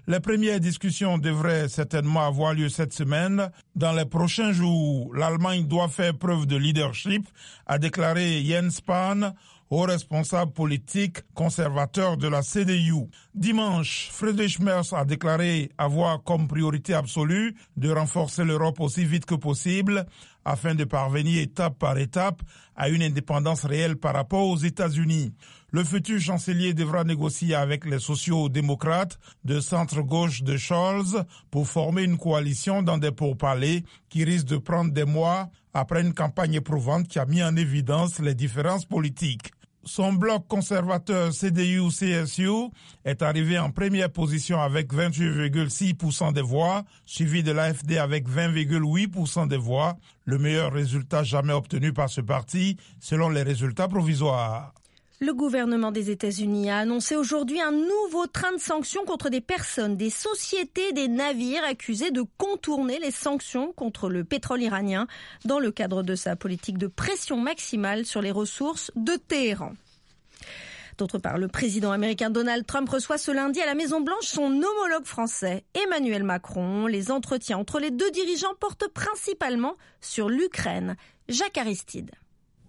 Les premières discussions devraient certainement avoir lieu cette semaine. Dans les prochains jours, l'Allemagne doit faire preuve de leadership, a déclaré Jens Spahn, haut responsable politique conservateur de la CDU. Dimanche, Friedrich Merz a déclaré avoir comme priorité absolue de renforcer l'Europe aussi vite que possible afin de parvenir étape par étape à une indépendance réelle par rapport aux États-Unis. Le futur chancelier devra négocier avec les sociaux-démocrates de centre-gauche de Scholz pour former une coalition dans des pourparlers qui risquent de prendre des mois après une campagne éprouvante qui a mis en évidence les différences politiques. Son bloc conservateur CDU-CSU est arrivé en première position avec 28,6% des voix, suivi de l'AfD avec 20,8% des voix, le meilleur résultat jamais obtenu par ce parti selon les résultats provisoires. Le gouvernement des États-Unis a annoncé aujourd'hui un nouveau train de sanctions contre des personnes, des sociétés, des navires accusés de contourner les sanctions contre le pétrole iranien dans le cadre de sa politique de pression maximale sur les ressources de Téhéran. D'autre part, le président américain Donald Trump reçoit ce lundi à la Maison-Blanche son homologue français Emmanuel Macron. Les entretiens entre les deux dirigeants portent principalement sur l'Ukraine. Jacques Aristide.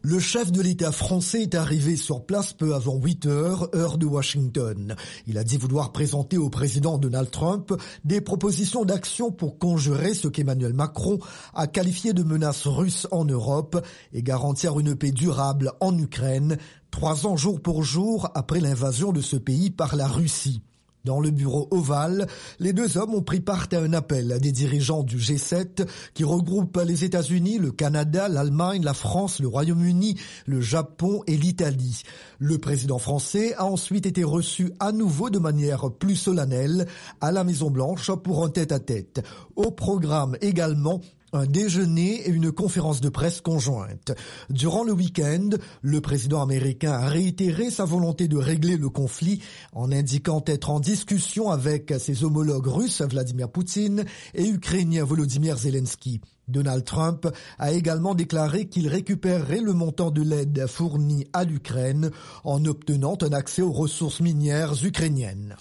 Le chef de l'État français est arrivé sur place peu avant 8 heures, heure de Washington. Il a dit vouloir présenter au président Donald Trump des propositions d'action pour conjurer ce qu'Emmanuel Macron a qualifié de menace russe en Europe et garantir une paix durable en Ukraine, 3 ans jour pour jour après l'invasion de ce pays par la Russie. Dans le bureau ovale, les deux hommes ont pris part à un appel des dirigeants du G7 qui regroupe les États-Unis, le Canada, l'Allemagne, la France, le Royaume-Uni, le Japon et l'Italie. Le président français a ensuite été reçu à nouveau de manière plus solennelle à la Maison-Blanche pour un tête-à-tête. Au programme également, un déjeuner et une conférence de presse conjointe. Durant le week-end, le président américain a réitéré sa volonté de régler le conflit en indiquant être en discussion avec ses homologues russes Vladimir Poutine et ukrainien Volodymyr Zelensky. Donald Trump a également déclaré qu'il récupérerait le montant de l'aide fournie à l'Ukraine en obtenant un accès aux ressources minières ukrainiennes.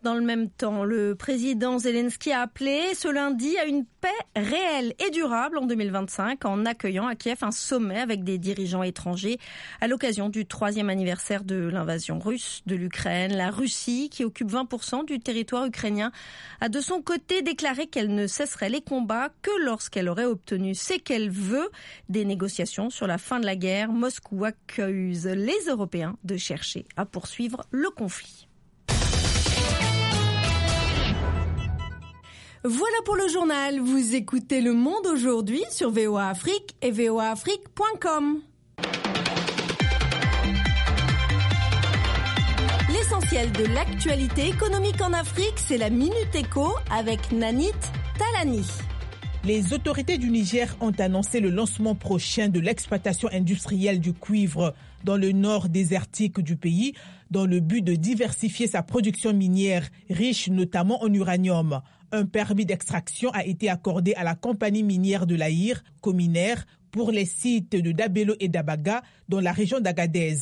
Dans le même temps, le président Zelensky a appelé ce lundi à une paix réelle et durable en 2025 en accueillant à Kiev un sommet avec des dirigeants étrangers à l'occasion du 3e anniversaire de l'invasion russe de l'Ukraine. La Russie, qui occupe 20% du territoire ukrainien, a de son côté déclaré qu'elle ne cesserait les combats que lorsqu'elle aurait obtenu ce qu'elle veut, des négociations sur la fin de la guerre. Moscou accuse les Européens de chercher à poursuivre le conflit. Voilà pour le journal. Vous écoutez Le Monde aujourd'hui sur VOA Afrique et voaafrique.com. L'essentiel de l'actualité économique en Afrique, c'est la Minute Éco avec Nanit Talani. Les autorités du Niger ont annoncé le lancement prochain de l'exploitation industrielle du cuivre dans le nord désertique du pays, dans le but de diversifier sa production minière, riche notamment en uranium. Un permis d'extraction a été accordé à la compagnie minière de l'Aïr, Cominaire, pour les sites de Dabelo et d'Abaga dans la région d'Agadez.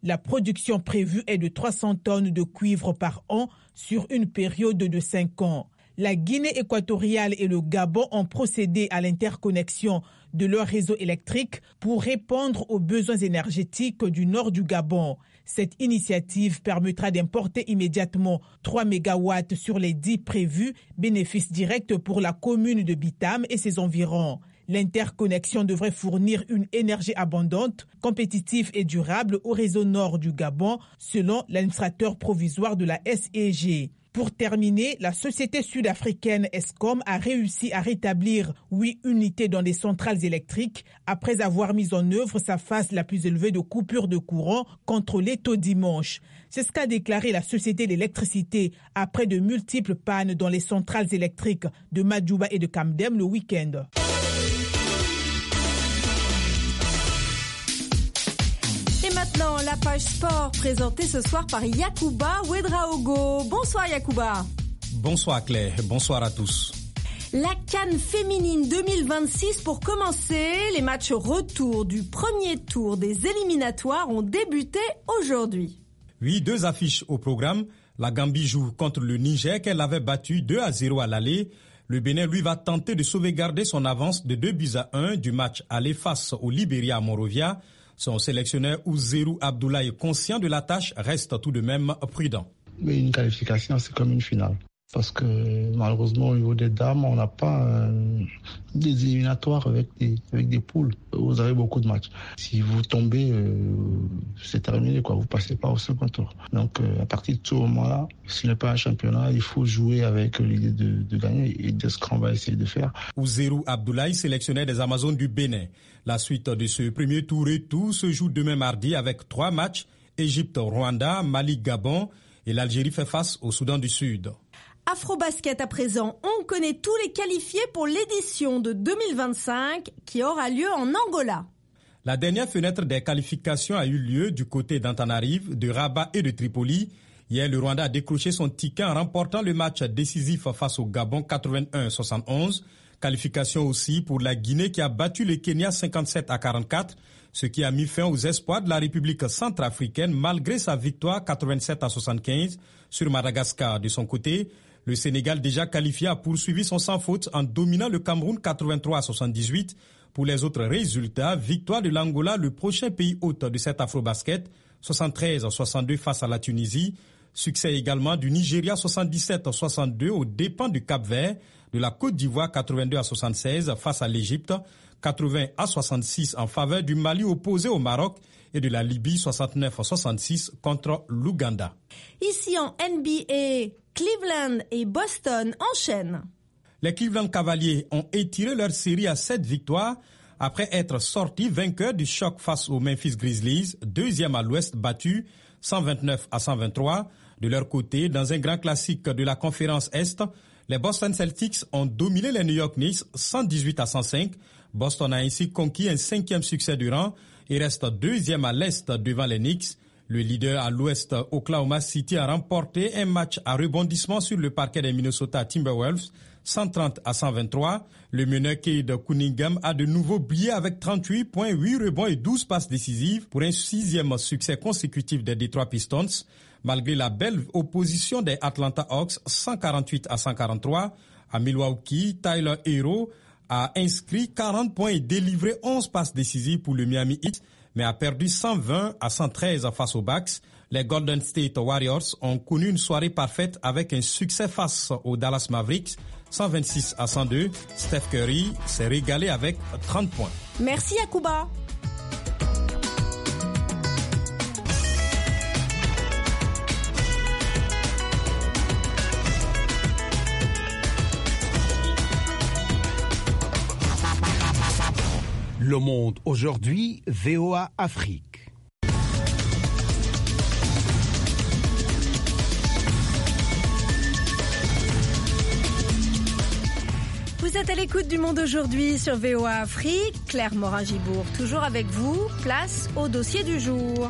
La production prévue est de 300 tonnes de cuivre par an sur une période de 5 ans. La Guinée équatoriale et le Gabon ont procédé à l'interconnexion de leur réseau électrique pour répondre aux besoins énergétiques du nord du Gabon. Cette initiative permettra d'importer immédiatement 3 mégawatts sur les 10 prévus, bénéfice direct pour la commune de Bitam et ses environs. L'interconnexion devrait fournir une énergie abondante, compétitive et durable au réseau nord du Gabon, selon l'administrateur provisoire de la SEG. Pour terminer, la société sud-africaine Eskom a réussi à rétablir 8 unités dans les centrales électriques après avoir mis en œuvre sa phase la plus élevée de coupure de courant contrôlée tôt dimanche. C'est ce qu'a déclaré la société d'électricité après de multiples pannes dans les centrales électriques de Madjouba et de Kamdem le week-end. Maintenant, la page sport présentée ce soir par Yacouba Ouedraogo. Bonsoir Yacouba. Bonsoir Claire, bonsoir à tous. La CAN féminine 2026 pour commencer. Les matchs retour du premier tour des éliminatoires ont débuté aujourd'hui. Oui, 2 affiches au programme. La Gambie joue contre le Niger qu'elle avait battu 2-0 à l'aller. Le Bénin, lui, va tenter de sauvegarder son avance de 2-1 du match aller face au Libéria à Monrovia. Son sélectionneur Ouzerou Abdoulaye, conscient de la tâche, reste tout de même prudent. Mais une qualification, c'est comme une finale. Parce que malheureusement, au niveau des dames, on n'a pas des éliminatoires avec des poules. Vous avez beaucoup de matchs. Si vous tombez, c'est terminé, quoi. Vous ne passez pas au second tour. Donc, à partir de ce moment-là, ce n'est pas un championnat. Il faut jouer avec l'idée de gagner et de ce qu'on va essayer de faire. Ouzerou Abdoulaye, sélectionneur des Amazones du Bénin. La suite de ce premier tour et tout se joue demain mardi avec 3 matchs. Égypte, Rwanda, Mali, Gabon et l'Algérie fait face au Soudan du Sud. Afrobasket à présent, on connaît tous les qualifiés pour l'édition de 2025 qui aura lieu en Angola. La dernière fenêtre des qualifications a eu lieu du côté d'Antananarive, de Rabat et de Tripoli. Hier, le Rwanda a décroché son ticket en remportant le match décisif face au Gabon 81-71. Qualification aussi pour la Guinée qui a battu le Kenya 57-44, ce qui a mis fin aux espoirs de la République centrafricaine malgré sa victoire 87-75 sur Madagascar. De son côté, le Sénégal déjà qualifié a poursuivi son sans faute en dominant le Cameroun 83-78 Pour les autres résultats, victoire de l'Angola, le prochain pays hôte de cet Afrobasket, 73-62 face à la Tunisie. Succès également du Nigeria 77-62 aux dépens du Cap-Vert, de la Côte d'Ivoire 82-76 face à l'Égypte, 80-66 en faveur du Mali opposé au Maroc et de la Libye 69-66 contre l'Ouganda. Ici en NBA, Cleveland et Boston enchaînent. Les Cleveland Cavaliers ont étiré leur série à 7 victoires après être sortis vainqueurs du choc face aux Memphis Grizzlies, deuxième à l'ouest battu 129-123. De leur côté, dans un grand classique de la conférence Est, les Boston Celtics ont dominé les New York Knicks 118-105. Boston a ainsi conquis un 5e succès du rang et reste deuxième à l'Est devant les Knicks. Le leader à l'Ouest, Oklahoma City, a remporté un match à rebondissement sur le parquet des Minnesota Timberwolves, 130-123. Le meneur Cade Cunningham a de nouveau brillé avec 38 points, 8 rebonds et 12 passes décisives pour un 6e succès consécutif des Detroit Pistons. Malgré la belle opposition des Atlanta Hawks, 148-143, à Milwaukee, Tyler Herro a inscrit 40 points et délivré 11 passes décisives pour le Miami Heat, mais a perdu 120-113 face aux Bucks. Les Golden State Warriors ont connu une soirée parfaite avec un succès face aux Dallas Mavericks, 126-102. Steph Curry s'est régalé avec 30 points. Merci Yacouba. Le Monde aujourd'hui, VOA Afrique. Vous êtes à l'écoute du Monde aujourd'hui sur VOA Afrique. Claire Morin-Gibourg, toujours avec vous. Place au dossier du jour.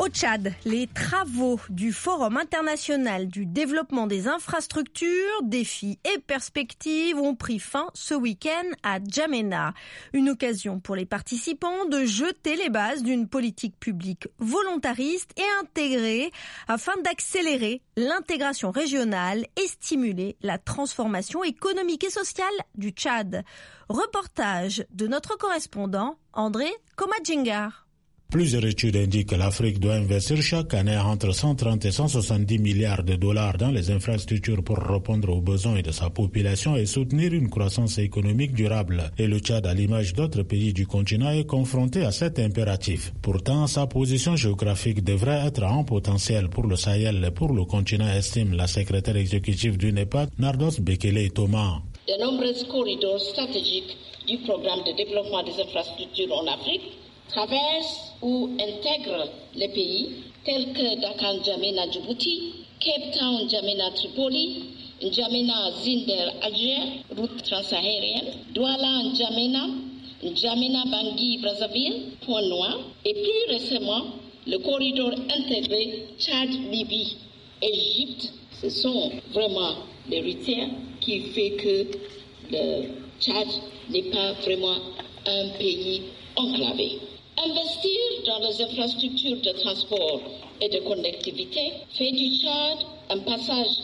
Au Tchad, les travaux du Forum international du développement des infrastructures, défis et perspectives ont pris fin ce week-end à N'Djamena. Une occasion pour les participants de jeter les bases d'une politique publique volontariste et intégrée afin d'accélérer l'intégration régionale et stimuler la transformation économique et sociale du Tchad. Reportage de notre correspondant André Komadjingar. Plusieurs études indiquent que l'Afrique doit investir chaque année entre 130 et 170 milliards de dollars dans les infrastructures pour répondre aux besoins de sa population et soutenir une croissance économique durable. Et le Tchad, à l'image d'autres pays du continent, est confronté à cet impératif. Pourtant, sa position géographique devrait être un potentiel pour le Sahel et pour le continent, estime la secrétaire exécutive du NEPAD, Nardos Bekele Thomas. De nombreux corridors stratégiques du programme de développement des infrastructures en Afrique traversent ou intègrent les pays tels que Dakar N'Djamena Djibouti, Cape Town N'Djamena Tripoli, N'Djamena Zinder Alger, route transsaharienne, Douala N'Djamena, N'Djamena Bangui Brazzaville, Point Noir, et plus récemment le corridor intégré Tchad-Libye, Égypte. Ce sont vraiment les routières qui fait que le Tchad n'est pas vraiment un pays enclavé. Investir dans les infrastructures de transport et de connectivité fait du Tchad un passage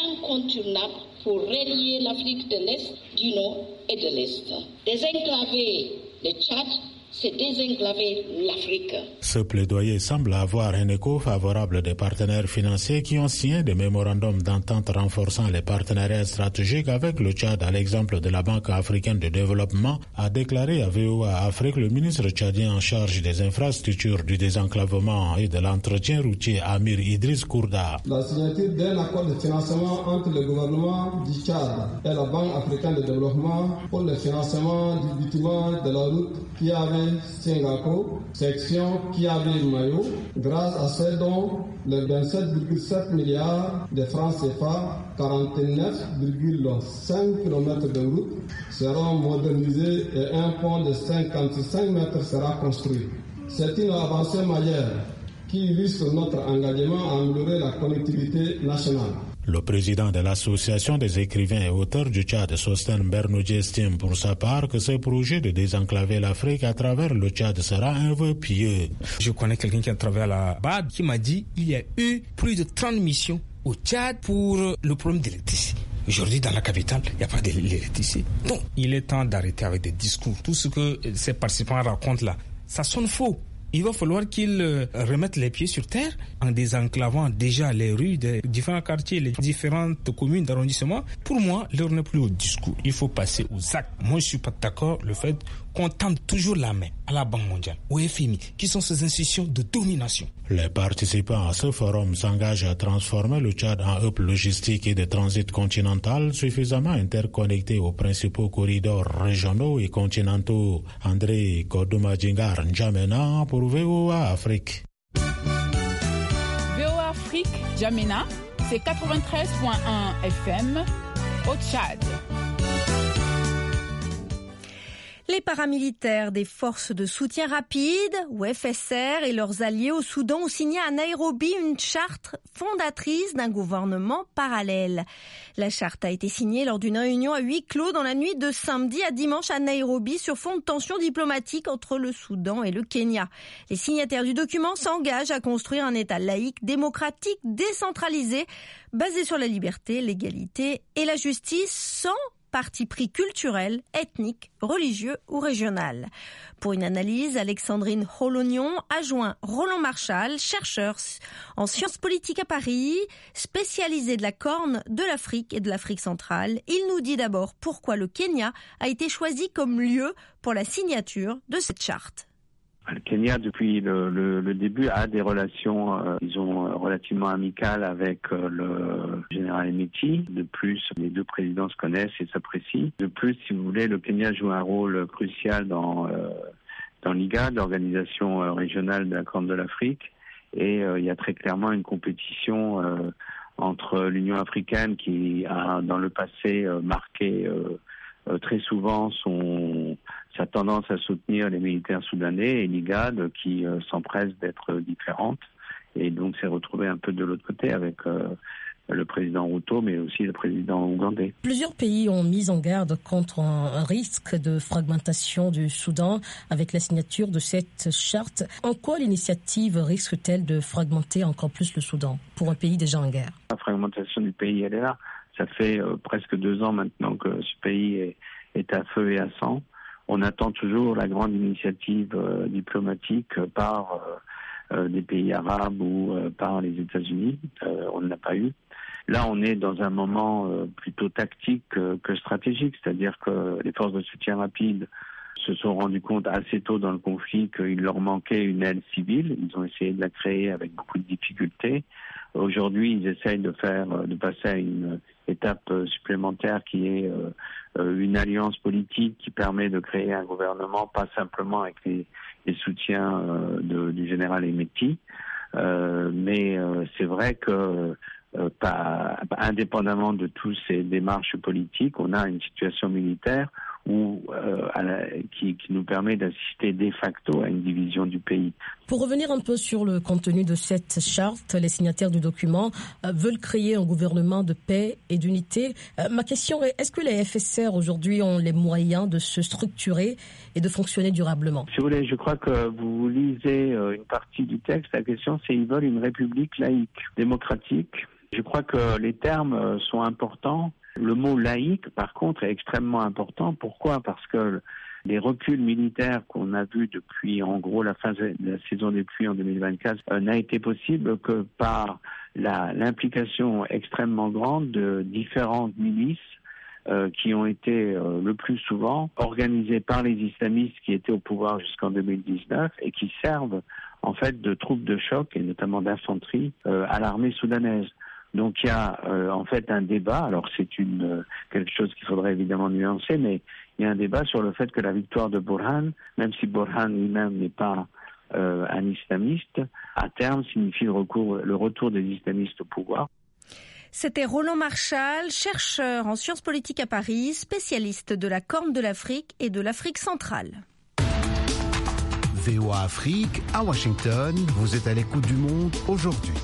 incontournable pour relier l'Afrique de l'Est, du Nord et de l'Est. Désenclaver le Tchad, c'est désenclaver l'Afrique. Ce plaidoyer semble avoir un écho favorable des partenaires financiers qui ont signé des mémorandums d'entente renforçant les partenariats stratégiques avec le Tchad, à l'exemple de la Banque africaine de développement, a déclaré à VOA Afrique le ministre tchadien en charge des infrastructures, du désenclavement et de l'entretien routier, Amir Idriss Kourda. La signature d'un accord de financement entre le gouvernement du Tchad et la Banque africaine de développement pour le financement du bitume de la route qui avait Singapore, section Kiabi-Mayo, grâce à ce dont les 27,7 milliards de francs CFA, 49,5 km de route seront modernisés et un pont de 55 mètres sera construit. C'est une avancée majeure qui illustre notre engagement à améliorer la connectivité nationale. Le président de l'Association des écrivains et auteurs du Tchad, Sosten Bernoudji, estime pour sa part que ce projet de désenclaver l'Afrique à travers le Tchad sera un vœu pieux. Je connais quelqu'un qui a travaillé à la BAD qui m'a dit qu'il y a eu plus de 30 missions au Tchad pour le problème d'électricité. Aujourd'hui, dans la capitale, il n'y a pas d'électricité. Donc, il est temps d'arrêter avec des discours. Tout ce que ces participants racontent là, ça sonne faux. Il va falloir qu'ils remettent les pieds sur terre en désenclavant déjà les rues des différents quartiers, les différentes communes d'arrondissement. Pour moi, l'heure n'est plus au discours. Il faut passer aux actes. Moi, je ne suis pas d'accord le fait qu'on tende toujours la main à la Banque mondiale, au FMI, qui sont ces institutions de domination. Les participants à ce forum s'engagent à transformer le Tchad en hub logistique et de transit continental suffisamment interconnecté aux principaux corridors régionaux et continentaux. André Kodouma-Djingar, N'Djamena pour VOA Afrique. VOA Afrique, N'Djamena, c'est 93.1 FM au Tchad. Les paramilitaires des forces de soutien rapide, ou FSR, et leurs alliés au Soudan ont signé à Nairobi une charte fondatrice d'un gouvernement parallèle. La charte a été signée lors d'une réunion à huis clos dans la nuit de samedi à dimanche à Nairobi sur fond de tensions diplomatiques entre le Soudan et le Kenya. Les signataires du document s'engagent à construire un État laïque, démocratique, décentralisé, basé sur la liberté, l'égalité et la justice, sans parti pris culturel, ethnique, religieux ou régional. Pour une analyse, Alexandrine Holognon a joint Roland Marchal, chercheur en sciences politiques à Paris, spécialisé de la Corne de l'Afrique et de l'Afrique centrale. Il nous dit d'abord pourquoi le Kenya a été choisi comme lieu pour la signature de cette charte. Le Kenya, depuis le début, a des relations, disons, relativement amicales avec le général Hemeti. De plus, les deux présidents se connaissent et s'apprécient. De plus, si vous voulez, le Kenya joue un rôle crucial dans l'IGAD, l'organisation régionale de la Corne de l'Afrique. Et il y a très clairement une compétition entre l'Union africaine qui a, dans le passé, marqué très souvent sa tendance à soutenir les militaires soudanais et l'IGAD qui s'empresse d'être différente et donc s'est retrouvée un peu de l'autre côté avec le président Ruto mais aussi le président ougandais. Plusieurs pays ont mis en garde contre un risque de fragmentation du Soudan avec la signature de cette charte. En quoi l'initiative risque-t-elle de fragmenter encore plus le Soudan pour un pays déjà en guerre? La fragmentation du pays, elle est là. Ça fait presque 2 ans maintenant que ce pays est à feu et à sang. On attend toujours la grande initiative diplomatique par des pays arabes ou par les États-Unis. On ne l'a pas eu. Là, on est dans un moment plutôt tactique que stratégique, c'est-à-dire que les forces de soutien rapide se sont rendues compte assez tôt dans le conflit qu'il leur manquait une aile civile. Ils ont essayé de la créer avec beaucoup de difficultés. Aujourd'hui, ils essayent de passer à une étape supplémentaire qui est une alliance politique qui permet de créer un gouvernement, pas simplement avec les soutiens du général Hemeti, mais c'est vrai que indépendamment de toutes ces démarches politiques, on a une situation militaire où, qui nous permet d'assister de facto à une division du pays. Pour revenir un peu sur le contenu de cette charte, les signataires du document veulent créer un gouvernement de paix et d'unité. Ma question est, est-ce que les FSR aujourd'hui ont les moyens de se structurer et de fonctionner durablement? Si vous voulez, je crois que vous lisez une partie du texte. La question, c'est ils veulent une république laïque, démocratique. Je crois que les termes sont importants. Le mot laïque, par contre, est extrêmement important. Pourquoi ? Parce que les reculs militaires qu'on a vus depuis, en gros, la fin de la saison des pluies en 2024, n'a été possible que par l'implication extrêmement grande de différentes milices qui ont été le plus souvent organisées par les islamistes qui étaient au pouvoir jusqu'en 2019 et qui servent en fait de troupes de choc et notamment d'infanterie à l'armée soudanaise. Donc il y a en fait un débat, alors c'est quelque chose qu'il faudrait évidemment nuancer, mais il y a un débat sur le fait que la victoire de Burhan, même si Burhan lui-même n'est pas un islamiste, à terme signifie le retour des islamistes au pouvoir. C'était Roland Marchal, chercheur en sciences politiques à Paris, spécialiste de la Corne de l'Afrique et de l'Afrique centrale. VOA Afrique, à Washington, vous êtes à l'écoute du Monde aujourd'hui.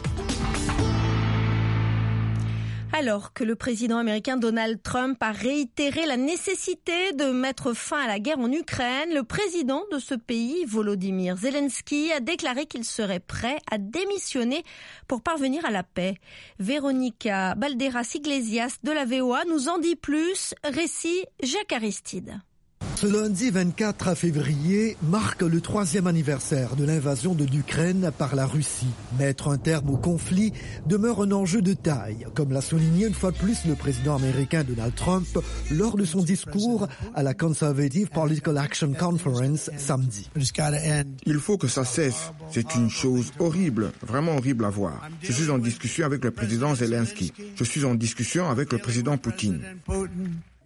Alors que le président américain Donald Trump a réitéré la nécessité de mettre fin à la guerre en Ukraine, le président de ce pays, Volodymyr Zelensky, a déclaré qu'il serait prêt à démissionner pour parvenir à la paix. Véronica Balderas Iglesias de la VOA nous en dit plus. Récit Jacques Aristide. Ce lundi 24 février marque le 3e anniversaire de l'invasion de l'Ukraine par la Russie. Mettre un terme au conflit demeure un enjeu de taille, comme l'a souligné une fois de plus le président américain Donald Trump lors de son discours à la Conservative Political Action Conference samedi. Il faut que ça cesse. C'est une chose horrible, vraiment horrible à voir. Je suis en discussion avec le président Zelensky. Je suis en discussion avec le président Poutine.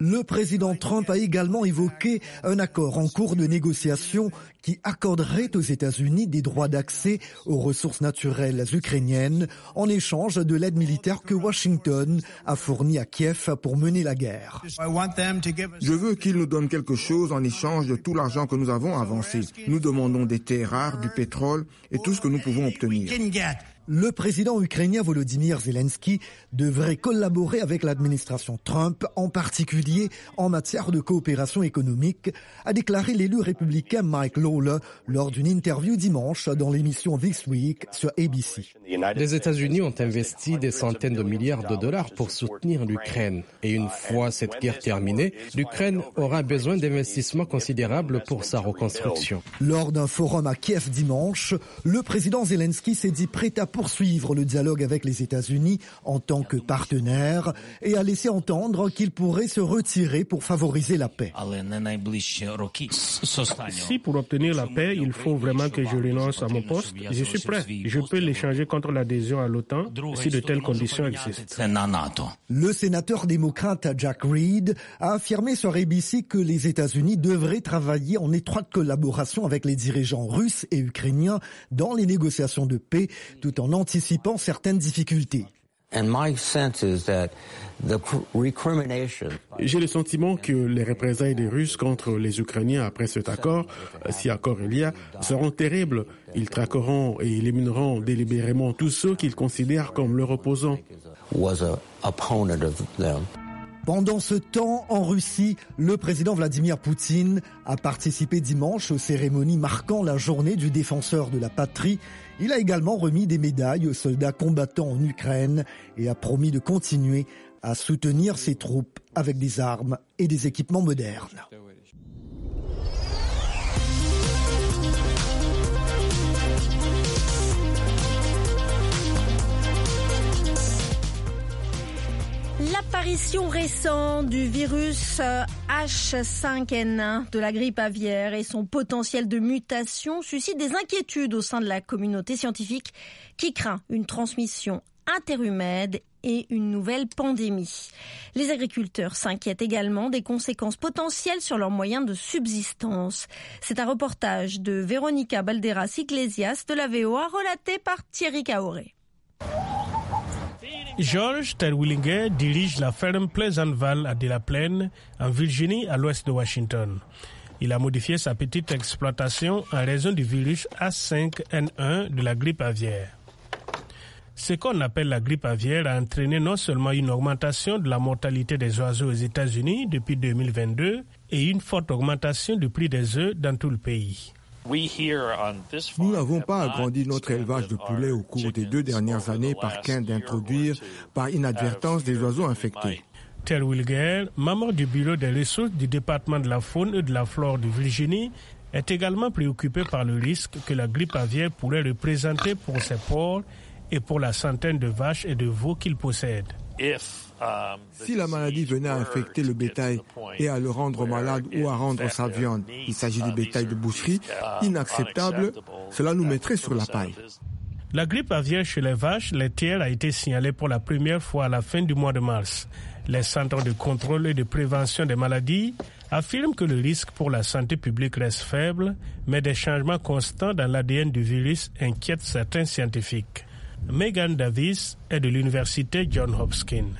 Le président Trump a également évoqué un accord en cours de négociation qui accorderait aux États-Unis des droits d'accès aux ressources naturelles ukrainiennes en échange de l'aide militaire que Washington a fournie à Kiev pour mener la guerre. Je veux qu'ils nous donnent quelque chose en échange de tout l'argent que nous avons avancé. Nous demandons des terres rares, du pétrole et tout ce que nous pouvons obtenir. Le président ukrainien Volodymyr Zelensky devrait collaborer avec l'administration Trump, en particulier en matière de coopération économique, a déclaré l'élu républicain Mike Lawler lors d'une interview dimanche dans l'émission This Week sur ABC. Les États-Unis ont investi des centaines de milliards de dollars pour soutenir l'Ukraine. Et une fois cette guerre terminée, l'Ukraine aura besoin d'investissements considérables pour sa reconstruction. Lors d'un forum à Kiev dimanche, le président Zelensky s'est dit prêt à poursuivre le dialogue avec les États-Unis en tant que partenaire et a laissé entendre qu'il pourrait se retirer pour favoriser la paix. Si pour obtenir la paix, il faut vraiment que je renonce à mon poste, je suis prêt. Je peux l'échanger contre l'adhésion à l'OTAN si de telles conditions existent. Le sénateur démocrate Jack Reed a affirmé sur ABC que les États-Unis devraient travailler en étroite collaboration avec les dirigeants russes et ukrainiens dans les négociations de paix, tout en anticipant certaines difficultés. J'ai le sentiment que les représailles des Russes contre les Ukrainiens après cet accord, si accord il y a, seront terribles. Ils traqueront et élimineront délibérément tous ceux qu'ils considèrent comme leurs opposants. Pendant ce temps, en Russie, le président Vladimir Poutine a participé dimanche aux cérémonies marquant la journée du défenseur de la patrie. Il a également remis des médailles aux soldats combattants en Ukraine et a promis de continuer à soutenir ses troupes avec des armes et des équipements modernes. L'apparition récente du virus H5N1 de la grippe aviaire et son potentiel de mutation suscite des inquiétudes au sein de la communauté scientifique qui craint une transmission interhumaine et une nouvelle pandémie. Les agriculteurs s'inquiètent également des conséquences potentielles sur leurs moyens de subsistance. C'est un reportage de Véronica Balderas Iglesias de la VOA relaté par Thierry Kaoré. George Terwilliger dirige la ferme Pleasant Valley à Delaplaine, en Virginie, à l'ouest de Washington. Il a modifié sa petite exploitation en raison du virus H5N1 de la grippe aviaire. Ce qu'on appelle la grippe aviaire a entraîné non seulement une augmentation de la mortalité des oiseaux aux États-Unis depuis 2022 et une forte augmentation du prix des œufs dans tout le pays. Nous n'avons pas agrandi notre élevage de poulets au cours des 2 dernières années par crainte d'introduire par inadvertance des oiseaux infectés. Terwilliger, membre du bureau des ressources du département de la faune et de la flore de Virginie, est également préoccupé par le risque que la grippe aviaire pourrait représenter pour ses porcs et pour la centaine de vaches et de veaux qu'il possède. Si la maladie venait à infecter le bétail et à le rendre malade ou à rendre sa viande, il s'agit du bétail de boucherie, inacceptable, cela nous mettrait sur la paille. La grippe aviaire chez les vaches laitières a été signalée pour la première fois à la fin du mois de mars. Les centres de contrôle et de prévention des maladies affirment que le risque pour la santé publique reste faible, mais des changements constants dans l'ADN du virus inquiètent certains scientifiques. Megan Davis est de l'université Johns Hopkins.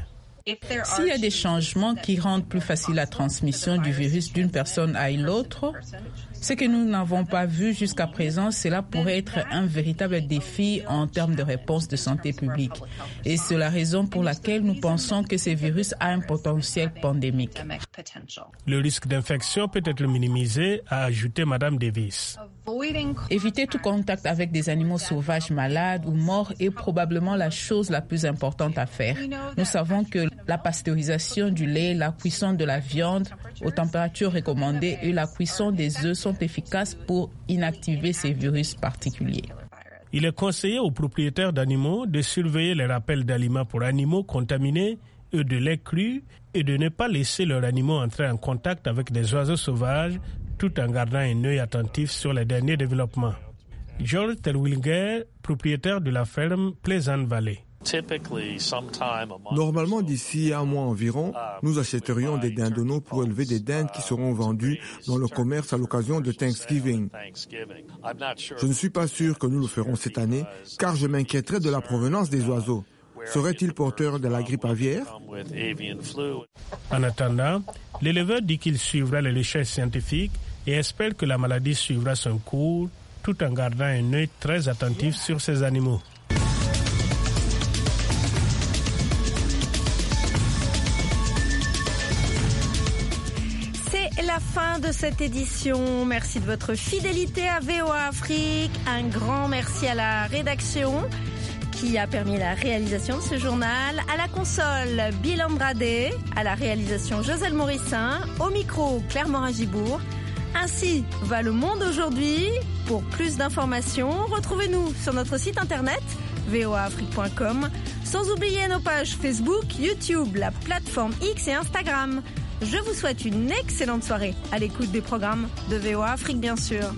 S'il y a des changements qui rendent plus facile la transmission du virus d'une personne à une autre, ce que nous n'avons pas vu jusqu'à présent, cela pourrait être un véritable défi en termes de réponse de santé publique. Et c'est la raison pour laquelle nous pensons que ce virus a un potentiel pandémique. Le risque d'infection peut être minimisé, a ajouté Madame Davis. Éviter tout contact avec des animaux sauvages malades ou morts est probablement la chose la plus importante à faire. Nous savons que la pasteurisation du lait, la cuisson de la viande aux températures recommandées et la cuisson des œufs sont efficaces pour inactiver ces virus particuliers. Il est conseillé aux propriétaires d'animaux de surveiller les rappels d'aliments pour animaux contaminés et de lait cru et de ne pas laisser leurs animaux entrer en contact avec des oiseaux sauvages tout en gardant un œil attentif sur les derniers développements. George Terwilliger, propriétaire de la ferme Pleasant Valley. Normalement, d'ici un mois environ, nous achèterions des dindonneaux pour élever des dindes qui seront vendues dans le commerce à l'occasion de Thanksgiving. Je ne suis pas sûr que nous le ferons cette année, car je m'inquiéterais de la provenance des oiseaux. Serait-il porteur de la grippe aviaire? En attendant, l'éleveur dit qu'il suivra les recherches scientifiques et espère que la maladie suivra son cours tout en gardant un œil très attentif sur ces animaux. C'est la fin de cette édition. Merci de votre fidélité à VOA Afrique. Un grand merci à la rédaction qui a permis la réalisation de ce journal. À la console, Bill Andrade. À la réalisation, Joselle Morissin. Au micro, Claire Morin-Gibourg. Ainsi va le monde aujourd'hui. Pour plus d'informations, retrouvez-nous sur notre site internet voaafrique.com. Sans oublier nos pages Facebook, YouTube, la plateforme X et Instagram. Je vous souhaite une excellente soirée à l'écoute des programmes de VOA Afrique, bien sûr.